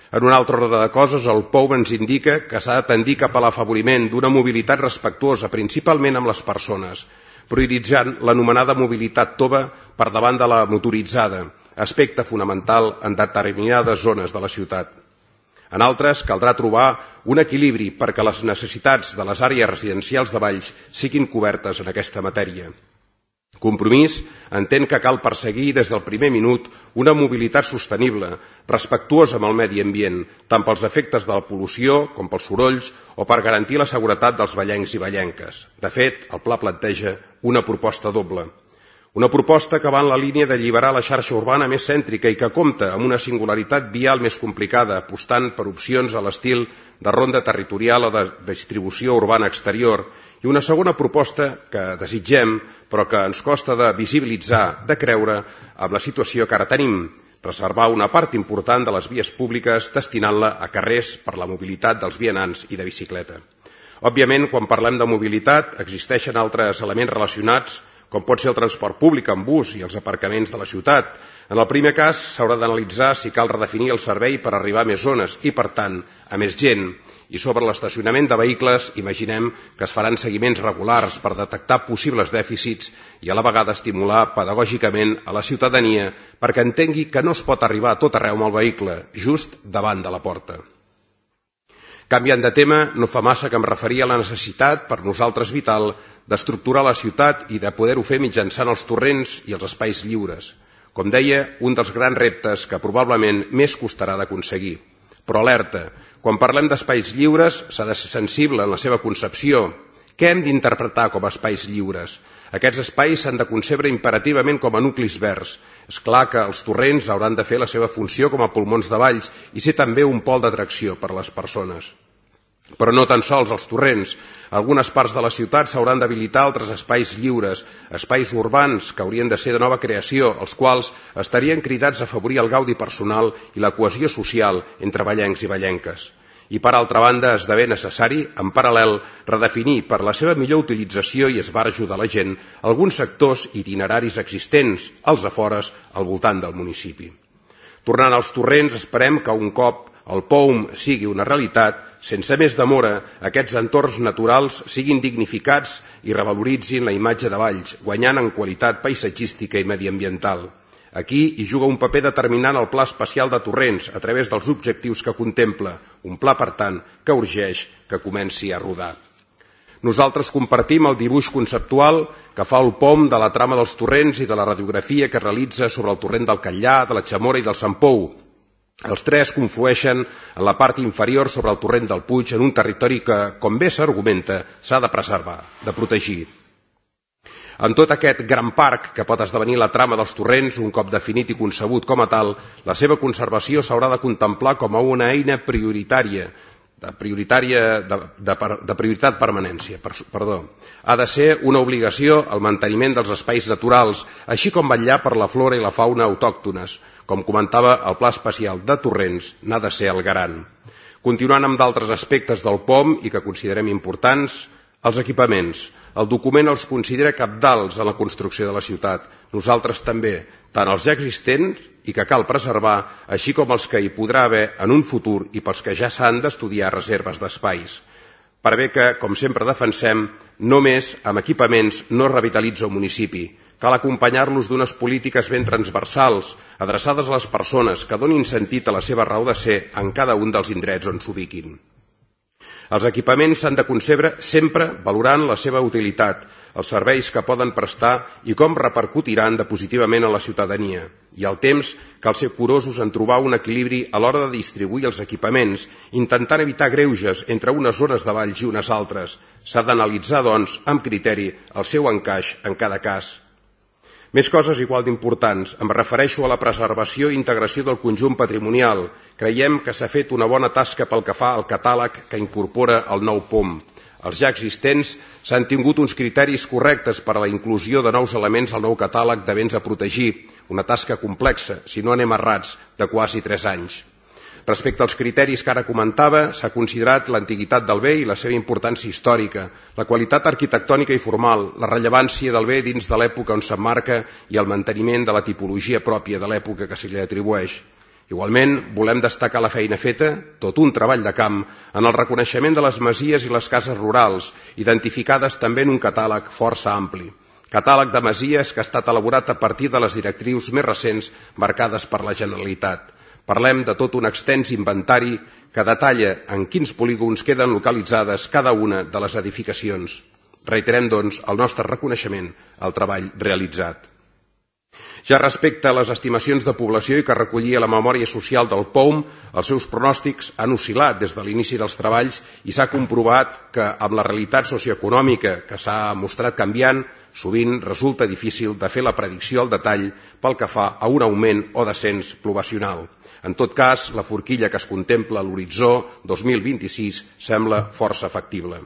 S5: En un altre ordre de coses, el P O U M ens indica que s'ha de tendir cap a l'afavoriment d'una mobilitat respectuosa, principalment amb les persones, prioritzant l'anomenada mobilitat tova per davant de la motoritzada, aspecte fonamental en determinades zones de la ciutat. En altres, caldrà trobar un equilibri perquè les necessitats de les àrees residencials de Valls siguin cobertes en aquesta matèria. Compromís entén que cal perseguir des del primer minut una mobilitat sostenible, respectuosa amb el medi ambient, tant pels efectes de la pol·lució com pels sorolls o per garantir la seguretat dels vallencs i vallenques. De fet, el pla planteja una proposta doble. Una proposta que va en la línia d'alliberar la xarxa urbana més cèntrica i que compta amb una singularitat vial més complicada, apostant per opcions a l'estil de ronda territorial o de distribució urbana exterior, i una segona proposta que desitgem, però que ens costa de visibilitzar, de creure, amb la situació que ara tenim, reservar una part important de les vies públiques destinant-la a carrers per la mobilitat dels vianants i de bicicleta. Òbviament, quan parlem de mobilitat, existeixen altres elements relacionats com pot ser el transport públic en bus i els aparcaments de la ciutat. En el primer cas, s'haurà d'analitzar si cal redefinir el servei per arribar a més zones i, per tant, a més gent. I sobre l'estacionament de vehicles, imaginem que es faran seguiments regulars per detectar possibles dèficits i a la vegada estimular pedagògicament a la ciutadania perquè entengui que no es pot arribar a tot arreu amb el vehicle, just davant de la porta. Canviant de tema, no fa massa que em referia a la necessitat, per nosaltres vital, d'estructurar la ciutat i de poder-ho fer mitjançant els torrents i els espais lliures. Com deia, un dels grans reptes que probablement més costarà d'aconseguir. Però alerta, quan parlem d'espais lliures s'ha de ser sensible en la seva concepció. Què hem d'interpretar com a espais lliures? Aquests espais s'han de concebre imperativament com a nuclis verds. És clar que els torrents hauran de fer la seva funció com a pulmons de Valls i ser també un pol d'atracció per a les persones. Però no tan sols els torrents. Algunes parts de la ciutat s'hauran d'habilitar altres espais lliures, espais urbans que haurien de ser de nova creació, els quals estarien cridats a afavorir el gaudi personal i la cohesió social entre vallencs i vallenques. I per altra banda esdevé necessari, en paral·lel, redefinir per la seva millor utilització i esbarjo de la gent alguns sectors itineraris existents, als afores, al voltant del municipi. Tornant als torrents, esperem que un cop el P O U M sigui una realitat, sense més demora, aquests entorns naturals siguin dignificats i revaloritzin la imatge de Valls, guanyant en qualitat paisatgística i mediambiental. Aquí hi juga un paper determinant el Pla Especial de Torrents a través dels objectius que contempla, un pla, per tant, que urgeix que comenci a rodar. Nosaltres compartim el dibuix conceptual que fa el P O M de la trama dels torrents i de la radiografia que realitza sobre el torrent del Catllà, de la Chamora i del Sant Pou. Els tres conflueixen en la part inferior sobre el torrent del Puig en un territori que, com bé s'argumenta, s'ha de preservar, de protegir. En tot aquest gran parc que pot esdevenir la trama dels torrents, un cop definit i concebut com a tal, la seva conservació s'haurà de contemplar com a una eina prioritària, de, prioritària de, de, de prioritat permanència. Perdó. Ha de ser una obligació el manteniment dels espais naturals, així com vetllar per la flora i la fauna autòctones. Com comentava, el Pla Especial de Torrents n'ha de ser el garant. Continuant amb d'altres aspectes del P O M i que considerem importants, els equipaments. El document els considera cabdals en la construcció de la ciutat. Nosaltres també, tant els ja existents i que cal preservar, així com els que hi podrà haver en un futur i pels que ja s'han d'estudiar reserves d'espais. Per bé que, com sempre defensem, només amb equipaments no es revitalitza un municipi. Cal acompanyar-los d'unes polítiques ben transversals, adreçades a les persones que donin sentit a la seva raó de ser en cada un dels indrets on s'ubiquin. Els equipaments s'han de concebre sempre valorant la seva utilitat, els serveis que poden prestar i com repercutiran de positivament a la ciutadania. I al temps cal ser curosos en trobar un equilibri a l'hora de distribuir els equipaments, intentant evitar greuges entre unes zones de valls i unes altres. S'ha d'analitzar, doncs, amb criteri el seu encaix en cada cas. Més coses igual d'importants. Em refereixo a la preservació i integració del conjunt patrimonial. Creiem que s'ha fet una bona tasca pel que fa al catàleg que incorpora el nou P O M. Els ja existents s'han tingut uns criteris correctes per a la inclusió de nous elements al nou catàleg de béns a protegir, una tasca complexa, si no anem errats, de quasi tres anys. Respecte als criteris que ara comentava, s'ha considerat l'antiguitat del bé i la seva importància històrica, la qualitat arquitectònica i formal, la rellevància del bé dins de l'època on s'emmarca i el manteniment de la tipologia pròpia de l'època que se li atribueix. Igualment, volem destacar la feina feta, tot un treball de camp, en el reconeixement de les masies i les cases rurals, identificades també en un catàleg força ampli. Catàleg de masies que ha estat elaborat a partir de les directrius més recents marcades per la Generalitat. Parlem de tot un extens inventari que detalla en quins polígons queden localitzades cada una de les edificacions. Reiterem, doncs, el nostre reconeixement al treball realitzat. Ja respecte a les estimacions de població i que recollia la memòria social del P O M, els seus pronòstics han oscil·lat des de l'inici dels treballs i s'ha comprovat que amb la realitat socioeconòmica que s'ha mostrat canviant, sovint resulta difícil de fer la predicció al detall pel que fa a un augment o descens poblacional. En tot cas, la forquilla que es contempla a l'horitzó dos mil vint-i-sis sembla força factible.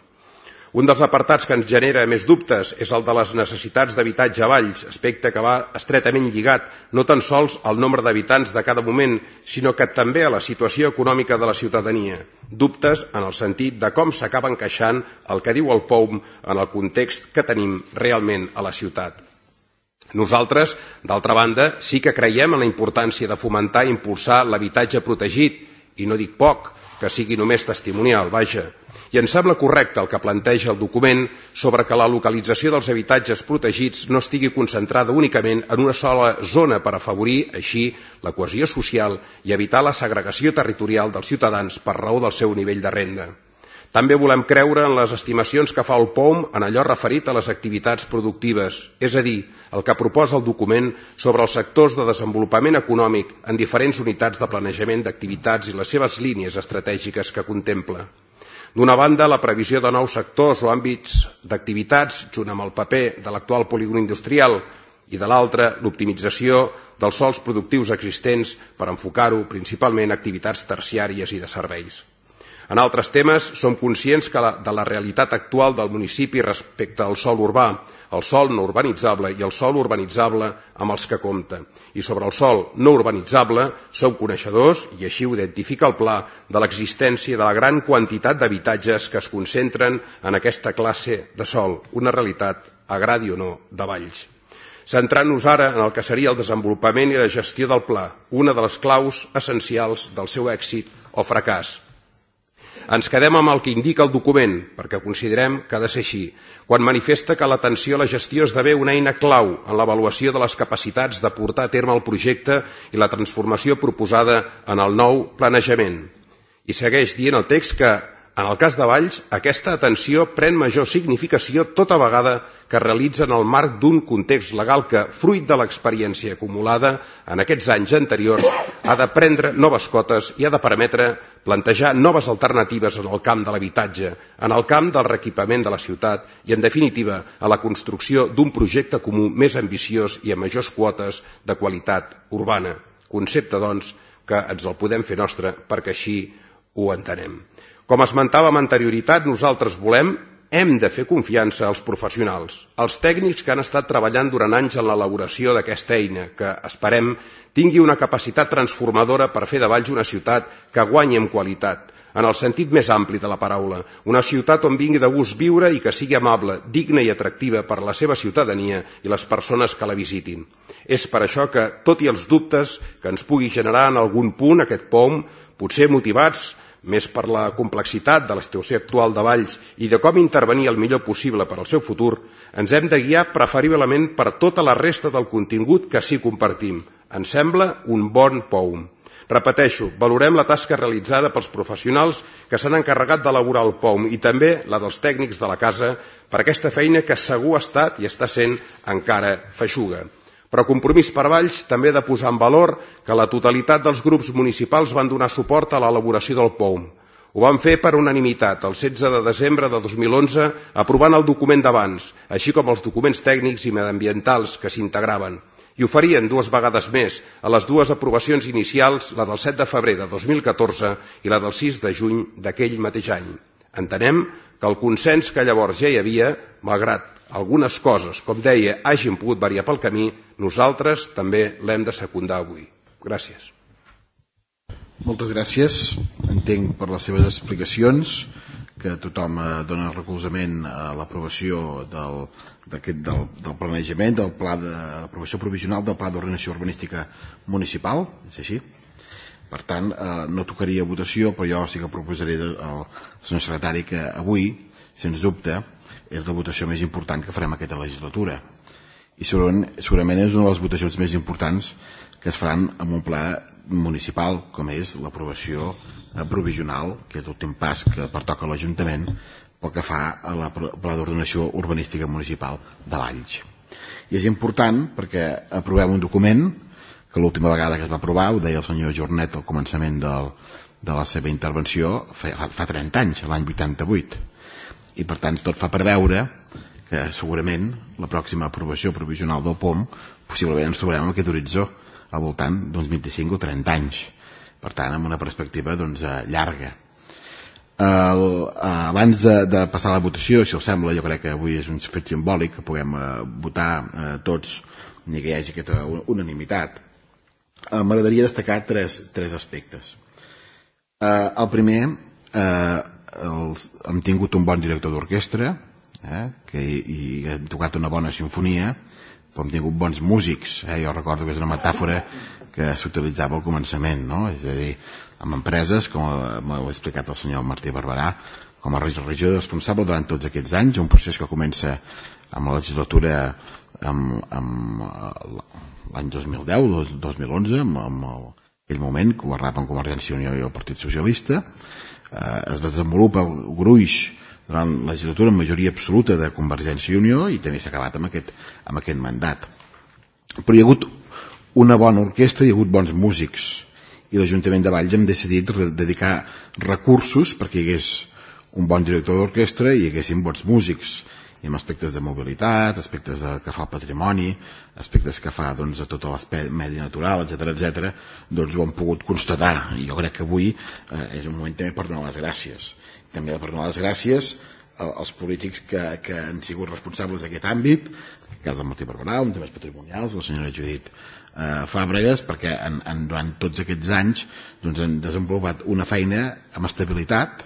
S5: Un dels apartats que ens genera més dubtes és el de les necessitats d'habitatge a valls, aspecte que va estretament lligat no tan sols al nombre d'habitants de cada moment, sinó que també a la situació econòmica de la ciutadania. Dubtes en el sentit de com s'acaba encaixant el que diu el P O M en el context que tenim realment a la ciutat. Nosaltres, d'altra banda, sí que creiem en la importància de fomentar i impulsar l'habitatge protegit, i no dic poc, que sigui només testimonial, vaja. I ens sembla correcte el que planteja el document sobre que la localització dels habitatges protegits no estigui concentrada únicament en una sola zona per afavorir, així, la cohesió social i evitar la segregació territorial dels ciutadans per raó del seu nivell de renda. També volem creure en les estimacions que fa el P O M en allò referit a les activitats productives, és a dir, el que proposa el document sobre els sectors de desenvolupament econòmic en diferents unitats de planejament d'activitats i les seves línies estratègiques que contempla. D'una banda, la previsió de nous sectors o àmbits d'activitats, junt amb el paper de l'actual polígon industrial, i de l'altra, l'optimització dels sòls productius existents per enfocar-ho principalment a activitats terciàries i de serveis. En altres temes, som conscients que la, de la realitat actual del municipi respecte al sòl urbà, el sòl no urbanitzable i el sòl urbanitzable amb els que compta. I sobre el sòl no urbanitzable som coneixedors, i així ho identifica el pla, de l'existència de la gran quantitat d'habitatges que es concentren en aquesta classe de sòl, una realitat, agradi o no, de valls. Centrant-nos ara en el que seria el desenvolupament i la gestió del pla, una de les claus essencials del seu èxit o fracàs. Ens quedem amb el que indica el document, perquè considerem que ha de ser així, quan manifesta que l'atenció a la gestió esdevé una eina clau en l'avaluació de les capacitats de portar a terme el projecte i la transformació proposada en el nou planejament. I segueix dient el text que, en el cas de Valls, aquesta atenció pren major significació tota vegada que es realitza en el marc d'un context legal que, fruit de l'experiència acumulada en aquests anys anteriors, ha de prendre noves cotes i ha de permetre plantejar noves alternatives en el camp de l'habitatge, en el camp del reequipament de la ciutat i, en definitiva, a la construcció d'un projecte comú més ambiciós i amb majors quotes de qualitat urbana. Concepte, doncs, que ens el podem fer nostre perquè així ho entenem. Com esmentava amb anterioritat, nosaltres volem, hem de fer confiança als professionals, als tècnics que han estat treballant durant anys en l'elaboració d'aquesta eina, que, esperem, tingui una capacitat transformadora per fer de Valls una ciutat que guanyi en qualitat, en el sentit més ampli de la paraula, una ciutat on vingui de gust viure i que sigui amable, digna i atractiva per a la seva ciutadania i les persones que la visitin. És per això que, tot i els dubtes que ens pugui generar en algun punt aquest P O M, potser motivats més per la complexitat de la situació actual de Valls i de com intervenir el millor possible per al seu futur, ens hem de guiar preferiblement per tota la resta del contingut que sí compartim. Ens sembla un bon P O M. Repeteixo, valorem la tasca realitzada pels professionals que s'han encarregat d'elaborar el P O M i també la dels tècnics de la casa per aquesta feina que segur ha estat i està sent encara feixuga. Però Compromís per Valls també ha de posar en valor que la totalitat dels grups municipals van donar suport a l'elaboració del P O M. Ho van fer per unanimitat el setze de desembre de dos mil onze, aprovant el document d'abans, així com els documents tècnics i mediambientals que s'integraven. I ho farien dues vegades més, a les dues aprovacions inicials, la del set de febrer de dos mil catorze i la del sis de juny d'aquell mateix any. Entenem que el consens que llavors ja hi havia, malgrat algunes coses, com deia, hagin pogut variar pel camí, nosaltres també l'hem de secundar avui. Gràcies.
S1: Moltes gràcies. Entenc per les seves explicacions que tothom dona recolzament a l'aprovació del, del, del planejament, del pla d'aprovació provisional del Pla d'Ordenació Urbanística Municipal, és així? Per tant, eh, no tocaria votació, però jo sí que proposaré al senyor secretari que avui, sens dubte, és la votació més important que farem aquesta legislatura. I segurament, segurament és una de les votacions més importants que es faran en un pla municipal, com és l'aprovació provisional, que és l'últim pas que pertoca a l'Ajuntament pel que fa a la Pla d'Ordenació Urbanística Municipal de Valls. I és important perquè aprovem un document que l'última vegada que es va aprovar, ho deia el senyor Jornet al començament del, de la seva intervenció, fa, fa trenta anys, l'any vuitanta-vuit. I per tant tot fa preveure que segurament la pròxima aprovació provisional del P O M possiblement ens trobarem amb aquest horitzó al voltant d'uns vint-i-cinc o trenta anys, per tant amb una perspectiva doncs, llarga. El, abans de, de passar a la votació, si us sembla, jo crec que avui és un fet simbòlic que puguem eh, votar eh, tots i que hi hagi aquesta unanimitat. Eh, m'agradaria destacar tres, tres aspectes. Eh, el primer, eh, els, hem tingut un bon director d'orquestra, eh, que i, i hem tocat una bona sinfonia, però hem tingut bons músics. Eh? Jo recordo que és una metàfora que s'utilitzava al començament, no? És a dir, amb empreses, com m'ho ha explicat el senyor Martí Barberà, com a regidor responsable durant tots aquests anys, un procés que comença amb la legislatura amb, amb l'any dos mil deu, dos mil onze, amb, amb el, aquell moment que governaven Convergència i Unió i el Partit Socialista. Eh, es desenvolupa el gruix durant la legislatura en majoria absoluta de Convergència i Unió i també s'ha acabat amb aquest, amb aquest mandat. Però hi ha hagut una bona orquestra, hi ha hagut bons músics i l'Ajuntament de Valls hem decidit dedicar recursos perquè hi hagués un bon director d'orquestra i hi haguessin bons músics i amb aspectes de mobilitat, aspectes de, que fa el patrimoni, aspectes que fa doncs, a tot l'aspecte medi natural, etcètera, etcètera, doncs ho hem pogut constatar i jo crec que avui eh, és un moment també per donar les gràcies. També per donar les gràcies als polítics que, que han sigut responsables d'aquest àmbit, en el cas del Martí Barberà, un temes patrimonials, la senyora Judit eh, Fàbregas, perquè en, en, durant tots aquests anys doncs, han desenvolupat una feina amb estabilitat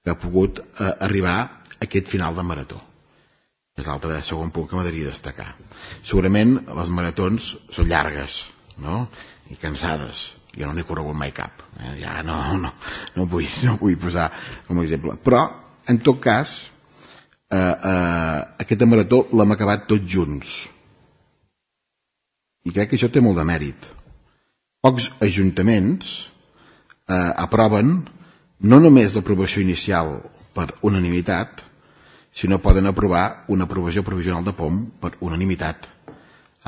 S1: que ha pogut eh, arribar a aquest final de marató. És l'altre segon punt que m'agradaria destacar. Segurament les maratons són llargues, no? I cansades. Jo no n'he corregut mai cap. Eh? Ja no, no, no, vull, no vull posar com a exemple. Però, en tot cas, eh, eh, aquesta marató l'hem acabat tots junts. I crec que això té molt de mèrit. Pocs ajuntaments eh, aproven no només l'aprovació inicial per unanimitat, sinó poden aprovar una aprovació provisional de P O M per unanimitat,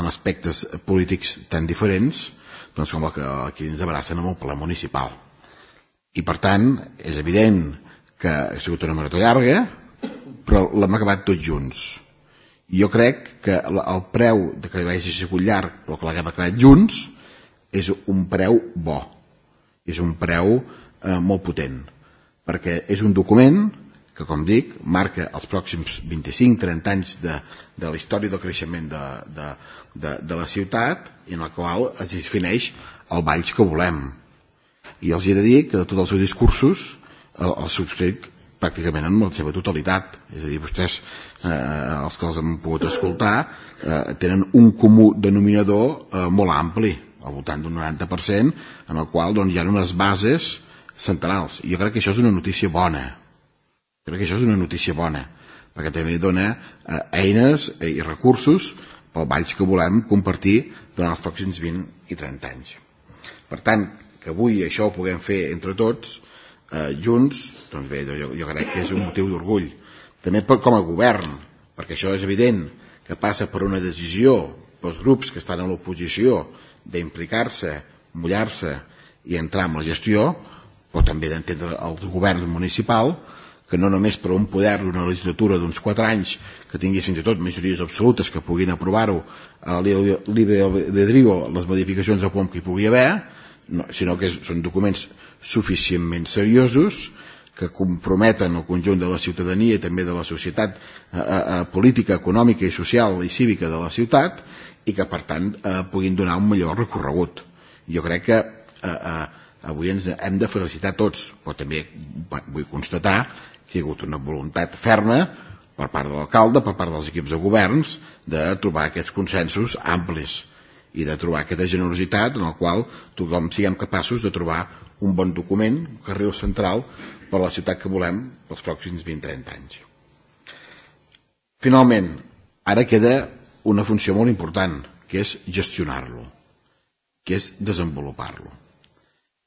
S1: amb aspectes polítics tan diferents doncs com el que aquí ens abracen amb el ple municipal. I per tant, és evident que ha sigut una marató llarga, però l'hem acabat tots junts. I jo crec que el preu de que hagi sigut llarg o que l'haguem acabat junts és un preu bo, és un preu eh, molt potent, perquè és un document que, com dic, marca els pròxims vint-i-cinc a trenta anys de, de la història del creixement de, de, de, de la ciutat i en el qual es defineix el Valls que volem. I els he de dir que de tots els seus discursos el, el subscric pràcticament en la seva totalitat. És a dir, vostès, eh, els que els han pogut escoltar, eh, tenen un comú denominador eh, molt ampli, al voltant d'un noranta per cent, en el qual doncs, hi ha unes bases centrals. I jo crec que això és una notícia bona. Crec que això és una notícia bona, perquè també dona eh, eines i recursos pel Valls que volem compartir durant els pròxims vint i trenta anys. Per tant, que avui això ho puguem fer entre tots, Eh, junts, doncs bé, jo, jo crec que és un motiu d'orgull. També per, com a govern, perquè això és evident que passa per una decisió pels grups que estan a l'oposició d'implicar-se, mullar-se i entrar en la gestió, però també d'entendre el govern municipal, que no només per un poder d'una legislatura d'uns quatre anys que tingui fins i tot majories absolutes que puguin aprovar-ho a l'Ibedrigo, les modificacions de P O M que hi pugui haver, no, sinó que són documents suficientment seriosos que comprometen el conjunt de la ciutadania i també de la societat eh, eh, política, econòmica i social i cívica de la ciutat i que per tant eh, puguin donar un millor recorregut. Jo crec que eh, eh, avui ens hem de felicitar tots, però també vull constatar que hi ha hagut una voluntat ferma per part de l'alcalde, per part dels equips de governs, de trobar aquests consensos amplis i de trobar aquesta generositat en el qual tothom siguem capaços de trobar un bon document, un carril central per a la ciutat que volem pels pròxims vint a trenta anys. Finalment, ara queda una funció molt important, que és gestionar-lo, que és desenvolupar-lo,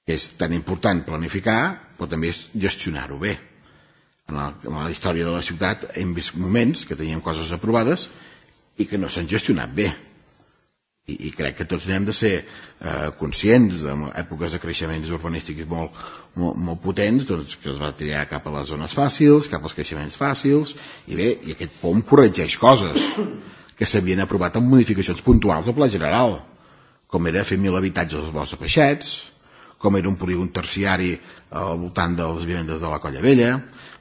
S1: que és tan important planificar, però també és gestionar-ho bé. En la, en la història de la ciutat hem vist moments que teníem coses aprovades i que no s'han gestionat bé. I, i crec que tots n'hem de ser eh, conscients en èpoques de creixements urbanístics molt, molt, molt potents, doncs, que es va triar cap a les zones fàcils, cap als creixements fàcils, i bé, i aquest P O M corregeix coses que s'havien aprovat amb modificacions puntuals al Pla General, com era fer mil habitatges als Boscs de Peixets, com era un polígon terciari al voltant de les vivendes de la Colla Vella,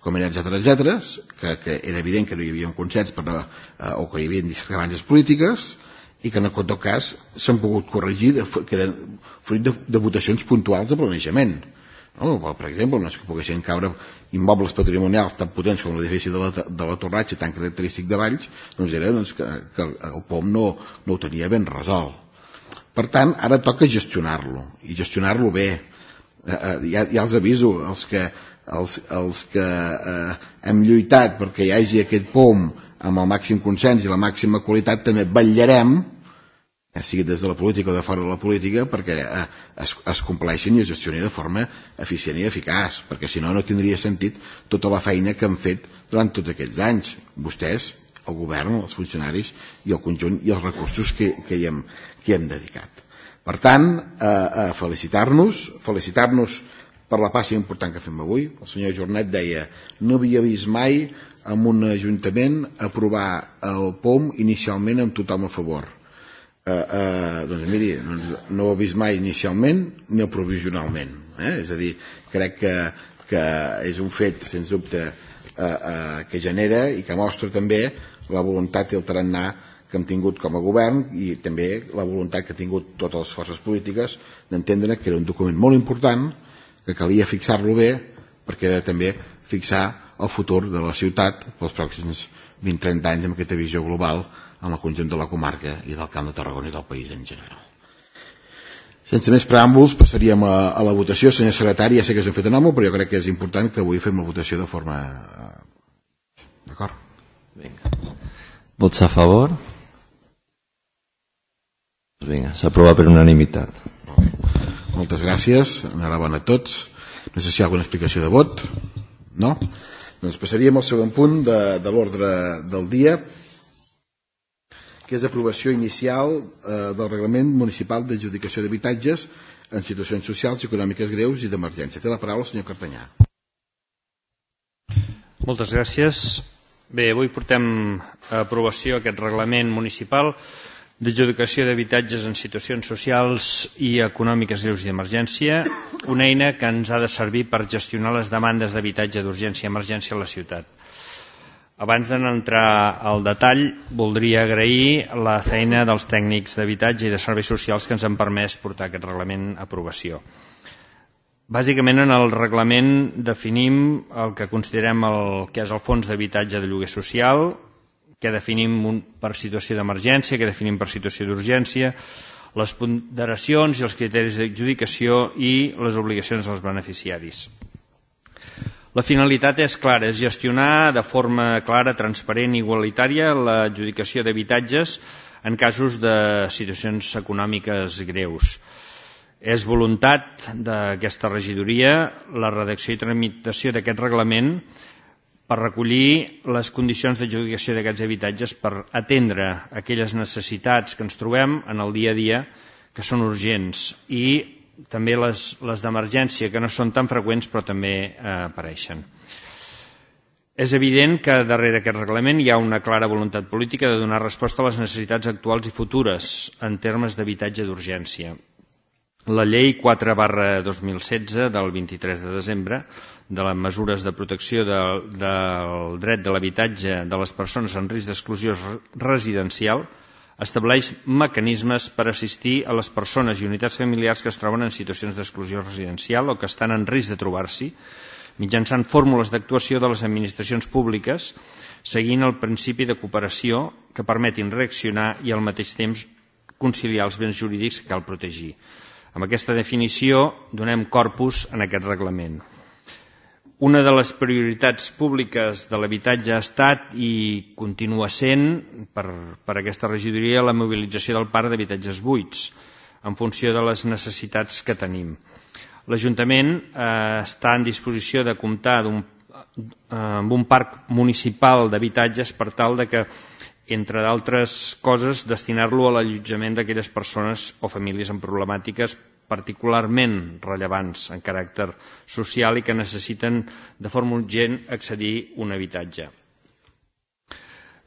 S1: com era, etcètera, etcètera, que, que era evident que no hi havia un consens per, eh, o que hi havia discrepàncies polítiques, i que en tot cas s'han pogut corregir de, que eren fruit de, de votacions puntuals de planejament. No? Per exemple, no és que poguessin caure immobles patrimonials tan potents com l'edifici de la, de la Torratxa, tan característic de Valls, doncs era doncs, que, que el P O M no, no ho tenia ben resolt. Per tant, ara toca gestionar-lo, i gestionar-lo bé. Eh, eh, ja, ja els aviso, els que, els, els que eh, hem lluitat perquè hi hagi aquest P O M amb el màxim consens i la màxima qualitat, també vetllarem, ja sigui des de la política o de fora de la política, perquè eh, es, es compleixin i es gestioni de forma eficient i eficaç, perquè si no, no tindria sentit tota la feina que han fet durant tots aquests anys. Vostès, el govern, els funcionaris i el conjunt i els recursos que, que, hi, hem, que hi hem dedicat. Per tant, eh, eh, felicitar-nos, felicitar-nos per la passa important que fem avui. El senyor Jornet deia, no havia vist mai en un ajuntament aprovar el P O M inicialment amb tothom a favor. Eh, eh, doncs miri, doncs no ho he vist mai inicialment ni provisionalment. Eh? És a dir, crec que, que és un fet, sens dubte, eh, eh, que genera i que mostra també la voluntat i el tarannà que hem tingut com a govern i també la voluntat que han tingut totes les forces polítiques d'entendre que era un document molt important, que calia fixar-lo bé, perquè era també fixar el futur de la ciutat pels pròxims vint a trenta anys amb aquesta visió global amb el conjunt de la comarca i del Camp de Tarragona i del país en general. Sense més preàmbuls, passaríem a, a la votació. Senyor secretari, ja sé que s'ho fet en home, però jo crec que és important que avui fem la votació de forma... D'acord?
S6: Vinga. Vots a favor? Vinga, s'aprova per unanimitat.
S1: Moltes gràcies, enhorabona a tots. No sé si hi ha alguna explicació de vot. No? Doncs passaríem al segon punt de, de l'ordre del dia, que és l'aprovació inicial eh, del Reglament Municipal d'Adjudicació d'Habitatges en situacions socials i econòmiques greus i d'emergència. Té la paraula el senyor Cartanyà.
S9: Moltes gràcies. Bé, avui portem a aprovació aquest Reglament Municipal d'Adjudicació d'Habitatges en situacions socials i econòmiques greus i d'emergència, una eina que ens ha de servir per gestionar les demandes d'habitatge d'urgència i emergència a la ciutat. Abans d'entrar al detall, voldria agrair la feina dels tècnics d'habitatge i de serveis socials que ens han permès portar aquest reglament a aprovació. Bàsicament, en el reglament definim el que considerem el que és el fons d'habitatge de lloguer social, que definim per situació d'emergència, que definim per situació d'urgència, les ponderacions i els criteris d'adjudicació i les obligacions dels beneficiaris. La finalitat és clara, és gestionar de forma clara, transparent i igualitària l'adjudicació d'habitatges en casos de situacions econòmiques greus. És voluntat d'aquesta regidoria la redacció i tramitació d'aquest reglament per recollir les condicions d'adjudicació d'aquests habitatges per atendre aquelles necessitats que ens trobem en el dia a dia que són urgents i també les, les d'emergència que no són tan freqüents però també eh, apareixen. És evident que darrere aquest reglament hi ha una clara voluntat política de donar resposta a les necessitats actuals i futures en termes d'habitatge d'urgència. La llei quatre barra dos mil setze del vint-i-tres de desembre de les mesures de protecció de, del dret de l'habitatge de les persones en risc d'exclusió residencial estableix mecanismes per assistir a les persones i unitats familiars que es troben en situacions d'exclusió residencial o que estan en risc de trobar-s'hi mitjançant fórmules d'actuació de les administracions públiques seguint el principi de cooperació que permetin reaccionar i al mateix temps conciliar els béns jurídics que cal protegir. Amb aquesta definició donem corpus en aquest reglament. Una de les prioritats públiques de l'habitatge ha estat i continua sent per, per aquesta regidoria la mobilització del parc d'habitatges buits en funció de les necessitats que tenim. L'Ajuntament eh, està en disposició de comptar d'un, eh, amb un parc municipal d'habitatges per tal de que, entre d'altres coses, destinar-lo a l'allotjament d'aquelles persones o famílies amb problemàtiques particularment rellevants en caràcter social i que necessiten de forma urgent accedir a un habitatge.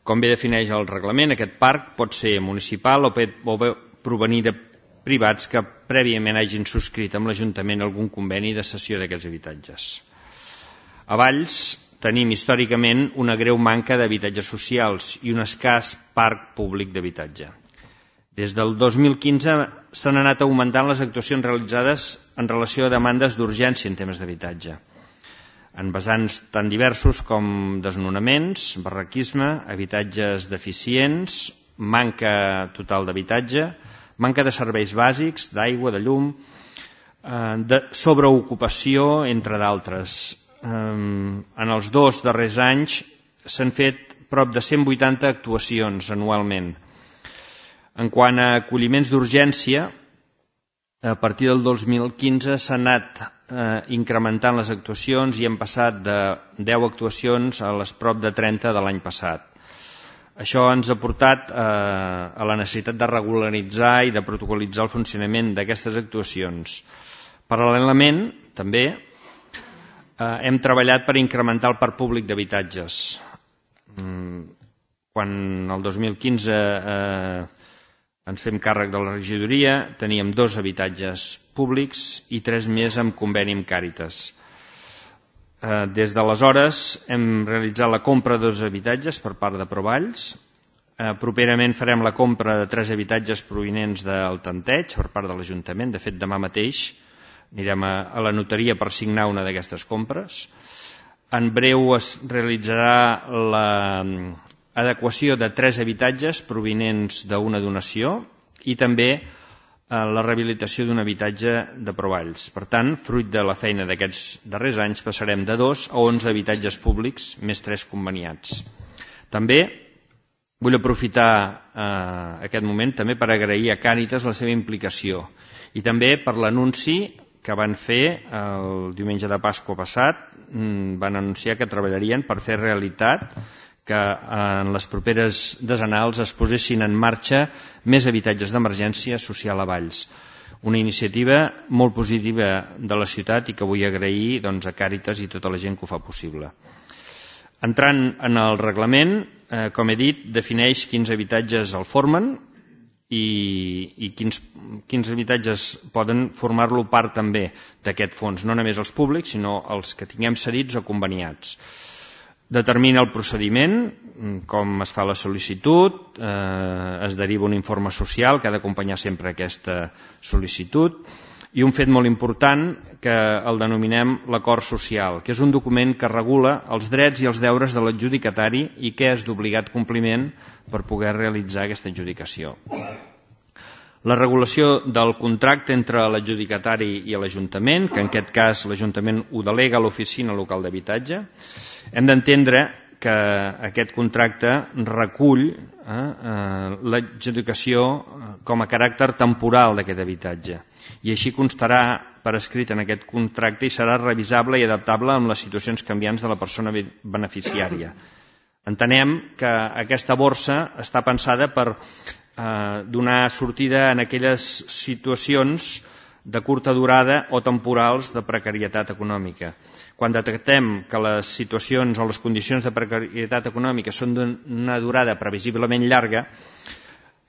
S9: Com bé defineix el reglament, aquest parc pot ser municipal o bé provenir de privats que prèviament hagin subscrit amb l'Ajuntament algun conveni de cessió d'aquests habitatges. A Valls tenim històricament una greu manca d'habitatges socials i un escàs parc públic d'habitatge. Des del dos mil quinze s'han anat augmentant les actuacions realitzades en relació a demandes d'urgència en temes d'habitatge, en vessants tan diversos com desnonaments, barraquisme, habitatges deficients, manca total d'habitatge, manca de serveis bàsics, d'aigua, de llum, de sobreocupació, entre d'altres. En els dos darrers anys s'han fet prop de cent vuitanta actuacions anualment. En quant a acolliments d'urgència, a partir del dos mil quinze s'han anat eh, incrementant les actuacions i hem passat de deu actuacions a les prop de trenta de l'any passat. Això ens ha portat eh, a la necessitat de regularitzar i de protocolitzar el funcionament d'aquestes actuacions. Paral·lelament, també, eh, hem treballat per incrementar el parc públic d'habitatges. Mm, quan el dos mil quinze eh, ens fem càrrec de la regidoria, teníem dos habitatges públics i tres més amb conveni amb Càritas. Des d'aleshores hem realitzat la compra de dos habitatges per part de Provalls. Properament farem la compra de tres habitatges provinents del tanteig per part de l'Ajuntament. De fet, demà mateix anirem a la notaria per signar una d'aquestes compres. En breu es realitzarà la adequació de tres habitatges provinents d'una donació i també la rehabilitació d'un habitatge de Provalls. Per tant, fruit de la feina d'aquests darrers anys, passarem de dos a onze habitatges públics, més tres conveniats. També vull aprofitar eh, aquest moment també per agrair a Càritas la seva implicació i també per l'anunci que van fer el diumenge de Pasqua passat. Van anunciar que treballarien per fer realitat que en les properes decenals es posessin en marxa més habitatges d'emergència social a Valls. Una iniciativa molt positiva de la ciutat i que vull agrair doncs, a Càritas i tota la gent que ho fa possible. Entrant en el reglament, eh, com he dit, defineix quins habitatges el formen i, i quins, quins habitatges poden formar-lo part també d'aquest fons, no només els públics, sinó els que tinguem cedits o conveniats. Determina el procediment, com es fa la sol·licitud, eh, es deriva un informe social que ha d'acompanyar sempre aquesta sol·licitud, i un fet molt important que el denominem l'acord social, que és un document que regula els drets i els deures de l'adjudicatari i que és d'obligat compliment per poder realitzar aquesta adjudicació. La regulació del contracte entre l'adjudicatari i l'Ajuntament, que en aquest cas l'Ajuntament ho delega a l'Oficina Local d'Habitatge. Hem d'entendre que aquest contracte recull eh, eh, l'adjudicació com a caràcter temporal d'aquest habitatge i així constarà per escrit en aquest contracte i serà revisable i adaptable amb les situacions canviants de la persona beneficiària. Entenem que aquesta borsa està pensada per eh, donar sortida en aquelles situacions de curta durada o temporals de precarietat econòmica. Quan detectem que les situacions o les condicions de precarietat econòmica són d'una durada previsiblement llarga,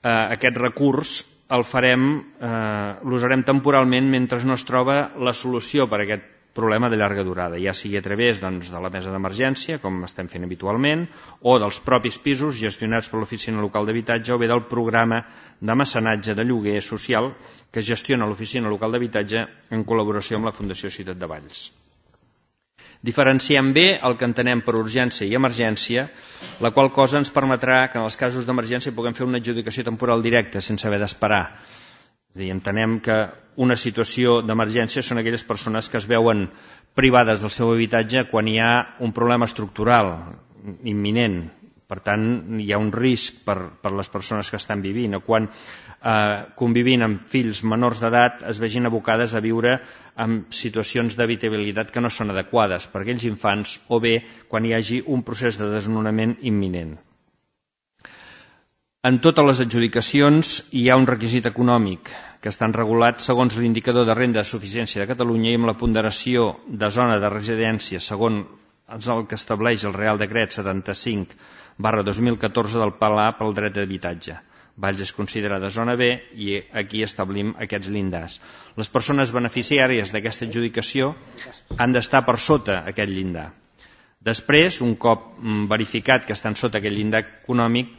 S9: eh, aquest recurs el farem, eh, l'usarem temporalment mentre no es troba la solució per a aquest problema de llarga durada, ja sigui a través doncs, de la mesa d'emergència, com estem fent habitualment, o dels propis pisos gestionats per l'Oficina Local d'Habitatge o bé del programa de mecenatge de lloguer social que gestiona l'Oficina Local d'Habitatge en col·laboració amb la Fundació Ciutat de Valls. Diferenciem bé el que entenem per urgència i emergència, la qual cosa ens permetrà que en els casos d'emergència puguem fer una adjudicació temporal directa sense haver d'esperar. És a dir, entenem que una situació d'emergència són aquelles persones que es veuen privades del seu habitatge quan hi ha un problema estructural imminent. Per tant, hi ha un risc per, per les persones que estan vivint o quan eh, convivint amb fills menors d'edat es vegin abocades a viure en situacions d'habitabilitat que no són adequades per a aquells infants o bé quan hi hagi un procés de desnonament imminent. En totes les adjudicacions hi ha un requisit econòmic que estan regulats segons l'indicador de renda de suficiència de Catalunya i amb la ponderació de zona de residència segons el que estableix el Real Decret setanta-cinc barra dos mil catorze del Pla pel dret d'habitatge. Valls és considerada zona B i aquí establim aquests llindars. Les persones beneficiàries d'aquesta adjudicació han d'estar per sota aquest llindar. Després, un cop verificat que estan sota aquest llindar econòmic,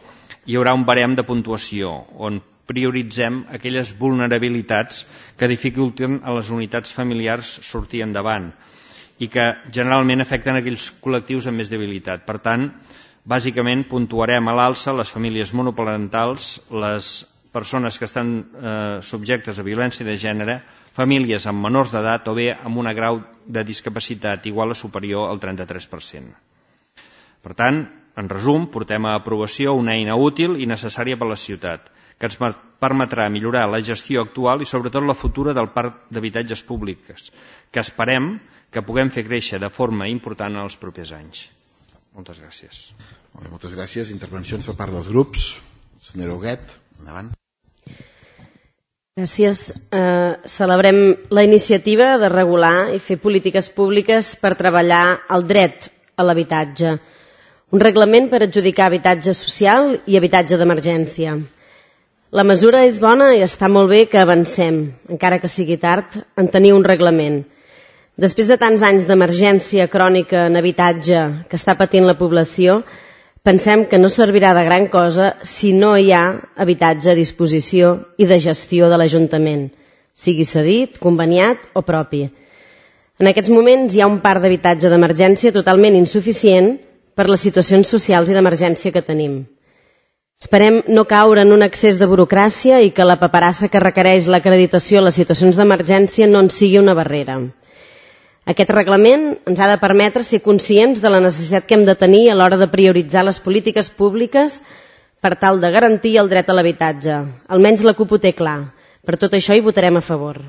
S9: hi haurà un barem de puntuació on prioritzem aquelles vulnerabilitats que dificulten a les unitats familiars sortir endavant i que generalment afecten aquells col·lectius amb més debilitat. Per tant, bàsicament puntuarem a l'alça les famílies monoparentals, les persones que estan eh, subjectes a violència de gènere, famílies amb menors d'edat o bé amb un grau de discapacitat igual o superior al trenta-tres per cent. Per tant, en resum, portem a aprovació una eina útil i necessària per a la ciutat, que ens permetrà millorar la gestió actual i sobretot la futura del parc d'habitatges públics, que esperem que puguem fer créixer de forma important en els propers anys. Moltes gràcies.
S1: Molt bé, moltes gràcies. Intervencions per part dels grups. Senyora Huguet, endavant.
S2: Gràcies. Eh, celebrem la iniciativa de regular i fer polítiques públiques per treballar el dret a l'habitatge. Un reglament per adjudicar habitatge social i habitatge d'emergència. La mesura és bona i està molt bé que avancem, encara que sigui tard, en tenir un reglament. Després de tants anys d'emergència crònica en habitatge que està patint la població, pensem que no servirà de gran cosa si no hi ha habitatge a disposició i de gestió de l'Ajuntament, sigui cedit, conveniat o propi. En aquests moments hi ha un parc d'habitatge d'emergència totalment insuficient per les situacions socials i d'emergència que tenim. Esperem no caure en un excés de burocràcia i que la paperassa que requereix l'acreditació a les situacions d'emergència no en sigui una barrera. Aquest reglament ens ha de permetre ser conscients de la necessitat que hem de tenir a l'hora de prioritzar les polítiques públiques per tal de garantir el dret a l'habitatge. Almenys la CUP ho té clar. Per tot això hi votarem a favor.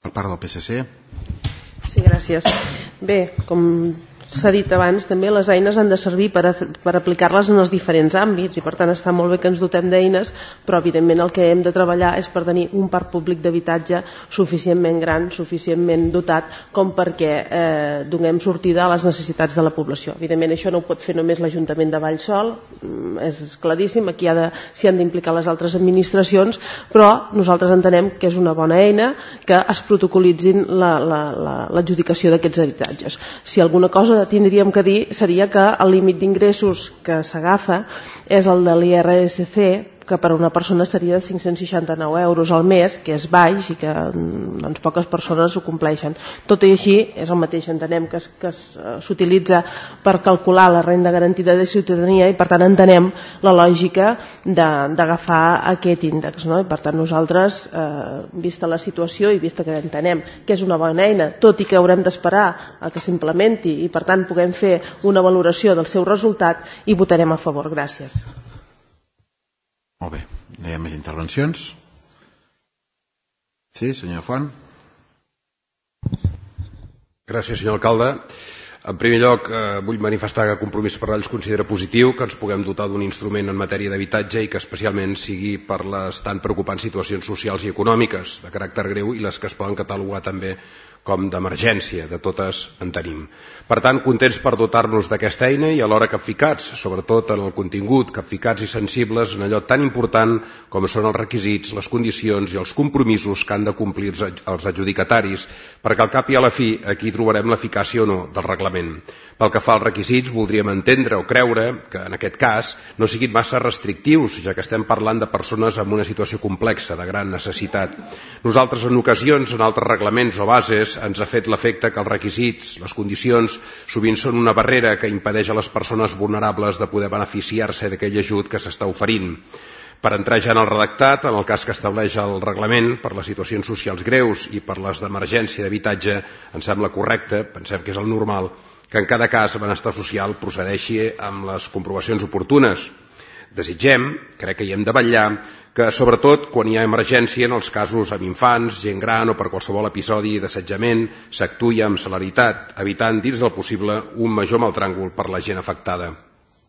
S1: Per part del P S C.
S3: Sí, gràcies. Bé, com s'ha dit abans, també les eines han de servir per, a, per aplicar-les en els diferents àmbits i per tant està molt bé que ens dotem d'eines, però evidentment el que hem de treballar és per tenir un parc públic d'habitatge suficientment gran, suficientment dotat com perquè eh, donem sortida a les necessitats de la població. Evidentment això no ho pot fer només l'Ajuntament de Valls sol, és claríssim, aquí ha de, s'hi han d'implicar les altres administracions, però nosaltres entenem que és una bona eina que es protocolitzin l'adjudicació la, la, la, d'aquests habitatges. Si alguna cosa tindríem que dir seria que el límit d'ingressos que s'agafa és el de l'I R S C que per a una persona seria de cinc-cents seixanta-nou euros al mes, que és baix i que doncs, poques persones ho compleixen. Tot i així, és el mateix, entenem que s'utilitza per calcular la renda garantida de ciutadania i per tant entenem la lògica d'agafar aquest índex. No? I per tant nosaltres, eh, vista la situació i vista que entenem que és una bona eina, tot i que haurem d'esperar a que s'implementi i per tant puguem fer una valoració del seu resultat, hi votarem a favor. Gràcies.
S1: Molt bé. No hi ha més intervencions? Sí, senyor Font.
S5: Gràcies, senyor alcalde. En primer lloc, eh, vull manifestar que Compromís per Valls considera positiu que ens puguem dotar d'un instrument en matèria d'habitatge i que especialment sigui per les tan preocupants situacions socials i econòmiques de caràcter greu i les que es poden catalogar també com d'emergència, de totes en tenim. Per tant, contents per dotar-nos d'aquesta eina i alhora capficats, sobretot en el contingut, capficats i sensibles en allò tan important com són els requisits, les condicions i els compromisos que han de complir els adjudicataris, perquè al cap i a la fi aquí trobarem l'eficàcia o no del reglament. Pel que fa als requisits, voldríem entendre o creure que en aquest cas no siguin massa restrictius, ja que estem parlant de persones amb una situació complexa, de gran necessitat. Nosaltres en ocasions, en altres reglaments o bases, ens ha fet l'efecte que els requisits, les condicions, sovint són una barrera que impedeix a les persones vulnerables de poder beneficiar-se d'aquell ajut que s'està oferint. Per entrar ja en el redactat, en el cas que estableix el reglament, per les situacions socials greus i per les d'emergència d'habitatge, ens sembla correcte, pensem que és el normal, que en cada cas el benestar social procedeixi amb les comprovacions oportunes. Desitgem, crec que hi hem de vetllar, que sobretot quan hi ha emergència en els casos amb infants, gent gran o per qualsevol episodi d'assetjament s'actuï amb celeritat, evitant dins del possible un major maltràngol per la gent afectada.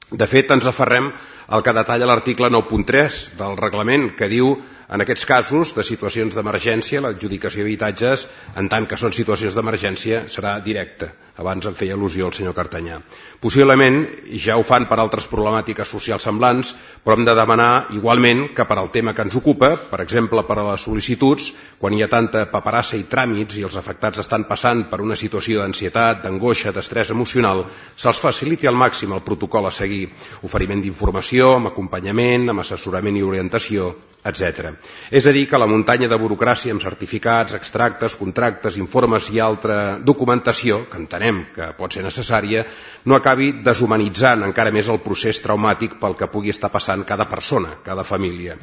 S5: De fet, ens aferrem al que detalla l'article nou punt tres del reglament, que diu en aquests casos de situacions d'emergència l'adjudicació d'habitatges, en tant que són situacions d'emergència, serà directa. Abans en feia al·lusió el senyor Cartanyà. Possiblement ja ho fan per altres problemàtiques socials semblants, però hem de demanar igualment que per al tema que ens ocupa, per exemple per a les sol·licituds, quan hi ha tanta paperassa i tràmits i els afectats estan passant per una situació d'ansietat, d'angoixa, d'estrès emocional, se'ls faciliti al màxim el protocol a seguir, oferiment d'informació, amb acompanyament, amb assessorament i orientació, etcètera. És a dir, que la muntanya de burocràcia amb certificats, extractes, contractes, informes i altra documentació, que entenem que pot ser necessària, no acabi deshumanitzant encara més el procés traumàtic pel que pugui estar passant cada persona, cada família.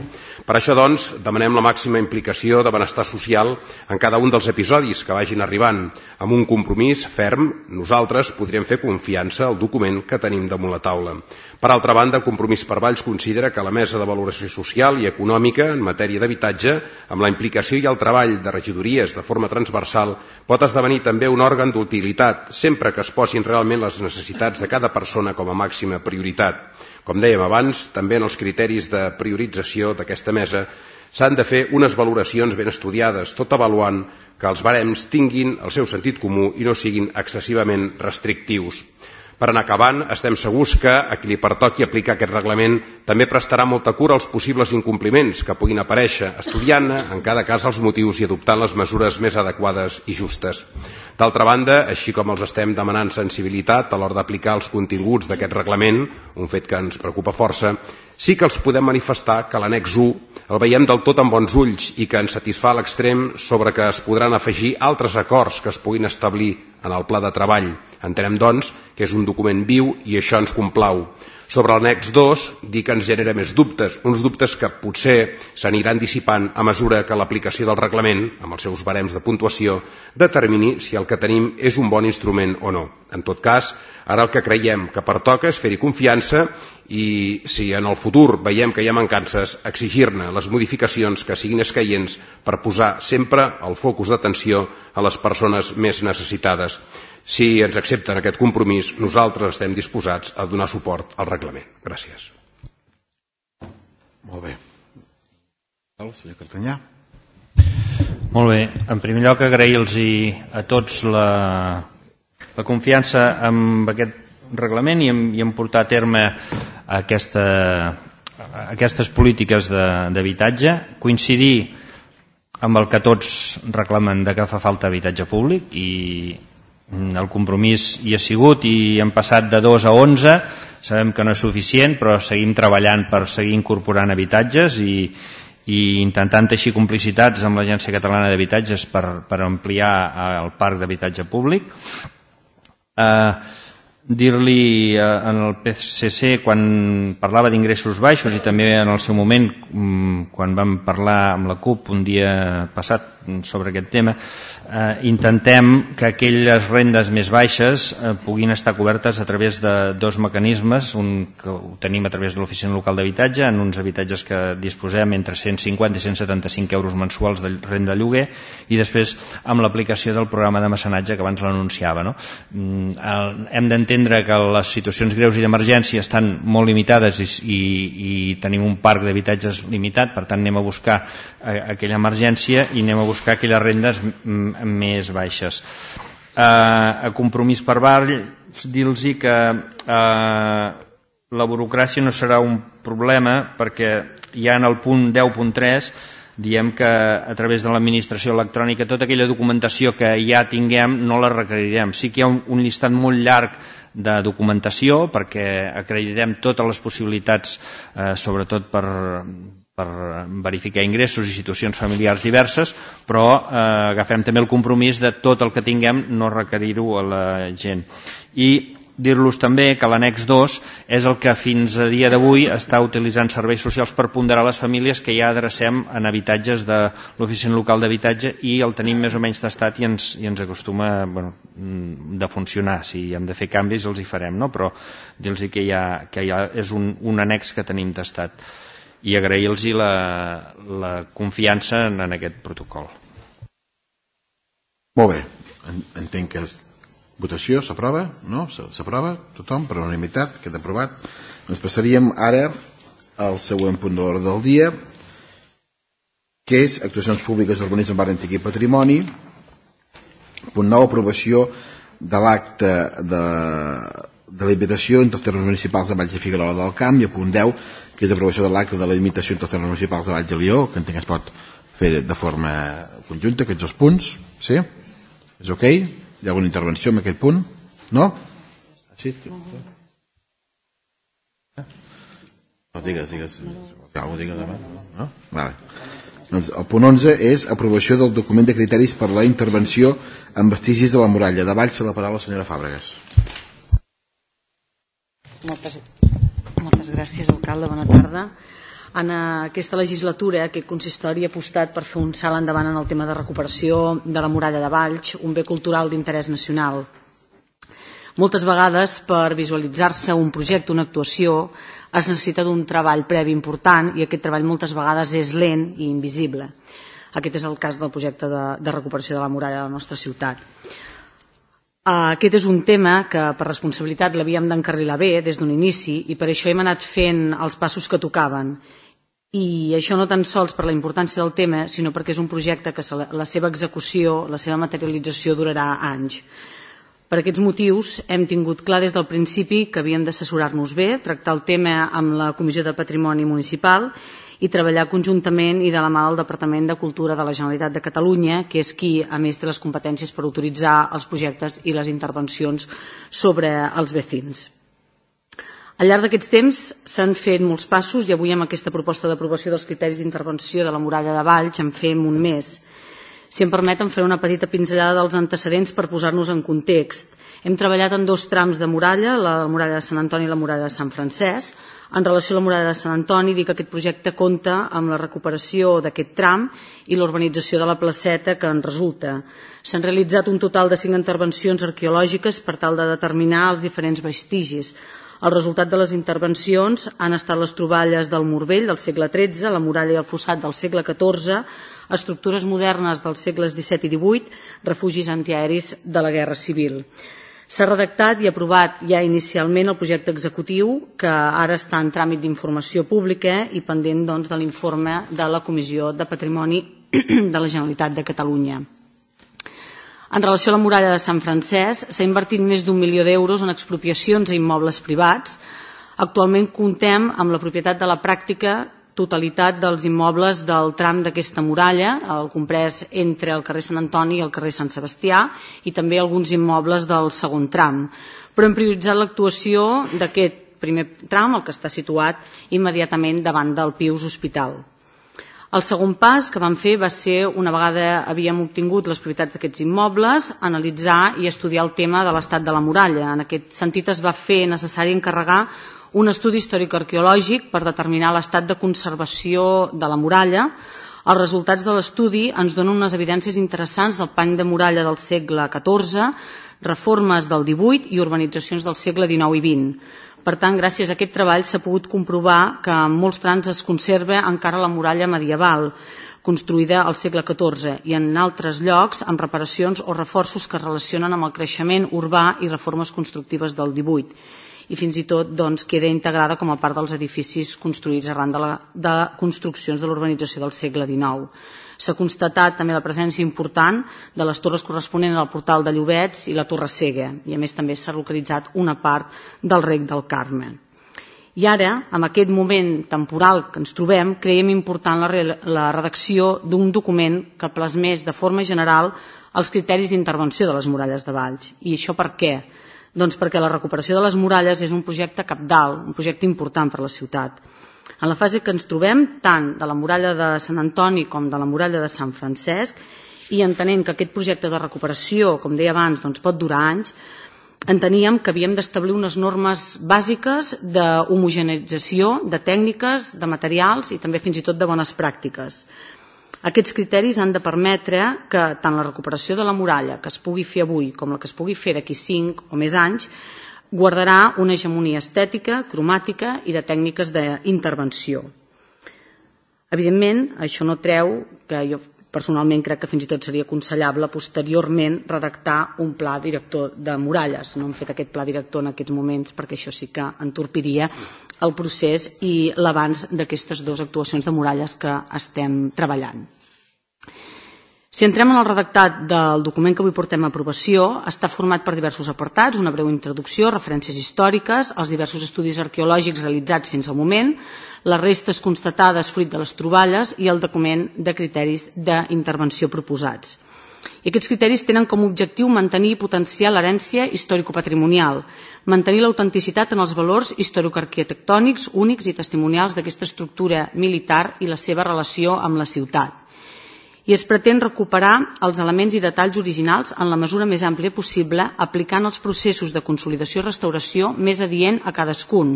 S5: Per això, doncs, demanem la màxima implicació de benestar social en cada un dels episodis que vagin arribant. Amb un compromís ferm, nosaltres podríem fer confiança al document que tenim damunt la taula. Per altra banda, Compromís per Valls considera que la Mesa de Valoració Social i Econòmica en matèria d'habitatge, amb la implicació i el treball de regidories de forma transversal, pot esdevenir també un òrgan d'utilitat, sempre que es posin realment les necessitats de cada persona com a màxima prioritat. Com dèiem abans, també en els criteris de priorització d'aquesta mesa s'han de fer unes valoracions ben estudiades, tot avaluant que els barems tinguin el seu sentit comú i no siguin excessivament restrictius. Per anar acabant, estem segurs que a qui li pertoqui aplicar aquest reglament també prestarà molta cura als possibles incompliments que puguin aparèixer, estudiant-ne en cada cas els motius i adoptant les mesures més adequades i justes. D'altra banda, així com els estem demanant sensibilitat a l'hora d'aplicar els continguts d'aquest reglament, un fet que ens preocupa força, sí que els podem manifestar que l'annex u el veiem del tot amb bons ulls i que ens satisfà a l'extrem sobre que es podran afegir altres acords que es puguin establir en el pla de treball. Entenem, doncs, que és un document viu i això ens complau. Sobre l'annex dos, dir que ens genera més dubtes, uns dubtes que potser s'aniran dissipant a mesura que l'aplicació del reglament, amb els seus barems de puntuació, determini si el que tenim és un bon instrument o no. En tot cas, ara el que creiem que pertoca és fer-hi confiança i, si en el futur veiem que hi ha mancances, exigir-ne les modificacions que siguin escaients per posar sempre el focus d'atenció a les persones més necessitades. Si ens accepten aquest compromís, nosaltres estem disposats a donar suport al reglament. Gràcies.
S1: Molt bé. El senyor Cartanyà.
S9: Molt bé. En primer lloc, agrair-los a tots la, la confiança en aquest reglament i en, i en portar a terme aquesta, aquestes polítiques d'habitatge. Coincidir amb el que tots reclamen de que fa falta habitatge públic i el compromís hi ha sigut i hem passat de dos a onze. Sabem que no és suficient, però seguim treballant per seguir incorporant habitatges i, i intentant teixir complicitats amb l'Agència Catalana d'Habitatges per, per ampliar el parc d'habitatge públic. Eh, dir-li en el P S C, quan parlava d'ingressos baixos i també en el seu moment quan vam parlar amb la CUP un dia passat sobre aquest tema, eh, intentem que aquelles rendes més baixes eh, puguin estar cobertes a través de dos mecanismes, un que ho tenim a través de l'Oficina Local d'Habitatge, en uns habitatges que disposem entre cent cinquanta i cent setanta-cinc euros mensuals de renda de lloguer, i després amb l'aplicació del programa de mecenatge que abans l'anunciava, no? El, hem d'entendre que les situacions greus i d'emergència estan molt limitades i, i, i tenim un parc d'habitatges limitat, per tant anem a buscar aquella emergència i anem a buscar aquelles rendes més baixes. Eh, a Compromís per Barri, dir-los que eh, la burocràcia no serà un problema, perquè ja en el punt deu punt tres diem que a través de l'administració electrònica tota aquella documentació que ja tinguem no la requerirem. Sí que hi ha un, un llistat molt llarg de documentació perquè acreditem totes les possibilitats, eh, sobretot per per verificar ingressos i situacions familiars diverses, però eh, agafem també el compromís de tot el que tinguem no requerir-ho a la gent. I dir-los també que l'annex dos és el que fins a dia d'avui està utilitzant serveis socials per ponderar les famílies que ja adrecem en habitatges de l'Oficina Local d'Habitatge i el tenim més o menys tastat i ens, i ens acostuma bueno, de funcionar. Si hem de fer canvis els hi farem, no? Però dir-los que, ja, que ja és un, un annex que tenim tastat. I agrair-los la, la confiança en, en aquest protocol.
S1: Molt bé, entenc que és votació, s'aprova, no? S'aprova, tothom, per unanimitat, queda aprovat. Ens passaríem ara al següent punt de l'ordre del dia, que és actuacions públiques d'urbanisme, barri antic i patrimoni. Punt nou, aprovació de l'acte de de la limitació entre els termes municipals de Valls i Figuerola del Camp, i a punt deu, que és aprovació de l'acte de la limitació entre els termes municipals de Valls i Lió, que entenc que es pot fer de forma conjunta, aquests dos punts. Sí? És ok? Hi ha alguna intervenció en aquest punt? No? Sí? No, digues, digues. Algú digues demà? No? Vale. Doncs el punt onze és aprovació del document de criteris per la intervenció en vestigis de la muralla de Valls. Se la paraula la senyora Fàbregas.
S11: Moltes, moltes gràcies, alcalde. Bona tarda. En aquesta legislatura, aquest consistori ha apostat per fer un salt endavant en el tema de recuperació de la muralla de Valls, un bé cultural d'interès nacional. Moltes vegades, per visualitzar-se un projecte, una actuació, es necessita d'un treball previ important i aquest treball moltes vegades és lent i invisible. Aquest és el cas del projecte de, de recuperació de la muralla de la nostra ciutat. Aquest és un tema que per responsabilitat l'havíem d'encarrilar bé des d'un inici i per això hem anat fent els passos que tocaven. I això no tan sols per la importància del tema, sinó perquè és un projecte que la seva execució, la seva materialització durarà anys. Per aquests motius hem tingut clar des del principi que havíem d'assessorar-nos bé, tractar el tema amb la Comissió de Patrimoni Municipal i treballar conjuntament i de la mà del Departament de Cultura de la Generalitat de Catalunya, que és qui, a més, té les competències per autoritzar els projectes i les intervencions sobre els vecins. Al llarg d'aquests temps s'han fet molts passos i avui amb aquesta proposta d'aprovació dels criteris d'intervenció de la muralla de Valls en fem un mes. Si em permeten, faré una petita pinzellada dels antecedents per posar-nos en context. Hem treballat en dos trams de muralla, la muralla de Sant Antoni i la muralla de Sant Francesc. En relació a la muralla de Sant Antoni, dic que aquest projecte compta amb la recuperació d'aquest tram i l'urbanització de la placeta que en resulta. S'han realitzat un total de cinc intervencions arqueològiques per tal de determinar els diferents vestigis. El resultat de les intervencions han estat les troballes del Morvell del segle tretze, la muralla i el fossat del segle catorze, estructures modernes dels segles disset i divuit, refugis antiaeris de la Guerra Civil. S'ha redactat i aprovat ja inicialment el projecte executiu que ara està en tràmit d'informació pública i pendent doncs, de l'informe de la Comissió de Patrimoni de la Generalitat de Catalunya. En relació a la muralla de Sant Francesc, s'ha invertit més d'un milió d'euros en expropiacions a immobles privats. Actualment comptem amb la propietat de la pràctica totalitat dels immobles del tram d'aquesta muralla, el comprès entre el carrer Sant Antoni i el carrer Sant Sebastià, i també alguns immobles del segon tram. Però hem prioritzat l'actuació d'aquest primer tram, el que està situat immediatament davant del Pius Hospital. El segon pas que vam fer va ser, una vegada havíem obtingut les propietats d'aquests immobles, analitzar i estudiar el tema de l'estat de la muralla. En aquest sentit es va fer necessari encarregar un estudi històric-arqueològic per determinar l'estat de conservació de la muralla. Els resultats de l'estudi ens donen unes evidències interessants del pany de muralla del segle catorze, reformes del divuit i urbanitzacions del segle dinou i vint. Per tant, gràcies a aquest treball s'ha pogut comprovar que en molts trams es conserva encara la muralla medieval, construïda al segle catorze, i en altres llocs amb reparacions o reforços que es relacionen amb el creixement urbà i reformes constructives del divuit. I fins i tot doncs, queda integrada com a part dels edificis construïts arran de, la, de construccions de l'urbanització del segle dinou. S'ha constatat també la presència important de les torres corresponents al portal de Llobets i la Torre Cega, i a més també s'ha localitzat una part del Rec del Carme. I ara, en aquest moment temporal que ens trobem, creiem important la, la redacció d'un document que plasmés de forma general els criteris d'intervenció de les muralles de Valls. I això per què? Doncs perquè la recuperació de les muralles és un projecte cabdal, un projecte important per a la ciutat. En la fase que ens trobem, tant de la muralla de Sant Antoni com de la muralla de Sant Francesc, i entenent que aquest projecte de recuperació, com deia abans, doncs pot durar anys, enteníem que havíem d'establir unes normes bàsiques d'homogeneïtzació, de tècniques, de materials i també fins i tot de bones pràctiques. Aquests criteris han de permetre que tant la recuperació de la muralla que es pugui fer avui com la que es pugui fer d'aquí cinc o més anys guardarà una hegemonia estètica, cromàtica i de tècniques d'intervenció. Evidentment, això no treu que jo personalment crec que fins i tot seria aconsellable posteriorment redactar un pla director de muralles. No hem fet aquest pla director en aquests moments perquè això sí que entorpiria el procés i l'abans d'aquestes dues actuacions de muralles que estem treballant. Si entrem en el redactat del document que avui portem a aprovació, està format per diversos apartats, una breu introducció, referències històriques, els diversos estudis arqueològics realitzats fins al moment, les restes constatades fruit de les troballes i el document de criteris d'intervenció proposats. I aquests criteris tenen com a objectiu mantenir i potenciar l'herència històrico-patrimonial, mantenir l'autenticitat en els valors històrico-arquitectònics únics i testimonials d'aquesta estructura militar i la seva relació amb la ciutat. I es pretén recuperar els elements i detalls originals en la mesura més àmplia possible, aplicant els processos de consolidació i restauració més adient a cadascun,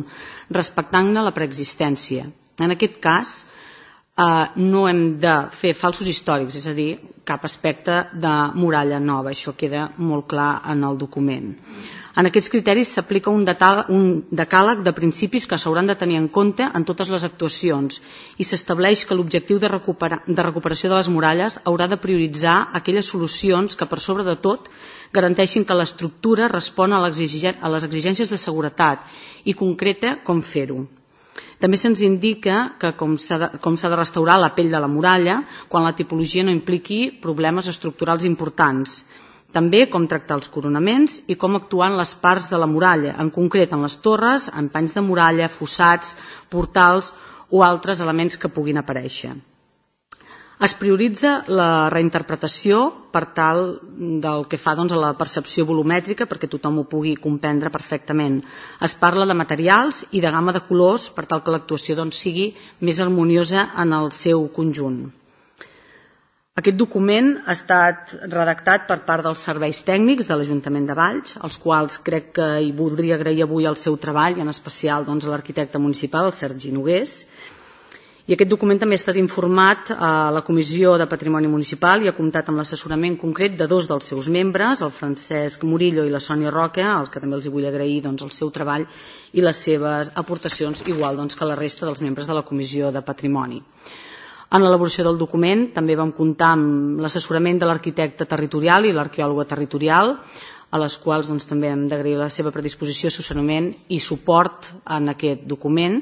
S11: respectant-ne la preexistència. En aquest cas, eh, no hem de fer falsos històrics, és a dir, cap aspecte de muralla nova, això queda molt clar en el document. En aquests criteris s'aplica un, un decàleg de principis que s'hauran de tenir en compte en totes les actuacions i s'estableix que l'objectiu de, recupera, de recuperació de les muralles haurà de prioritzar aquelles solucions que per sobre de tot garanteixin que l'estructura respon a, a les exigències de seguretat i concreta com fer-ho. També se'ns indica que com s'ha de, com s'ha de restaurar la pell de la muralla quan la tipologia no impliqui problemes estructurals importants. També com tractar els coronaments i com actuar en les parts de la muralla, en concret en les torres, en panys de muralla, fossats, portals o altres elements que puguin aparèixer. Es prioritza la reinterpretació per tal del que fa doncs, a la percepció volumètrica perquè tothom ho pugui comprendre perfectament. Es parla de materials i de gamma de colors per tal que l'actuació doncs, sigui més harmoniosa en el seu conjunt. Aquest document ha estat redactat per part dels serveis tècnics de l'Ajuntament de Valls, als quals crec que hi voldria agrair avui el seu treball, i en especial doncs, a l'arquitecte municipal, el Sergi Nogués. I aquest document també ha estat informat a la Comissió de Patrimoni Municipal i ha comptat amb l'assessorament concret de dos dels seus membres, el Francesc Murillo i la Sònia Roca, als que també els vull agrair doncs, el seu treball i les seves aportacions, igual doncs, que la resta dels membres de la Comissió de Patrimoni. En l'elaboració del document també vam comptar amb l'assessorament de l'arquitecte territorial i l'arqueòloga territorial, a les quals doncs, també hem d'agrair la seva predisposició, assessorament i suport en aquest document.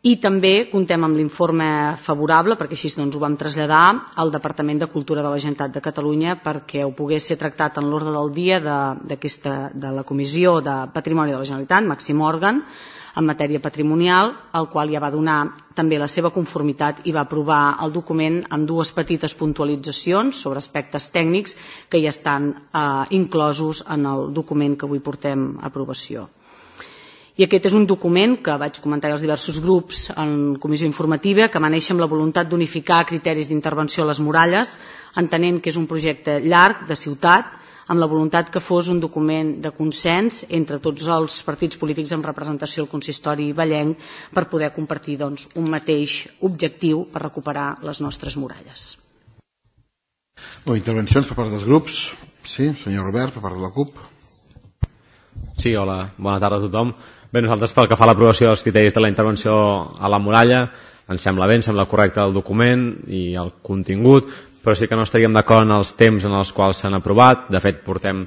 S11: I també comptem amb l'informe favorable, perquè així doncs, ho vam traslladar al Departament de Cultura de la Generalitat de Catalunya perquè ho pogués ser tractat en l'ordre del dia de, de la Comissió de Patrimoni de la Generalitat, màxim òrgan, en matèria patrimonial, el qual ja va donar també la seva conformitat i va aprovar el document amb dues petites puntualitzacions sobre aspectes tècnics que ja estan eh, inclosos en el document que avui portem a aprovació. I aquest és un document que vaig comentar als diversos grups en comissió informativa, que va néixer amb la voluntat d'unificar criteris d'intervenció a les muralles, entenent que és un projecte llarg de ciutat, amb la voluntat que fos un document de consens entre tots els partits polítics amb representació al consistori vallenc per poder compartir doncs, un mateix objectiu per recuperar les nostres muralles.
S1: Bé, intervencions per part dels grups. Sí, senyor Robert, per part de la CUP.
S12: Sí, hola, bona tarda a tothom. Bé, nosaltres pel que fa a l'aprovació dels criteris de la intervenció a la muralla ens sembla bé, ens sembla correcte el document i el contingut, però sí que no estaríem d'acord en els temps en els quals s'han aprovat. De fet, portem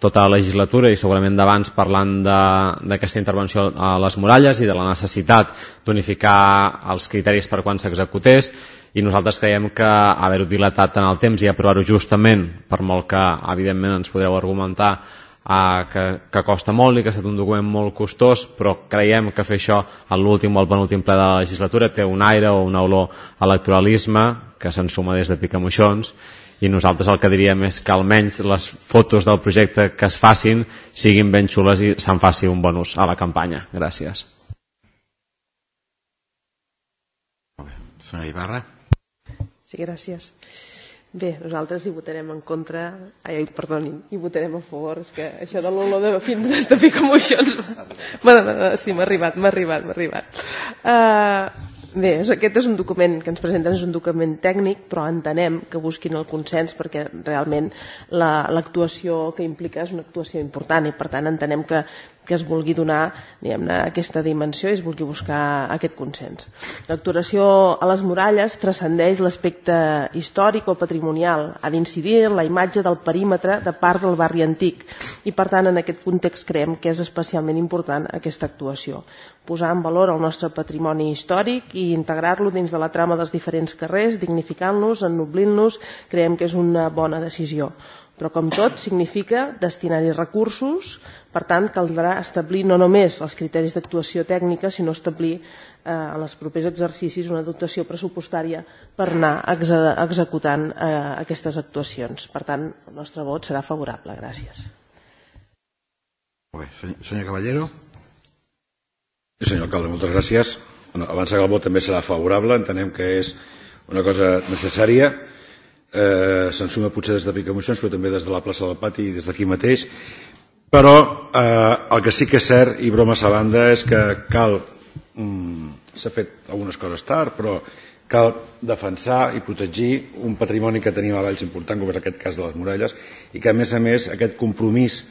S12: tota la legislatura i segurament d'abans parlant d'aquesta intervenció a les muralles i de la necessitat d'unificar els criteris per quan s'executés, i nosaltres creiem que haver-ho dilatat en el temps i aprovar-ho justament, per molt que evidentment ens podreu argumentar Uh, que, que costa molt i que ha estat un document molt costós, però creiem que fer això a l'últim o al penúltim ple de la legislatura té un aire o una olor a electoralisme que se'n suma des de Picamoixons, i nosaltres el que diríem és que almenys les fotos del projecte que es facin siguin ben xules i se'n faci un bon ús a la campanya. Gràcies.
S1: Senyora Ibarra.
S3: Sí, gràcies. Bé, nosaltres hi votarem en contra, ai, perdonin, hi votarem a favor, és que això de l'olor de fins des de Picamoixons, bueno, no, no, sí, m'ha arribat, m'ha arribat, m'ha arribat. Uh, bé, aquest és un document que ens presenten, és un document tècnic, però entenem que busquin el consens perquè realment l'actuació que implica és una actuació important i per tant entenem que que es vulgui donar aquesta dimensió i es vulgui buscar aquest consens. L'actuació a les muralles transcendeix l'aspecte històric o patrimonial, ha d'incidir en la imatge del perímetre de part del barri antic i per tant en aquest context creiem que és especialment important aquesta actuació. Posar en valor el nostre patrimoni històric i integrar-lo dins de la trama dels diferents carrers, dignificant-los, ennoblint-los, creiem que és una bona decisió. Però com tot significa destinar-hi recursos, per tant caldrà establir no només els criteris d'actuació tècnica, sinó establir eh, en els propers exercicis una dotació pressupostària per anar exe executant eh, aquestes actuacions. Per tant, el nostre vot serà favorable. Gràcies.
S1: Molt bé. Senyor Caballero.
S4: Sí, senyor alcalde, moltes gràcies. Bueno, abans que el vot també serà favorable, entenem que és una cosa necessària. Eh, se'n suma potser des de Picamoixons, però també des de la plaça del Pati i des d'aquí mateix, però eh, el que sí que és cert, i bromes a banda, és que cal mm, s'ha fet algunes coses tard, però cal defensar i protegir un patrimoni que tenim a Valls important, com és aquest cas de les muralles, i que a més a més aquest compromís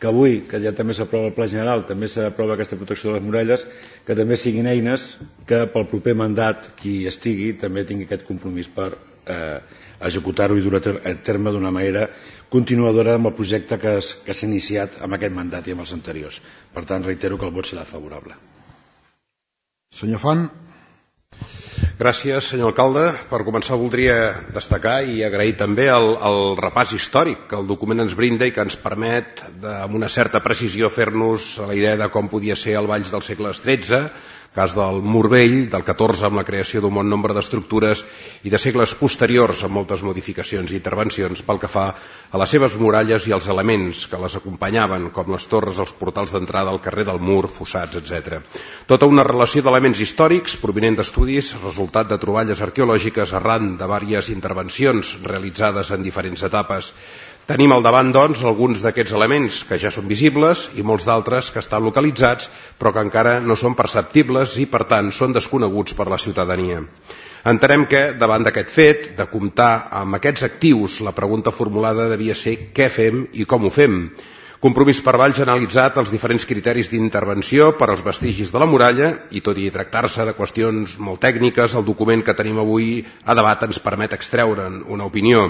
S4: que avui, que ja també s'aprova el Pla General, també s'aprova aquesta protecció de les muralles, que també siguin eines que pel proper mandat qui estigui també tingui aquest compromís per eh, executar-ho i dur a terme d'una manera continuadora amb el projecte que s'ha iniciat amb aquest mandat i amb els anteriors. Per tant, reitero que el vot serà favorable.
S1: Senyor Font.
S5: Gràcies, senyor alcalde. Per començar voldria destacar i agrair també el, el repàs històric que el document ens brinda i que ens permet de, amb una certa precisió fer-nos a la idea de com podia ser el Valls del segle tretze, cas del Mur Vell, del catorze amb la creació d'un bon nombre d'estructures i de segles posteriors amb moltes modificacions i intervencions pel que fa a les seves muralles i els elements que les acompanyaven, com les torres, els portals d'entrada al carrer del Mur, fossats, etcètera. Tota una relació d'elements històrics provinent d'estudis, resultat de troballes arqueològiques arran de diverses intervencions realitzades en diferents etapes. Tenim al davant, doncs, alguns d'aquests elements que ja són visibles i molts d'altres que estan localitzats però que encara no són perceptibles i, per tant, són desconeguts per la ciutadania. Entenem que, davant d'aquest fet, de comptar amb aquests actius, la pregunta formulada devia ser què fem i com ho fem. Compromís per Valls ha analitzat els diferents criteris d'intervenció per als vestigis de la muralla i, tot i tractar-se de qüestions molt tècniques, el document que tenim avui a debat ens permet extreure'n una opinió.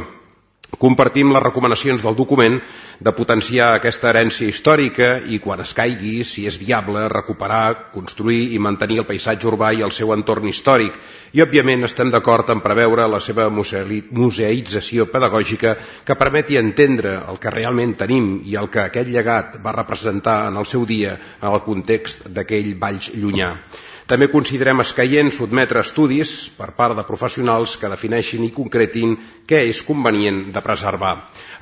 S5: Compartim les recomanacions del document de potenciar aquesta herència històrica i, quan es caigui, si és viable, recuperar, construir i mantenir el paisatge urbà i el seu entorn històric. I, òbviament, estem d'acord en preveure la seva museïtzació pedagògica que permeti entendre el que realment tenim i el que aquest llegat va representar en el seu dia en el context d'aquell Valls llunyà. També considerem escaient sotmetre estudis per part de professionals que defineixin i concretin què és convenient de preservar.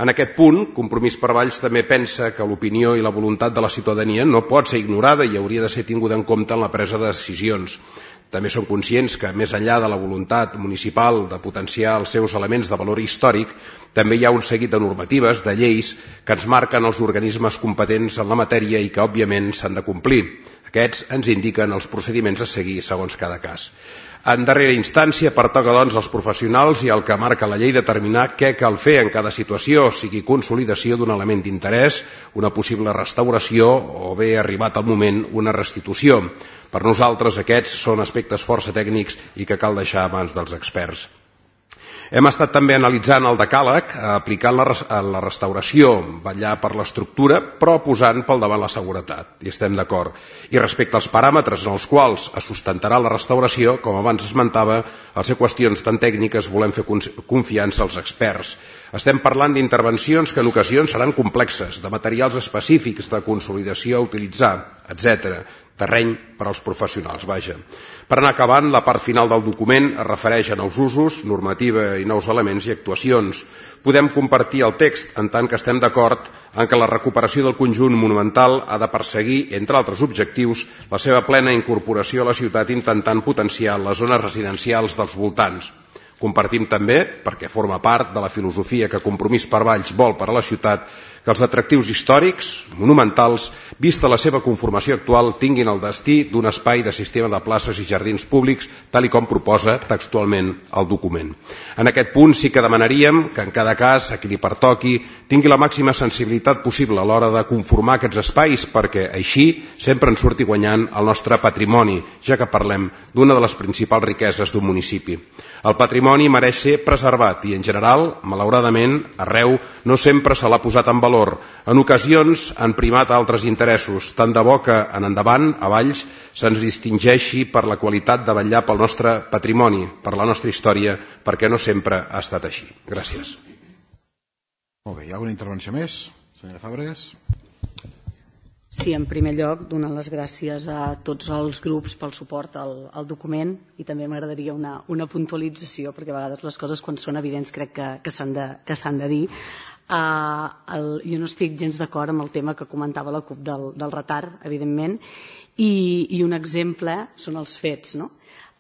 S5: En aquest punt, Compromís per Valls també pensa que l'opinió i la voluntat de la ciutadania no pot ser ignorada i hauria de ser tinguda en compte en la presa de decisions. També som conscients que, més enllà de la voluntat municipal de potenciar els seus elements de valor històric, també hi ha un seguit de normatives, de lleis, que ens marquen els organismes competents en la matèria i que, òbviament, s'han de complir. Aquests ens indiquen els procediments a seguir segons cada cas. En darrera instància, pertoca doncs als professionals i al que marca la llei determinar què cal fer en cada situació, sigui consolidació d'un element d'interès, una possible restauració o bé, arribat el moment, una restitució. Per nosaltres aquests són aspectes força tècnics i que cal deixar a mans dels experts. Hem estat també analitzant el decàleg, aplicant la restauració, vetllar per l'estructura, però posant pel davant la seguretat, i estem d'acord. I respecte als paràmetres en els quals es sustentarà la restauració, com abans esmentava, al ser qüestions tan tècniques volem fer confiança als experts. Estem parlant d'intervencions que en ocasions seran complexes, de materials específics de consolidació a utilitzar, etcètera. Terreny per als professionals, vaja. Per anar acabant, la part final del document es refereix a nous usos, normativa i nous elements i actuacions. Podem compartir el text en tant que estem d'acord en que la recuperació del conjunt monumental ha de perseguir, entre altres objectius, la seva plena incorporació a la ciutat intentant potenciar les zones residencials dels voltants. Compartim també, perquè forma part de la filosofia que Compromís per Valls vol per a la ciutat, que els atractius històrics, monumentals, vista la seva conformació actual, tinguin el destí d'un espai de sistema de places i jardins públics, tal i com proposa textualment el document. En aquest punt sí que demanaríem que en cada cas, a qui li pertoqui, tingui la màxima sensibilitat possible a l'hora de conformar aquests espais, perquè així sempre en surti guanyant el nostre patrimoni, ja que parlem d'una de les principals riqueses d'un municipi. El patrimoni mereix ser preservat i, en general, malauradament, arreu no sempre se l'ha posat en valor. En ocasions han primat altres interessos, tant de bo que, en endavant, a Valls, se'ns distingeixi per la qualitat de vetllar pel nostre patrimoni, per la nostra història, perquè no sempre ha estat així. Gràcies.
S1: Molt bé, hi ha alguna intervenció més? Senyora Fàbregas?
S11: Sí, en primer lloc, donar les gràcies a tots els grups pel suport al, al document i també m'agradaria una, una puntualització, perquè a vegades les coses quan són evidents crec que, que s'han de, que s'han de dir. Uh, el, jo no estic gens d'acord amb el tema que comentava la CUP del, del retard, evidentment, i, i un exemple són els fets, no?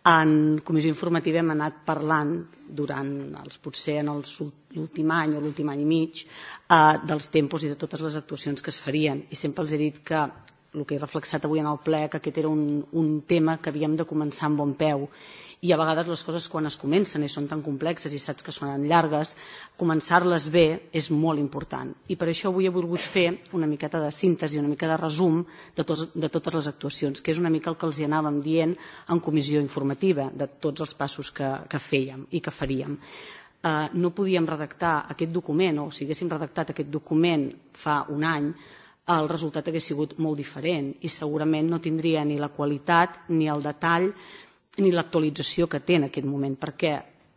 S11: En comissió informativa hem anat parlant durant els, potser en l'últim any o l'últim any i mig eh, dels tempos i de totes les actuacions que es farien, i sempre els he dit que el que he reflexat avui en el ple, que aquest era un, un tema que havíem de començar amb bon peu, i a vegades les coses quan es comencen i són tan complexes i saps que són llargues, començar-les bé és molt important, i per això avui he volgut fer una miqueta de síntesi, una mica de resum de, tos, de totes les actuacions, que és una mica el que els hi anàvem dient en comissió informativa, de tots els passos que, que fèiem i que faríem. Uh, no podíem redactar aquest document, o si haguéssim redactat aquest document fa un any, el resultat hagués sigut molt diferent i segurament no tindria ni la qualitat ni el detall ni l'actualització que té en aquest moment. Per què?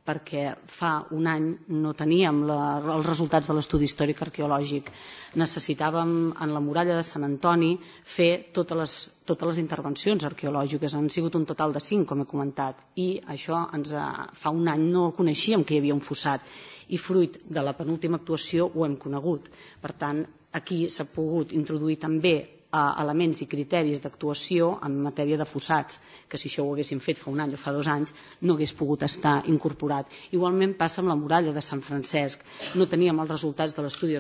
S11: Perquè fa un any no teníem la, els resultats de l'estudi històric arqueològic. Necessitàvem en la muralla de Sant Antoni fer totes les, totes les intervencions arqueològiques. Han sigut un total de cinc, com he comentat, i això ens ha, fa un any no coneixíem que hi havia un fossat, i fruit de la penúltima actuació ho hem conegut. Per tant, aquí s'ha pogut introduir també elements i criteris d'actuació en matèria de fossats, que si això ho haguéssim fet fa un any o fa dos anys no hagués pogut estar incorporat. Igualment passa amb la muralla de Sant Francesc. No teníem els resultats de l'estudi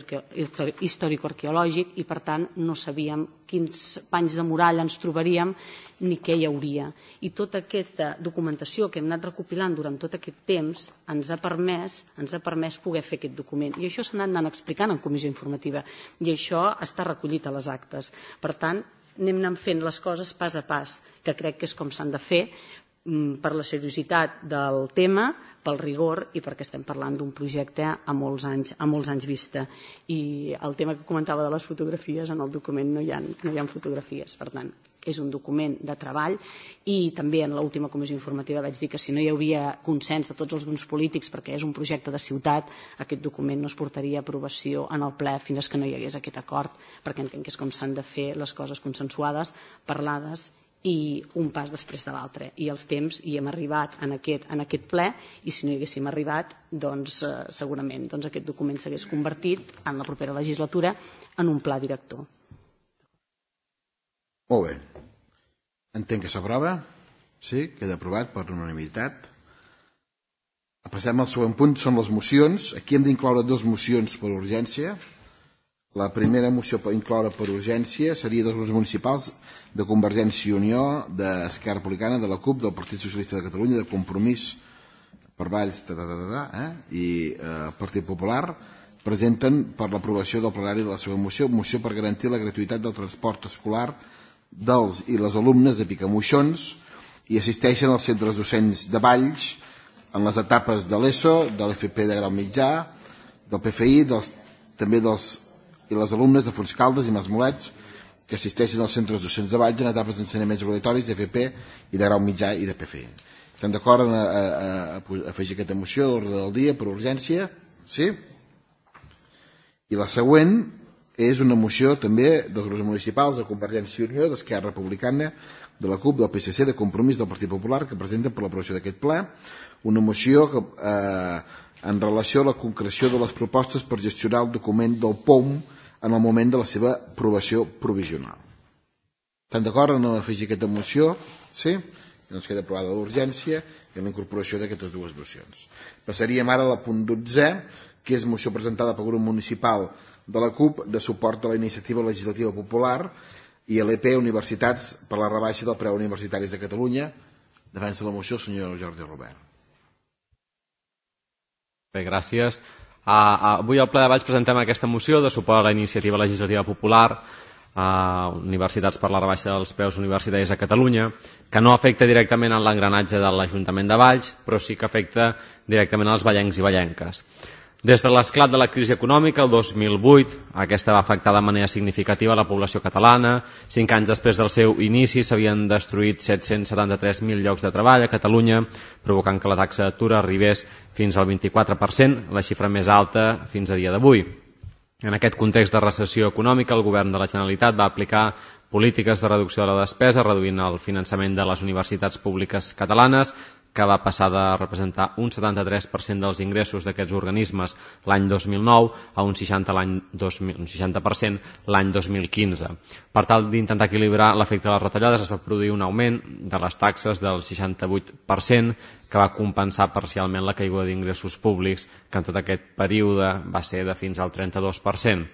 S11: històrico-arqueològic i per tant no sabíem quins panys de muralla ens trobaríem ni què hi hauria. I tota aquesta documentació que hem anat recopilant durant tot aquest temps ens ha permès, ens ha permès poder fer aquest document. I això s'ha anat anant explicant en comissió informativa i això està recollit a les actes. Per tant, anem anant fent les coses pas a pas, que crec que és com s'han de fer, per la seriositat del tema, pel rigor i perquè estem parlant d'un projecte a molts anys, a molts anys vista. I el tema que comentava de les fotografies, en el document no hi ha, no hi ha fotografies, per tant, és un document de treball i també en l'última comissió informativa vaig dir que si no hi havia consens de tots els grups polítics perquè és un projecte de ciutat, aquest document no es portaria a aprovació en el ple fins que no hi hagués aquest acord, perquè entenc que és com s'han de fer les coses consensuades, parlades i un pas després de l'altre. I els temps hi hem arribat en aquest, en aquest ple i si no hi haguéssim arribat, doncs eh, segurament doncs, aquest document s'hagués convertit en la propera legislatura en un pla director.
S1: Molt bé. Entenc que s'aprova. Sí, queda aprovat per unanimitat. Passem al següent punt, són les mocions. Aquí hem d'incloure dues mocions per urgència. La primera moció per incloure per urgència seria dels grups municipals de Convergència i Unió, d'Esquerra Republicana, de la CUP, del Partit Socialista de Catalunya, de Compromís per Valls ta, ta, ta, ta, eh? i el eh, Partit Popular presenten per l'aprovació del plenari de la seva moció, moció per garantir la gratuïtat del transport escolar dels i les alumnes de Picamoixons i assisteixen als centres docents de Valls en les etapes de l'ESO, de l'F P de grau mitjà, del P F I, dels, també dels i les alumnes de Fontscaldes i Masmolets que assisteixen als centres docents de Valls en etapes d'ensenyaments obligatoris d'F P i de grau mitjà i de P F I. Estem d'acord en a, a, a, a afegir aquesta moció a l'ordre del dia per urgència? Sí? I la següent és una moció també dels grups municipals de Convergència i Unió, d'Esquerra Republicana, de la CUP, del P S C, de Compromís, del Partit Popular, que presenten per l'aprovació d'aquest ple una moció que, eh, en relació a la concreció de les propostes per gestionar el document del P O M en el moment de la seva aprovació provisional. Estan d'acord en afegir aquesta moció? Sí? Que ens queda aprovada d'urgència i en la incorporació d'aquestes dues mocions. Passaríem ara a la punt dotze, que és moció presentada pel grup municipal de la CUP de suport a la iniciativa legislativa popular i a l'E P Universitats per la rebaixa del preu universitaris de Catalunya. Defensa la moció el senyor Jordi Robert.
S12: Bé, gràcies. Uh, avui al ple de Valls presentem aquesta moció de suport a la iniciativa legislativa popular a Universitats per la rebaixa dels preus universitaris a Catalunya, que no afecta directament en l'engranatge de l'Ajuntament de Valls, però sí que afecta directament als vallencs i vallenques. Des de l'esclat de la crisi econòmica, el dos mil vuit, aquesta va afectar de manera significativa la població catalana. Cinc anys després del seu inici s'havien destruït set-cents setanta-tres mil llocs de treball a Catalunya, provocant que la taxa d'atur arribés fins al vint-i-quatre per cent, la xifra més alta fins a dia d'avui. En aquest context de recessió econòmica, el govern de la Generalitat va aplicar polítiques de reducció de la despesa, reduint el finançament de les universitats públiques catalanes, que va passar de representar un setanta-tres per cent dels ingressos d'aquests organismes l'any dos mil nou a un seixanta per cent l'any dos mil quinze. Per tal d'intentar equilibrar l'efecte de les retallades, es va produir un augment de les taxes del seixanta-vuit per cent, que va compensar parcialment la caiguda d'ingressos públics, que en tot aquest període va ser de fins al trenta-dos per cent.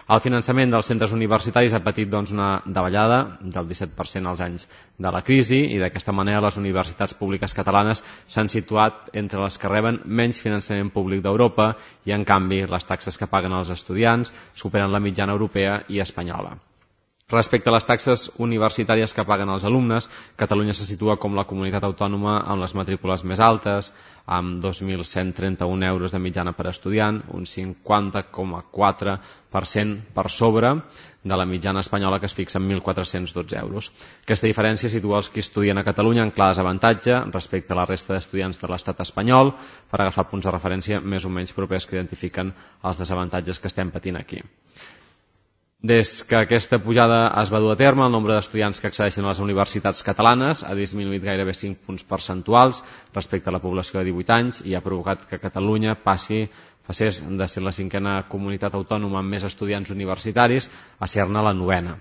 S12: El finançament dels centres universitaris ha patit doncs, una davallada del disset per cent als anys de la crisi i d'aquesta manera les universitats públiques catalanes s'han situat entre les que reben menys finançament públic d'Europa i en canvi les taxes que paguen els estudiants superen la mitjana europea i espanyola. Respecte a les taxes universitàries que paguen els alumnes, Catalunya se situa com la comunitat autònoma amb les matrícules més altes, amb dos mil cent trenta-un euros de mitjana per estudiant, un cinquanta coma quatre per cent per sobre de la mitjana espanyola, que es fixa en mil quatre-cents dotze euros. Aquesta diferència situa els que estudien a Catalunya en clar desavantatge respecte a la resta d'estudiants de l'estat espanyol, per agafar punts de referència més o menys propers que identifiquen els desavantatges que estem patint aquí. Des que aquesta pujada es va dur a terme, el nombre d'estudiants que accedeixen a les universitats catalanes ha disminuït gairebé cinc punts percentuals respecte a la població de divuit anys i ha provocat que Catalunya passi, passés de ser la cinquena comunitat autònoma amb més estudiants universitaris a ser-ne la novena.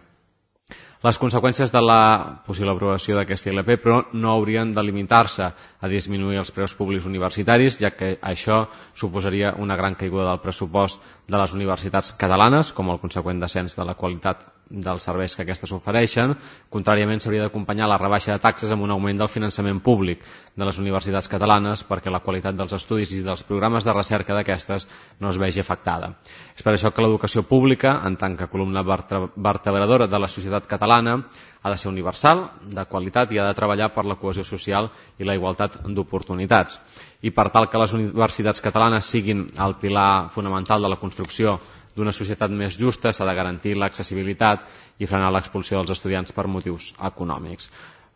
S12: Les conseqüències de la possible aprovació d'aquesta I L P, però, no haurien de limitar-se a disminuir els preus públics universitaris, ja que això suposaria una gran caiguda del pressupost de les universitats catalanes, com el conseqüent descens de la qualitat dels serveis que aquestes ofereixen. Contràriament, s'hauria d'acompanyar la rebaixa de taxes amb un augment del finançament públic de les universitats catalanes perquè la qualitat dels estudis i dels programes de recerca d'aquestes no es vegi afectada. És per això que l'educació pública, en tant que columna vertebradora de la societat catalana, ha de ser universal, de qualitat i ha de treballar per la cohesió social i la igualtat d'oportunitats. I per tal que les universitats catalanes siguin el pilar fonamental de la construcció d'una societat més justa, s'ha de garantir l'accessibilitat i frenar l'expulsió dels estudiants per motius econòmics.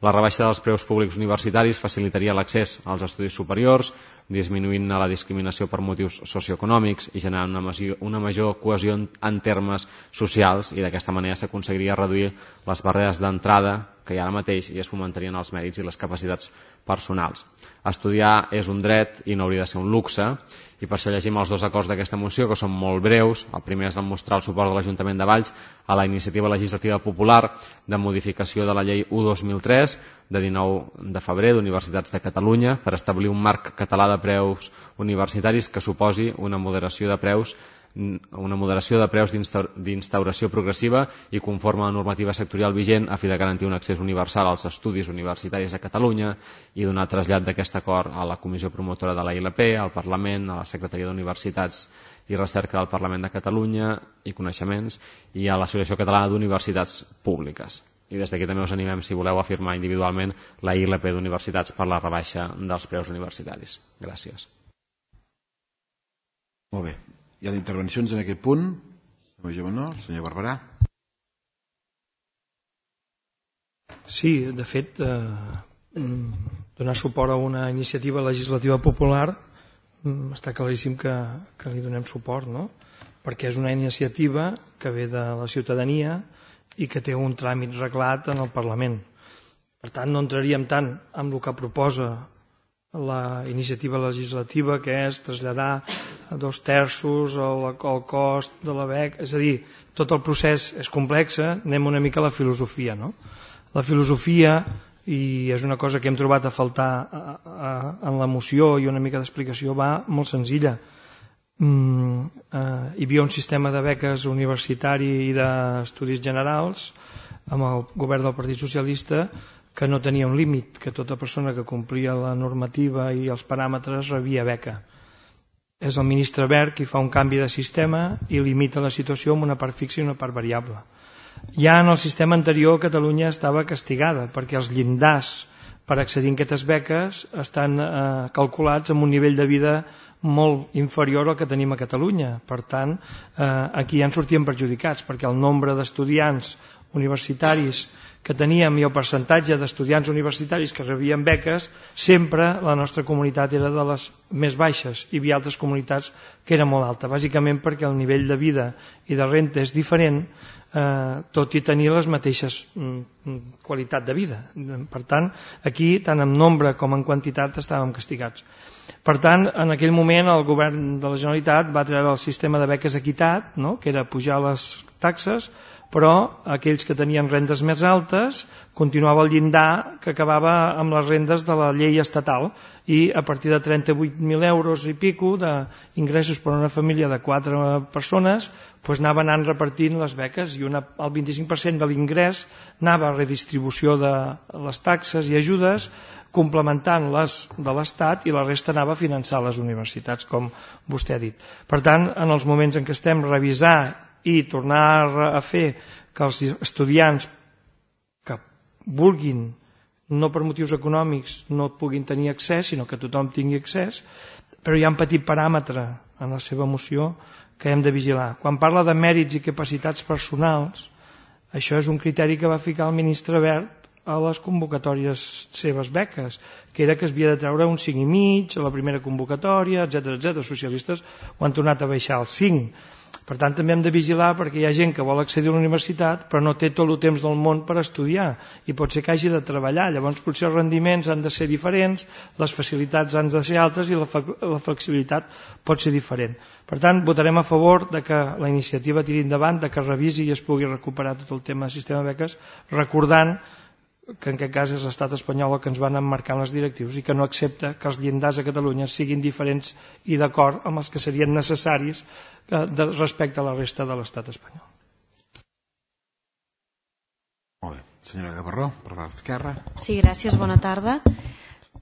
S12: La rebaixa dels preus públics universitaris facilitaria l'accés als estudis superiors, disminuint la discriminació per motius socioeconòmics i generant una major, una major cohesió en, en termes socials, i d'aquesta manera s'aconseguiria reduir les barreres d'entrada que hi ha ara mateix i es fomentarien els mèrits i les capacitats personals. Estudiar és un dret i no hauria de ser un luxe, i per això llegim els dos acords d'aquesta moció, que són molt breus. El primer és demostrar el suport de l'Ajuntament de Valls a la iniciativa legislativa popular de modificació de la llei u dos mil tres de dinou de febrer d'Universitats de Catalunya per establir un marc català de preus universitaris que suposi una moderació de preus una moderació de preus d'instauració progressiva i conforme a la normativa sectorial vigent a fi de garantir un accés universal als estudis universitaris a Catalunya i donar trasllat d'aquest acord a la Comissió Promotora de la I L P, al Parlament, a la Secretaria d'Universitats i Recerca del Parlament de Catalunya i Coneixements i a l'Associació Catalana d'Universitats Públiques. I des d'aquí també us animem, si voleu, a firmar individualment la I L P d'Universitats per la rebaixa dels preus universitaris. Gràcies.
S1: Molt bé. Hi ha intervencions en aquest punt? Senyor Barberà.
S8: Sí, de fet, eh, donar suport a una iniciativa legislativa popular està claríssim que, que li donem suport, no? Perquè és una iniciativa que ve de la ciutadania i que té un tràmit reglat en el Parlament. Per tant, no entraríem tant en el que proposa la iniciativa legislativa, que és traslladar a dos terços el, el cost de la beca, és a dir, tot el procés és complex, anem una mica a la filosofia, no? La filosofia, i és una cosa que hem trobat a faltar a, a, en la moció i una mica d'explicació, va molt senzilla. Mm, eh, hi havia un sistema de beques universitari i d'estudis generals amb el govern del Partit Socialista que no tenia un límit, que tota persona que complia la normativa i els paràmetres rebia beca. És el ministre Wert qui fa un canvi de sistema i limita la situació amb una part fixa i una part variable. Ja en el sistema anterior Catalunya estava castigada perquè els llindars per accedir a aquestes beques estan eh, calculats amb un nivell de vida molt inferior al que tenim a Catalunya. Per tant, eh, aquí ja en sortíem perjudicats perquè el nombre d'estudiants universitaris que teníem i el percentatge d'estudiants universitaris que rebien beques, sempre la nostra comunitat era de les més baixes i hi havia altres comunitats que era molt alta, bàsicament perquè el nivell de vida i de renta és diferent, eh, tot i tenir les mateixes mm, qualitat de vida. Per tant, aquí, tant en nombre com en quantitat, estàvem castigats. Per tant, en aquell moment el govern de la Generalitat va treure el sistema de beques equitat, no? Que era pujar les taxes, però aquells que tenien rendes més altes continuava el llindar que acabava amb les rendes de la llei estatal i a partir de trenta-vuit mil euros i pico d'ingressos per a una família de quatre persones doncs anava anant repartint les beques i una, el vint-i-cinc per cent de l'ingrés anava a redistribució de les taxes i ajudes complementant les de l'Estat i la resta anava a finançar les universitats, com vostè ha dit. Per tant, en els moments en què estem revisar i tornar a fer que els estudiants que vulguin, no per motius econòmics, no puguin tenir accés, sinó que tothom tingui accés, però hi ha un petit paràmetre en la seva moció que hem de vigilar. Quan parla de mèrits i capacitats personals, això és un criteri que va ficar el ministre Wert a les convocatòries seves beques, que era que es havia de treure un cinc i mig a la primera convocatòria, etcètera, etcètera. Els socialistes ho han tornat a baixar al cinc. Per tant, també hem de vigilar perquè hi ha gent que vol accedir a la universitat però no té tot el temps del món per estudiar i pot ser que hagi de treballar. Llavors potser els rendiments han de ser diferents, les facilitats han de ser altres i la, la flexibilitat pot ser diferent. Per tant, votarem a favor de que la iniciativa tiri endavant, de que es revisi i es pugui recuperar tot el tema del sistema de beques, recordant que en aquest cas és l'estat espanyol el que ens van emmarcar les directius i que no accepta que els llindars a Catalunya siguin diferents i d'acord amb els que serien necessaris respecte a la resta de l'estat espanyol.
S1: Senyora Gavarró, per l'esquerra.
S13: Sí, gràcies, bona tarda.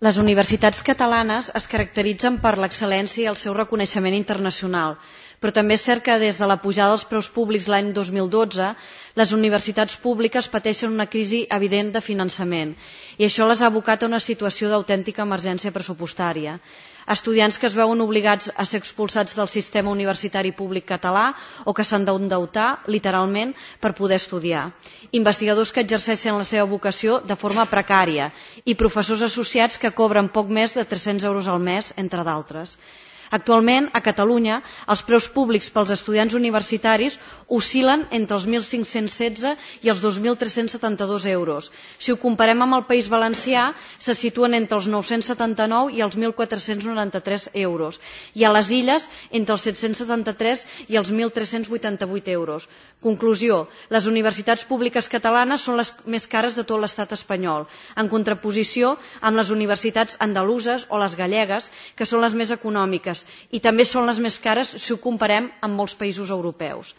S13: Les universitats catalanes es caracteritzen per l'excel·lència i el seu reconeixement internacional, però també és cert que des de la pujada dels preus públics l'any dos mil dotze les universitats públiques pateixen una crisi evident de finançament i això les ha abocat a una situació d'autèntica emergència pressupostària. Estudiants que es veuen obligats a ser expulsats del sistema universitari públic català o que s'han d'endeutar, literalment, per poder estudiar. Investigadors que exerceixen la seva vocació de forma precària i professors associats que cobren poc més de tres-cents euros al mes, entre d'altres. Actualment, a Catalunya, els preus públics pels estudiants universitaris oscil·len entre els mil cinc-cents setze i els dos mil tres-cents setanta-dos euros. Si ho comparem amb el País Valencià, se situen entre els nou-cents setanta-nou i els mil quatre-cents noranta-tres euros, i a les Illes entre els set-cents setanta-tres i els mil tres-cents vuitanta-vuit euros. Conclusió, les universitats públiques catalanes són les més cares de tot l'estat espanyol, en contraposició amb les universitats andaluses o les gallegues, que són les més econòmiques, i també són les més cares si ho comparem amb molts països europeus.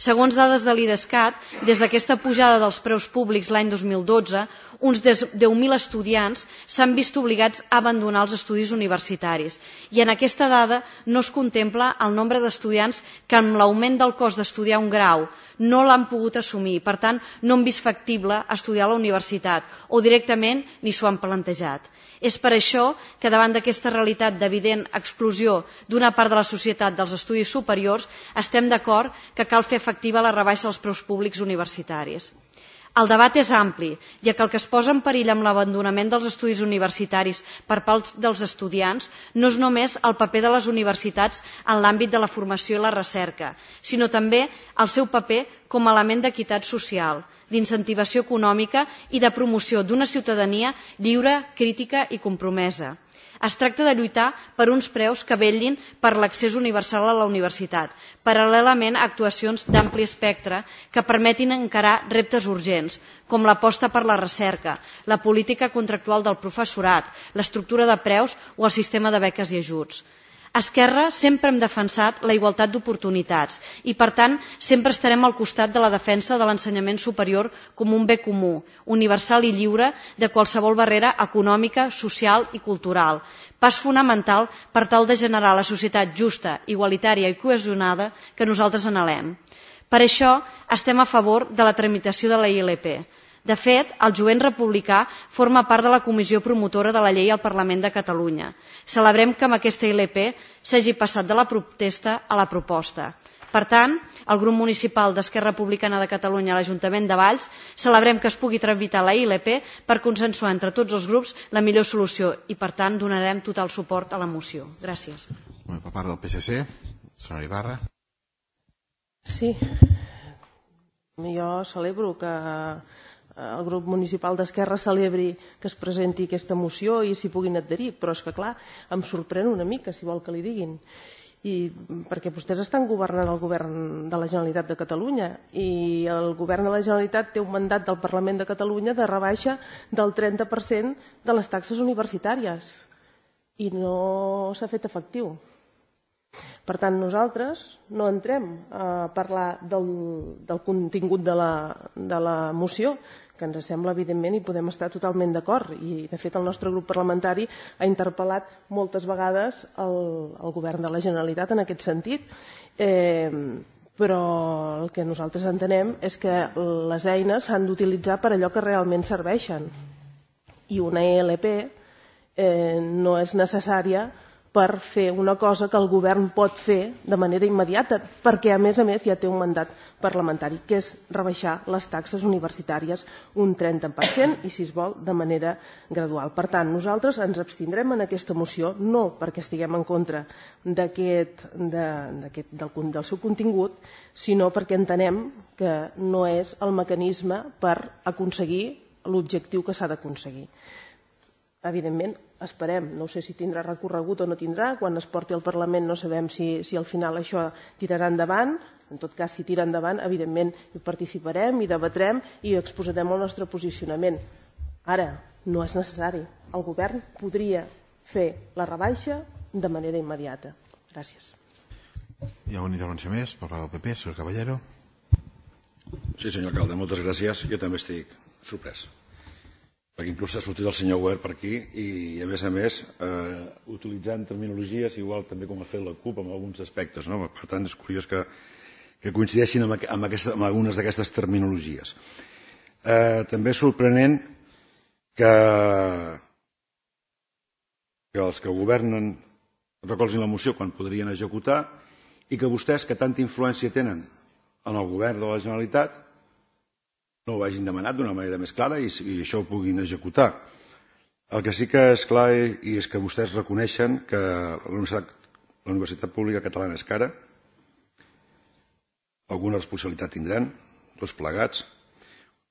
S13: Segons dades de l'IDESCAT, des d'aquesta pujada dels preus públics l'any dos mil dotze, uns deu mil estudiants s'han vist obligats a abandonar els estudis universitaris. I en aquesta dada no es contempla el nombre d'estudiants que amb l'augment del cost d'estudiar un grau no l'han pogut assumir. Per tant, no han vist factible estudiar a la universitat o directament ni s'ho han plantejat. És per això que davant d'aquesta realitat d'evident exclusió d'una part de la societat dels estudis superiors estem d'acord que cal fer efectiva la rebaixa dels preus públics universitaris. El debat és ampli, ja que el que es posa en perill amb l'abandonament dels estudis universitaris per part dels estudiants no és només el paper de les universitats en l'àmbit de la formació i la recerca, sinó també el seu paper com a element d'equitat social, d'incentivació econòmica i de promoció d'una ciutadania lliure, crítica i compromesa. Es tracta de lluitar per uns preus que vetllin per l'accés universal a la universitat, paral·lelament a actuacions d'ampli espectre que permetin encarar reptes urgents, com l'aposta per la recerca, la política contractual del professorat, l'estructura de preus o el sistema de beques i ajuts. A Esquerra sempre hem defensat la igualtat d'oportunitats i, per tant, sempre estarem al costat de la defensa de l'ensenyament superior com un bé comú, universal i lliure de qualsevol barrera econòmica, social i cultural, pas fonamental per tal de generar la societat justa, igualitària i cohesionada que nosaltres anhelem. Per això estem a favor de la tramitació de la I L P. De fet, el jovent republicà forma part de la comissió promotora de la llei al Parlament de Catalunya. Celebrem que amb aquesta I L P s'hagi passat de la protesta a la proposta. Per tant, el grup municipal d'Esquerra Republicana de Catalunya a l'Ajuntament de Valls celebrem que es pugui tramitar la I L P per consensuar entre tots els grups la millor solució i, per tant, donarem total suport a la moció. Gràcies.
S1: Per part del P S C, senyora Ibarra.
S3: Sí, jo celebro que el grup municipal d'Esquerra celebri que es presenti aquesta moció i s'hi puguin adherir, però és que clar, em sorprèn una mica, si vol que li diguin, i perquè vostès estan governant el govern de la Generalitat de Catalunya i el govern de la Generalitat té un mandat del Parlament de Catalunya de rebaixa del trenta per cent de les taxes universitàries i no s'ha fet efectiu. Per tant, nosaltres no entrem a parlar del, del contingut de la, de la moció, que ens sembla evidentment i podem estar totalment d'acord. I, de fet, el nostre grup parlamentari ha interpel·lat moltes vegades el, el govern de la Generalitat en aquest sentit. Eh, però el que nosaltres entenem és que les eines s'han d'utilitzar per allò que realment serveixen. I una I L P eh, no és necessària per fer una cosa que el govern pot fer de manera immediata, perquè a més a més ja té un mandat parlamentari, que és rebaixar les taxes universitàries un trenta per cent i, si es vol, de manera gradual. Per tant, nosaltres ens abstindrem en aquesta moció, no perquè estiguem en contra d'aquest, de, d'aquest, del, del seu contingut, sinó perquè entenem que no és el mecanisme per aconseguir l'objectiu que s'ha d'aconseguir. Evidentment, esperem, no sé si tindrà recorregut o no tindrà, quan es porti al Parlament no sabem si, si al final això tirarà endavant, en tot cas si tira endavant evidentment hi participarem, hi debatrem i exposarem el nostre posicionament. Ara, no és necessari, el govern podria fer la rebaixa de manera immediata. Gràcies.
S1: Hi ha una intervenció més per part del P P, senyor Caballero.
S4: Sí, senyor alcalde, moltes gràcies. Jo també estic sorprès, perquè inclús ha sortit el senyor Wert per aquí i, a més a més, eh, utilitzant terminologies igual també com ha fet la CUP en alguns aspectes, no? Per tant és curiós que, que coincideixin amb, amb, aquesta, amb algunes d'aquestes terminologies. Eh, també és sorprenent que, que els que governen recolzin la moció quan podrien executar i que vostès, que tanta influència tenen en el govern de la Generalitat, no ho hagin demanat d'una manera més clara i, i això ho puguin executar. El que sí que és clar i és que vostès reconeixen que la Universitat, la Universitat Pública Catalana és cara, alguna responsabilitat tindran, tots plegats,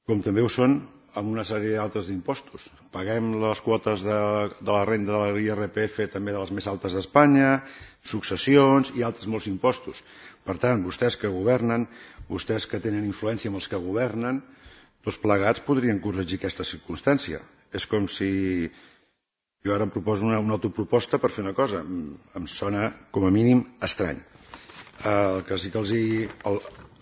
S4: com també ho són amb una sèrie d'altres impostos. Paguem les quotes de, de la renda de l'I R P F també de les més altes d'Espanya, successions i altres molts impostos. Per tant, vostès que governen, vostès que tenen influència amb els que governen, tots plegats podrien corregir aquesta circumstància. És com si jo ara em proposo una, una autoproposta per fer una cosa. Em sona, com a mínim, estrany. El que sí que els hi... El,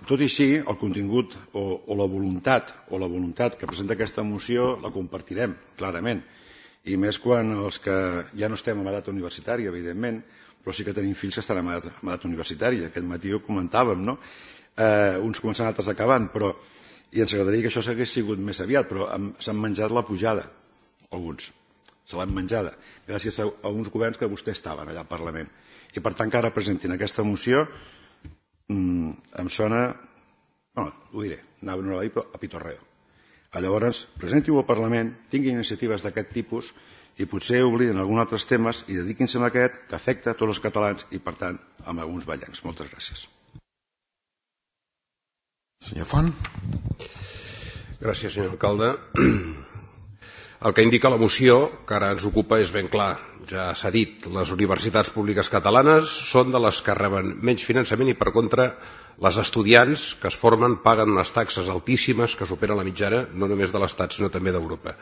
S4: tot i així, el contingut o, o la voluntat o la voluntat que presenta aquesta moció la compartirem, clarament. I més quan els que ja no estem en edat universitària, evidentment, però sí que tenim fills que estan en edat, en edat universitària. Aquest matí ho comentàvem, no? Eh, uns començant, altres acabant, però i ens agradaria que això s'hagués sigut més aviat, però s'han menjat la pujada, alguns. Se l'han menjada, gràcies a, a uns governs que vostès estaven allà al Parlament. I per tant que ara presentin aquesta moció mm, em sona, no, ho diré, anava no a dir, però a pitorreo. Llavors, presenti-ho al Parlament, tinguin iniciatives d'aquest tipus i potser obliden alguns altres temes i dediquin-se a aquest que afecta a tots els catalans i, per tant, a alguns ballencs. Moltes gràcies.
S1: Senyor Font.
S5: Gràcies, senyor alcalde. El que indica la moció que ara ens ocupa és ben clar. Ja s'ha dit, les universitats públiques catalanes són de les que reben menys finançament i, per contra, les estudiants que es formen paguen unes taxes altíssimes que superen la mitjana no només de l'Estat sinó també d'Europa.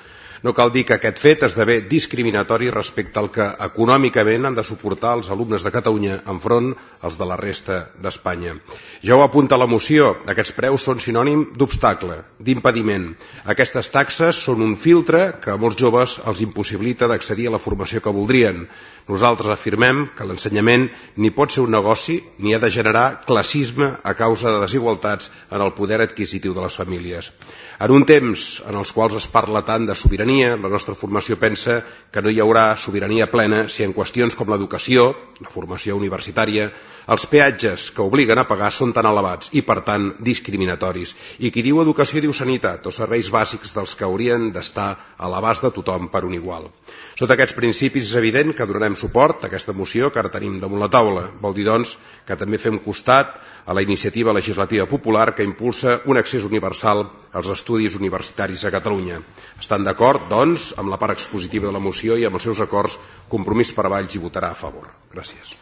S5: No cal dir que aquest fet esdevé discriminatori respecte al que econòmicament han de suportar els alumnes de Catalunya enfront als de la resta d'Espanya. Ja ho apunta la moció, aquests preus són sinònim d'obstacle, d'impediment. Aquestes taxes són un filtre que a molts joves els impossibilita d'accedir a la formació que voldrien. Nosaltres afirmem que l'ensenyament ni pot ser un negoci ni ha de generar classisme a causa de desigualtats en el poder adquisitiu de les famílies. En un temps en els quals es parla tant de sobirania, la nostra formació pensa que no hi haurà sobirania plena si en qüestions com l'educació, la formació universitària, els peatges que obliguen a pagar són tan elevats i, per tant, discriminatoris. I qui diu educació diu sanitat o serveis bàsics dels que haurien d'estar a l'abast de tothom per un igual. Sota aquests principis és evident que donarem suport a aquesta moció que ara tenim damunt la taula. Vol dir, doncs, que també fem costat a la iniciativa legislativa popular que impulsa un accés universal als estudis universitaris a Catalunya. Estan d'acord, doncs, amb la part expositiva de la moció i amb els seus acords. Compromís per Valls hi votarà a favor. Gràcies.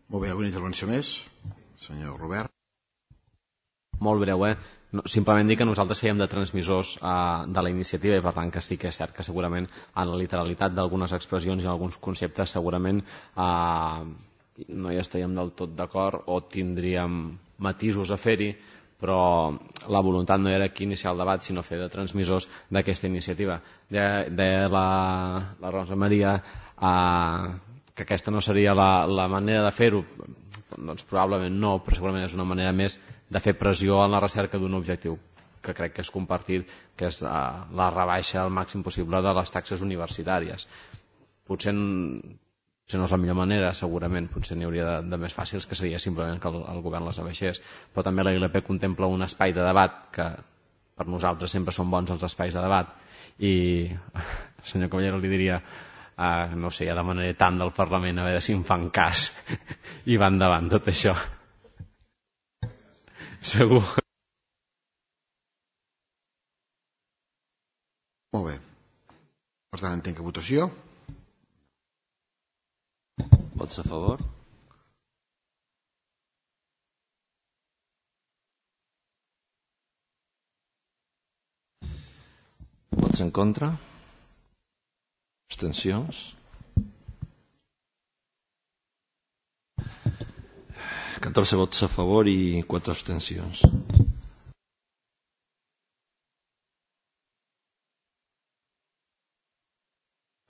S1: Molt bé, alguna intervenció més? Senyor Robert.
S12: Molt breu, eh? No, simplement dir que nosaltres fèiem de transmissors eh, de la iniciativa i per tant que sí que és cert que segurament en la literalitat d'algunes expressions i en alguns conceptes segurament eh, no hi estaríem del tot d'acord o tindríem matisos a fer-hi, però la voluntat no era aquí iniciar el debat sinó fer de transmissors d'aquesta iniciativa. De, de la, la Rosa Maria eh, que aquesta no seria la, la manera de fer-ho, doncs probablement no, però segurament és una manera més de fer pressió en la recerca d'un objectiu que crec que és compartit, que és la, la rebaixa al màxim possible de les taxes universitàries. Potser, potser no és la millor manera, segurament, potser n'hi hauria de, de més fàcils, que seria simplement que el, el govern les abaixés, però també la I L P contempla un espai de debat, que per nosaltres sempre són bons els espais de debat, i al senyor Caballero li diria, uh, no sé, ja demanaré tant del Parlament a veure si em fan cas i va endavant tot això. Segur.
S1: Molt bé. Per tant, entenc que votació.
S6: Vots a favor? Vots en contra? Abstencions? catorze vots a favor i quatre abstencions.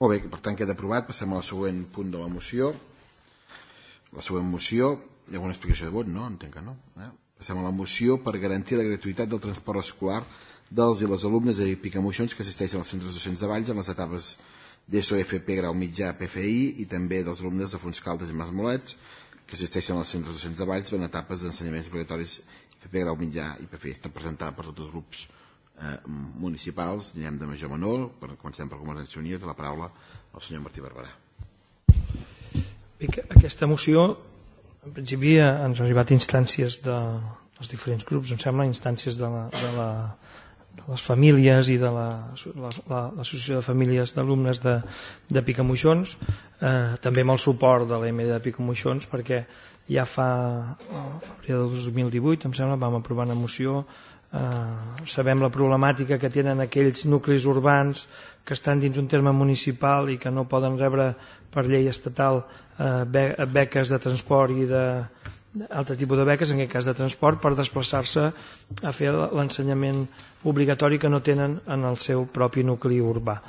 S1: Molt bé, per tant queda aprovat. Passem al següent punt de la moció. La següent moció, hi ha alguna explicació de vot, no? Entenc que no. Eh? Passem a la moció per garantir la gratuïtat del transport escolar dels i les alumnes de Picamoixons que assisteixen als centres docents de Valls en les etapes d'ESO, F P, grau mitjà, P F I i també dels alumnes de Fontscaldes i Masmolets que assisteixen als centres docents de Valls en etapes d'ensenyaments obligatoris F P, grau mitjà i P F I. Està presentada per tots els grups eh, municipals. Anirem de major a menor. Per, comencem per Convergència i Unió. Té la paraula el senyor Martí Barberà.
S8: Bé, aquesta moció, en principi, ens ha arribat instàncies de, dels diferents grups, em sembla, instàncies de, la, de, la, de les famílies i de l'Associació de Famílies d'Alumnes de, de Picamoixons, eh, també amb el suport de l'A M D de Picamoixons, perquè ja fa, el febrer del dos mil divuit, em sembla, vam aprovar una moció. Eh, sabem la problemàtica que tenen aquells nuclis urbans que estan dins un terme municipal i que no poden rebre per llei estatal eh, beques de transport i de altre tipus de beques, en aquest cas de transport, per desplaçar-se a fer l'ensenyament obligatori que no tenen en el seu propi nucli urbà.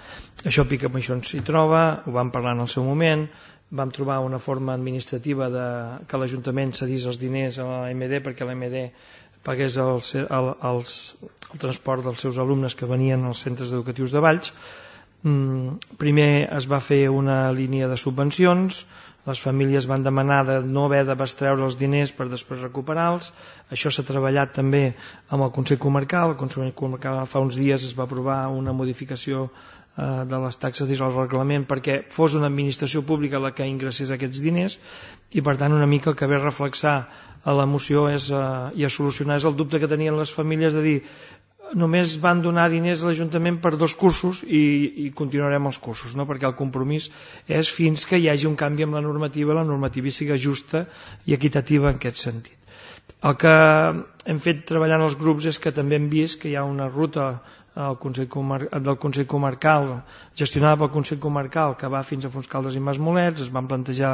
S8: Això Picamoixons s'hi troba, ho vam parlar en el seu moment, vam trobar una forma administrativa de que l'Ajuntament cedís els diners a l'A M D perquè l'A M D pagués el, el, els, el transport dels seus alumnes que venien als centres educatius de Valls. Mm, primer es va fer una línia de subvencions, les famílies van demanar de no haver de bestreure els diners per després recuperar-los. Això s'ha treballat també amb el Consell Comarcal. El Consell Comarcal fa uns dies es va aprovar una modificació eh, de les taxes dins el reglament perquè fos una administració pública la que ingressés aquests diners i per tant una mica el que ve a reflexar a la moció és, eh, i a solucionar és el dubte que tenien les famílies de dir només van donar diners a l'Ajuntament per dos cursos i, i continuarem els cursos, no? Perquè el compromís és fins que hi hagi un canvi amb la normativa, la normativa sigui justa i equitativa en aquest sentit. El que hem fet treballant els grups és que també hem vist que hi ha una ruta al Consell Comar del Consell Comarcal, gestionada pel Consell Comarcal, que va fins a Fontscaldes i Masmolets. Es van plantejar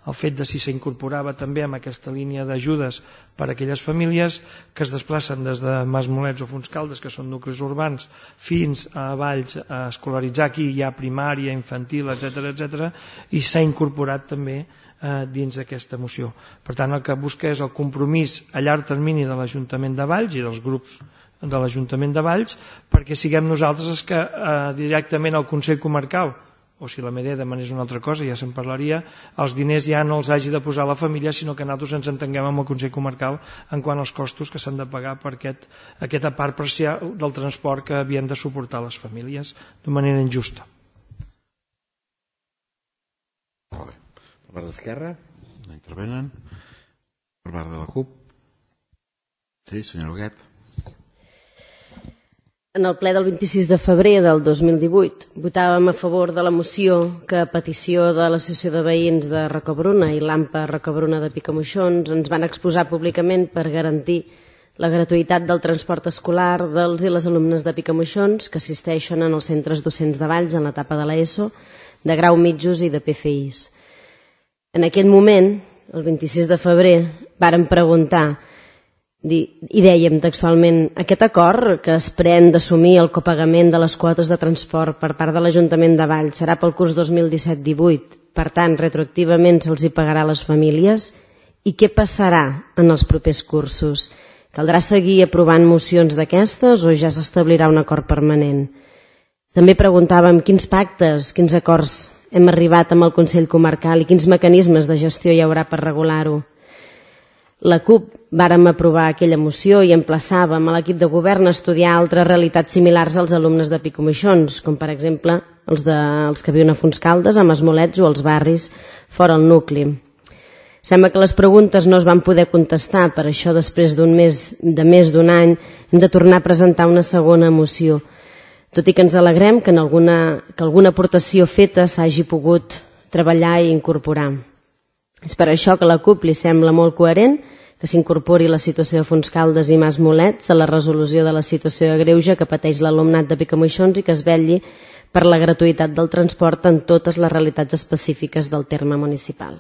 S8: el fet de si s'incorporava també amb aquesta línia d'ajudes per a aquelles famílies que es desplacen des de Masmolets o Fontscaldes, que són nuclis urbans, fins a Valls a escolaritzar. Aquí hi ha primària, infantil, etcètera, etcètera, i s'ha incorporat també eh, dins d'aquesta moció. Per tant, el que busca és el compromís a llarg termini de l'Ajuntament de Valls i dels grups de l'Ajuntament de Valls perquè siguem nosaltres els que eh, directament al Consell Comarcal, o si la M D demanés una altra cosa, ja se'n parlaria, els diners ja no els hagi de posar la família, sinó que nosaltres ens entenguem amb el Consell Comarcal en quant als costos que s'han de pagar per aquest, aquesta part parcial del transport que havien de suportar les famílies d'una manera injusta.
S1: Molt bé. Per part d'Esquerra, no intervenen. Per part de la CUP. Sí, senyor Huguet.
S2: En el ple del vint-i-sis de febrer del dos mil divuit votàvem a favor de la moció que a petició de l'Associació de Veïns de Rocabruna i l'AMPA Rocabruna de Picamoixons ens van exposar públicament per garantir la gratuïtat del transport escolar dels i les alumnes de Picamoixons que assisteixen en els centres docents de Valls en l'etapa de l'ESO, de grau mitjos i de P F Is. En aquest moment, el vint-i-sis de febrer, vàrem preguntar i dèiem textualment aquest acord que es pren d'assumir el copagament de les quotes de transport per part de l'Ajuntament de Valls serà pel curs dos mil disset divuit, per tant retroactivament se'ls hi pagarà a les famílies i què passarà en els propers cursos? Caldrà seguir aprovant mocions d'aquestes o ja s'establirà un acord permanent? També preguntàvem quins pactes, quins acords hem arribat amb el Consell Comarcal i quins mecanismes de gestió hi haurà per regular-ho. La CUP vàrem aprovar aquella moció i emplaçàvem a l'equip de govern a estudiar altres realitats similars als alumnes de Picamoixons, com per exemple els, de, els que viuen a Fontscaldes, a Masmolets o als barris fora el nucli. Sembla que les preguntes no es van poder contestar, per això després d'un mes, de més d'un any hem de tornar a presentar una segona moció. Tot i que ens alegrem que, en alguna, que alguna aportació feta s'hagi pogut treballar i incorporar. És per això que a la CUP li sembla molt coherent que s'incorpori la situació de Fontscaldes i Masmolets a la resolució de la situació de greuge que pateix l'alumnat de Picamoixons i que es vetlli per la gratuïtat del transport en totes les realitats específiques del terme municipal.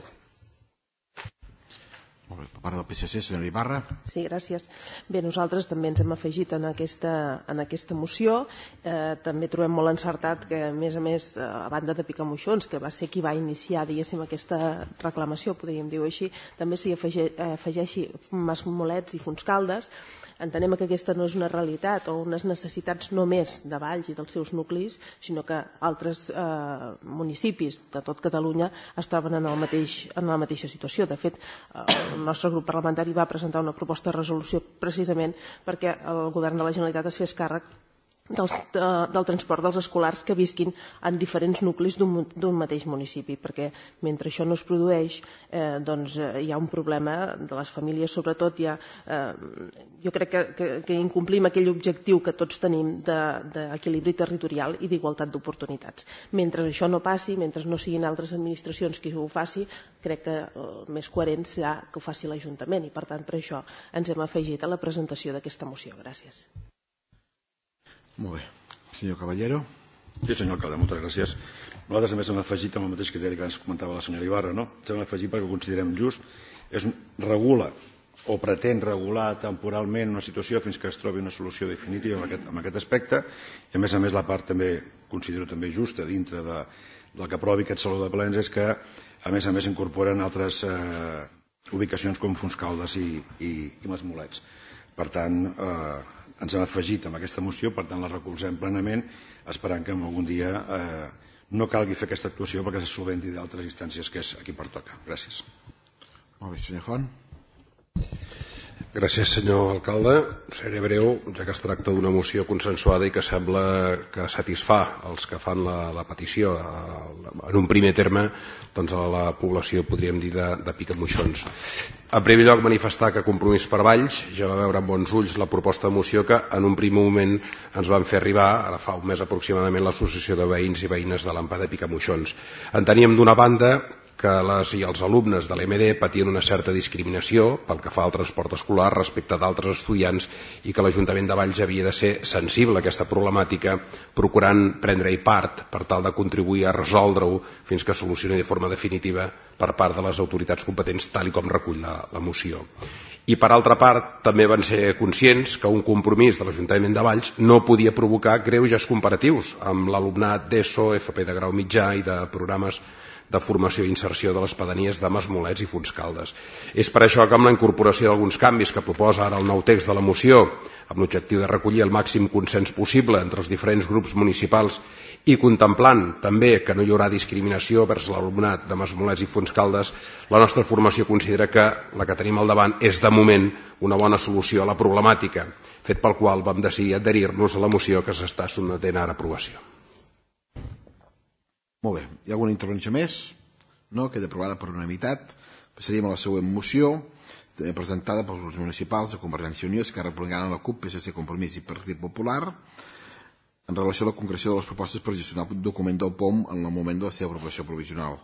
S1: Molt bé, per part del P S C, senyora Ibarra.
S3: Sí, gràcies. Bé, nosaltres també ens hem afegit en aquesta, en aquesta moció. Eh, també trobem molt encertat que, a més a més, a banda de Picamoixons, que va ser qui va iniciar, diguéssim, aquesta reclamació, podríem dir-ho així, també s'hi afegeixi Masmolets i Fontscaldes. Entenem que aquesta no és una realitat o unes necessitats només de Valls i dels seus nuclis, sinó que altres eh, municipis de tot Catalunya es troben en, el mateix, en la mateixa situació. De fet, el nostre grup parlamentari va presentar una proposta de resolució precisament perquè el govern de la Generalitat es fes càrrec Dels, de, del transport dels escolars que visquin en diferents nuclis d'un mateix municipi, perquè mentre això no es produeix eh, doncs, eh, hi ha un problema de les famílies, sobretot hi ha, eh, jo crec que, que, que incomplim aquell objectiu que tots tenim d'equilibri de, territorial i d'igualtat d'oportunitats. Mentre això no passi, mentre no siguin altres administracions qui ho faci, crec que el més coherent serà que ho faci l'Ajuntament i per tant per això ens hem afegit a la presentació d'aquesta moció. Gràcies.
S1: Molt bé. Senyor Caballero.
S4: Sí, senyor alcalde, moltes gràcies. Nosaltres també hem afegit amb el mateix criteri que ens comentava la senyora Ibarra, no? Ens hem afegit perquè ho considerem just. És, regula o pretén regular temporalment una situació fins que es trobi una solució definitiva en aquest, en aquest aspecte i a més a més la part també considero també justa dintre de, del que aprovi aquest Saló de Plens és que a més a més incorporen altres eh, ubicacions com Fontscaldes i, i, i Masmolets. Per tant, eh, ens hem afegit amb aquesta moció, per tant la recolzem plenament, esperant que algun dia eh, no calgui fer aquesta actuació perquè se solventi d'altres instàncies que és a qui pertoca. Gràcies.
S1: Molt bé, senyor Font.
S5: Gràcies, senyor alcalde. Seré breu, ja que es tracta d'una moció consensuada i que sembla que satisfà els que fan la, la petició. En un primer terme, doncs a la població, podríem dir, de, de Picamoixons. En primer lloc, manifestar que Compromís per Valls ja va veure amb bons ulls la proposta de moció que en un primer moment ens van fer arribar, ara fa un mes aproximadament, l'Associació de Veïns i Veïnes de l'Ampa de Picamoixons. Enteníem d'una banda que les i els alumnes de l'E M D patien una certa discriminació pel que fa al transport escolar respecte d'altres estudiants i que l'Ajuntament de Valls havia de ser sensible a aquesta problemàtica procurant prendre-hi part per tal de contribuir a resoldre-ho fins que es solucioni de forma definitiva per part de les autoritats competents tal i com recull la, la moció. I per altra part també van ser conscients que un compromís de l'Ajuntament de Valls no podia provocar greuges comparatius amb l'alumnat d'ESO, F P de grau mitjà i de programes de formació i inserció de les pedanies de Masmolets i Fontscaldes. És per això que amb la incorporació d'alguns canvis que proposa ara el nou text de la moció, amb l'objectiu de recollir el màxim consens possible entre els diferents grups municipals i contemplant també que no hi haurà discriminació vers l'alumnat de Masmolets i Fontscaldes, la nostra formació considera que la que tenim al davant és de moment una bona solució a la problemàtica, fet pel qual vam decidir adherir-nos a la moció que s'està sotmetent ara a aprovació.
S1: Molt bé. Hi ha alguna intervenció més? No? Queda aprovada per unanimitat. Passaríem a la següent moció, també presentada pels grups municipals de Convergència i Unió, Esquerra Republicana, la CUP, P S C, Compromís i Partit Popular, en relació a la concreció de les propostes per gestionar el document del P O M en el moment de la seva aprovació provisional.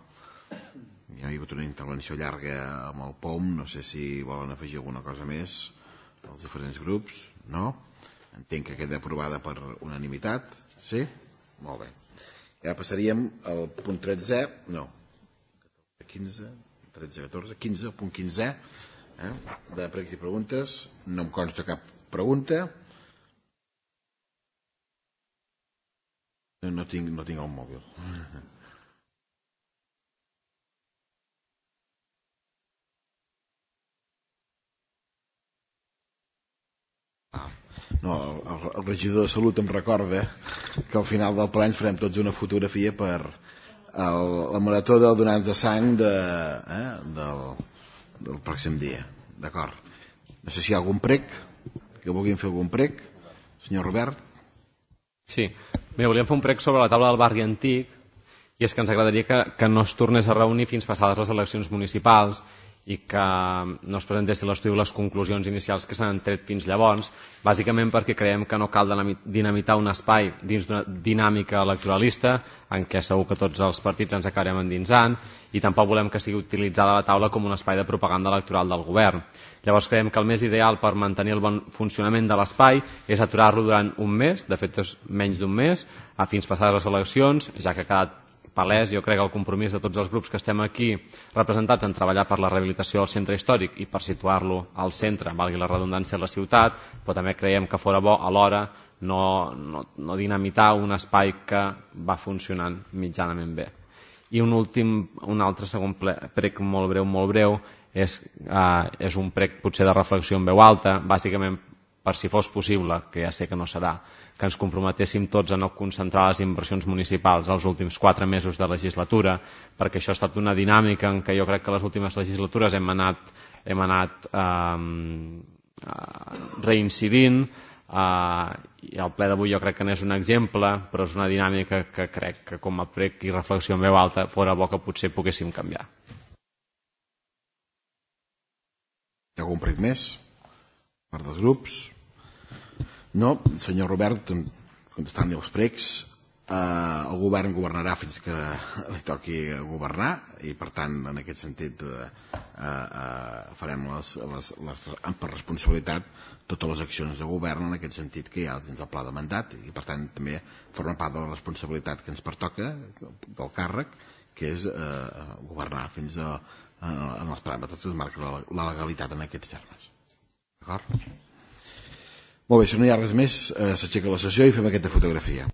S1: Hi ha hagut una intervenció llarga amb el P O M, no sé si volen afegir alguna cosa més als diferents grups. No? Entenc que queda aprovada per unanimitat. Sí? Molt bé. Ja passaríem al punt tretze, no, quinze, tretze, catorze, quinze, el punt quinze, eh, de pregs i preguntes. No em consta cap pregunta. No, no, tinc, no tinc el mòbil. Ah. No, el, el regidor de Salut em recorda que al final del ple ens farem tots una fotografia per el, la marató del donants de sang de, eh, del, del pròxim dia. D'acord. No sé si hi ha algun prec, que vulguin fer algun prec. Senyor Robert.
S12: Sí. Bé, volíem fer un prec sobre la taula del barri antic i és que ens agradaria que, que no es tornés a reunir fins passades les eleccions municipals i que no es presentessin l'estudi les conclusions inicials que s'han tret fins llavors, bàsicament perquè creiem que no cal dinamitar un espai dins d'una dinàmica electoralista en què segur que tots els partits ens acabarem endinsant i tampoc volem que sigui utilitzada la taula com un espai de propaganda electoral del govern. Llavors creiem que el més ideal per mantenir el bon funcionament de l'espai és aturar-lo durant un mes, de fet és menys d'un mes, a fins passades les eleccions, ja que ha quedat palès, jo crec, el compromís de tots els grups que estem aquí representats en treballar per la rehabilitació del centre històric i per situar-lo al centre, valgui la redundància, de la ciutat, però també creiem que fora bo alhora no, no, no dinamitar un espai que va funcionant mitjanament bé. I un últim, un altre segon prec molt breu, molt breu, és, eh, és un prec potser de reflexió en veu alta, bàsicament per si fos possible, que ja sé que no serà, que ens comprometéssim tots a no concentrar les inversions municipals els últims quatre mesos de legislatura, perquè això ha estat una dinàmica en què jo crec que les últimes legislatures hem anat, hem anat eh, reincidint, eh, i el ple d'avui jo crec que n'és un exemple, però és una dinàmica que crec que com a prec i reflexió en veu alta fora bo que potser poguéssim canviar.
S1: Hi ha algun prec més? Per dels grups? No, senyor Robert, contestant-li els precs, eh, el govern governarà fins que li toqui governar i per tant en aquest sentit eh, eh, farem les, les, les, per responsabilitat totes les accions de govern en aquest sentit que hi ha dins del pla de mandat i per tant també forma part de la responsabilitat que ens pertoca del càrrec, que és eh, governar fins a, a, en els paràmetres que marca la, la legalitat en aquests termes. D'acord? Molt bé, si no hi ha res més, eh, s'aixeca la sessió i fem aquesta fotografia.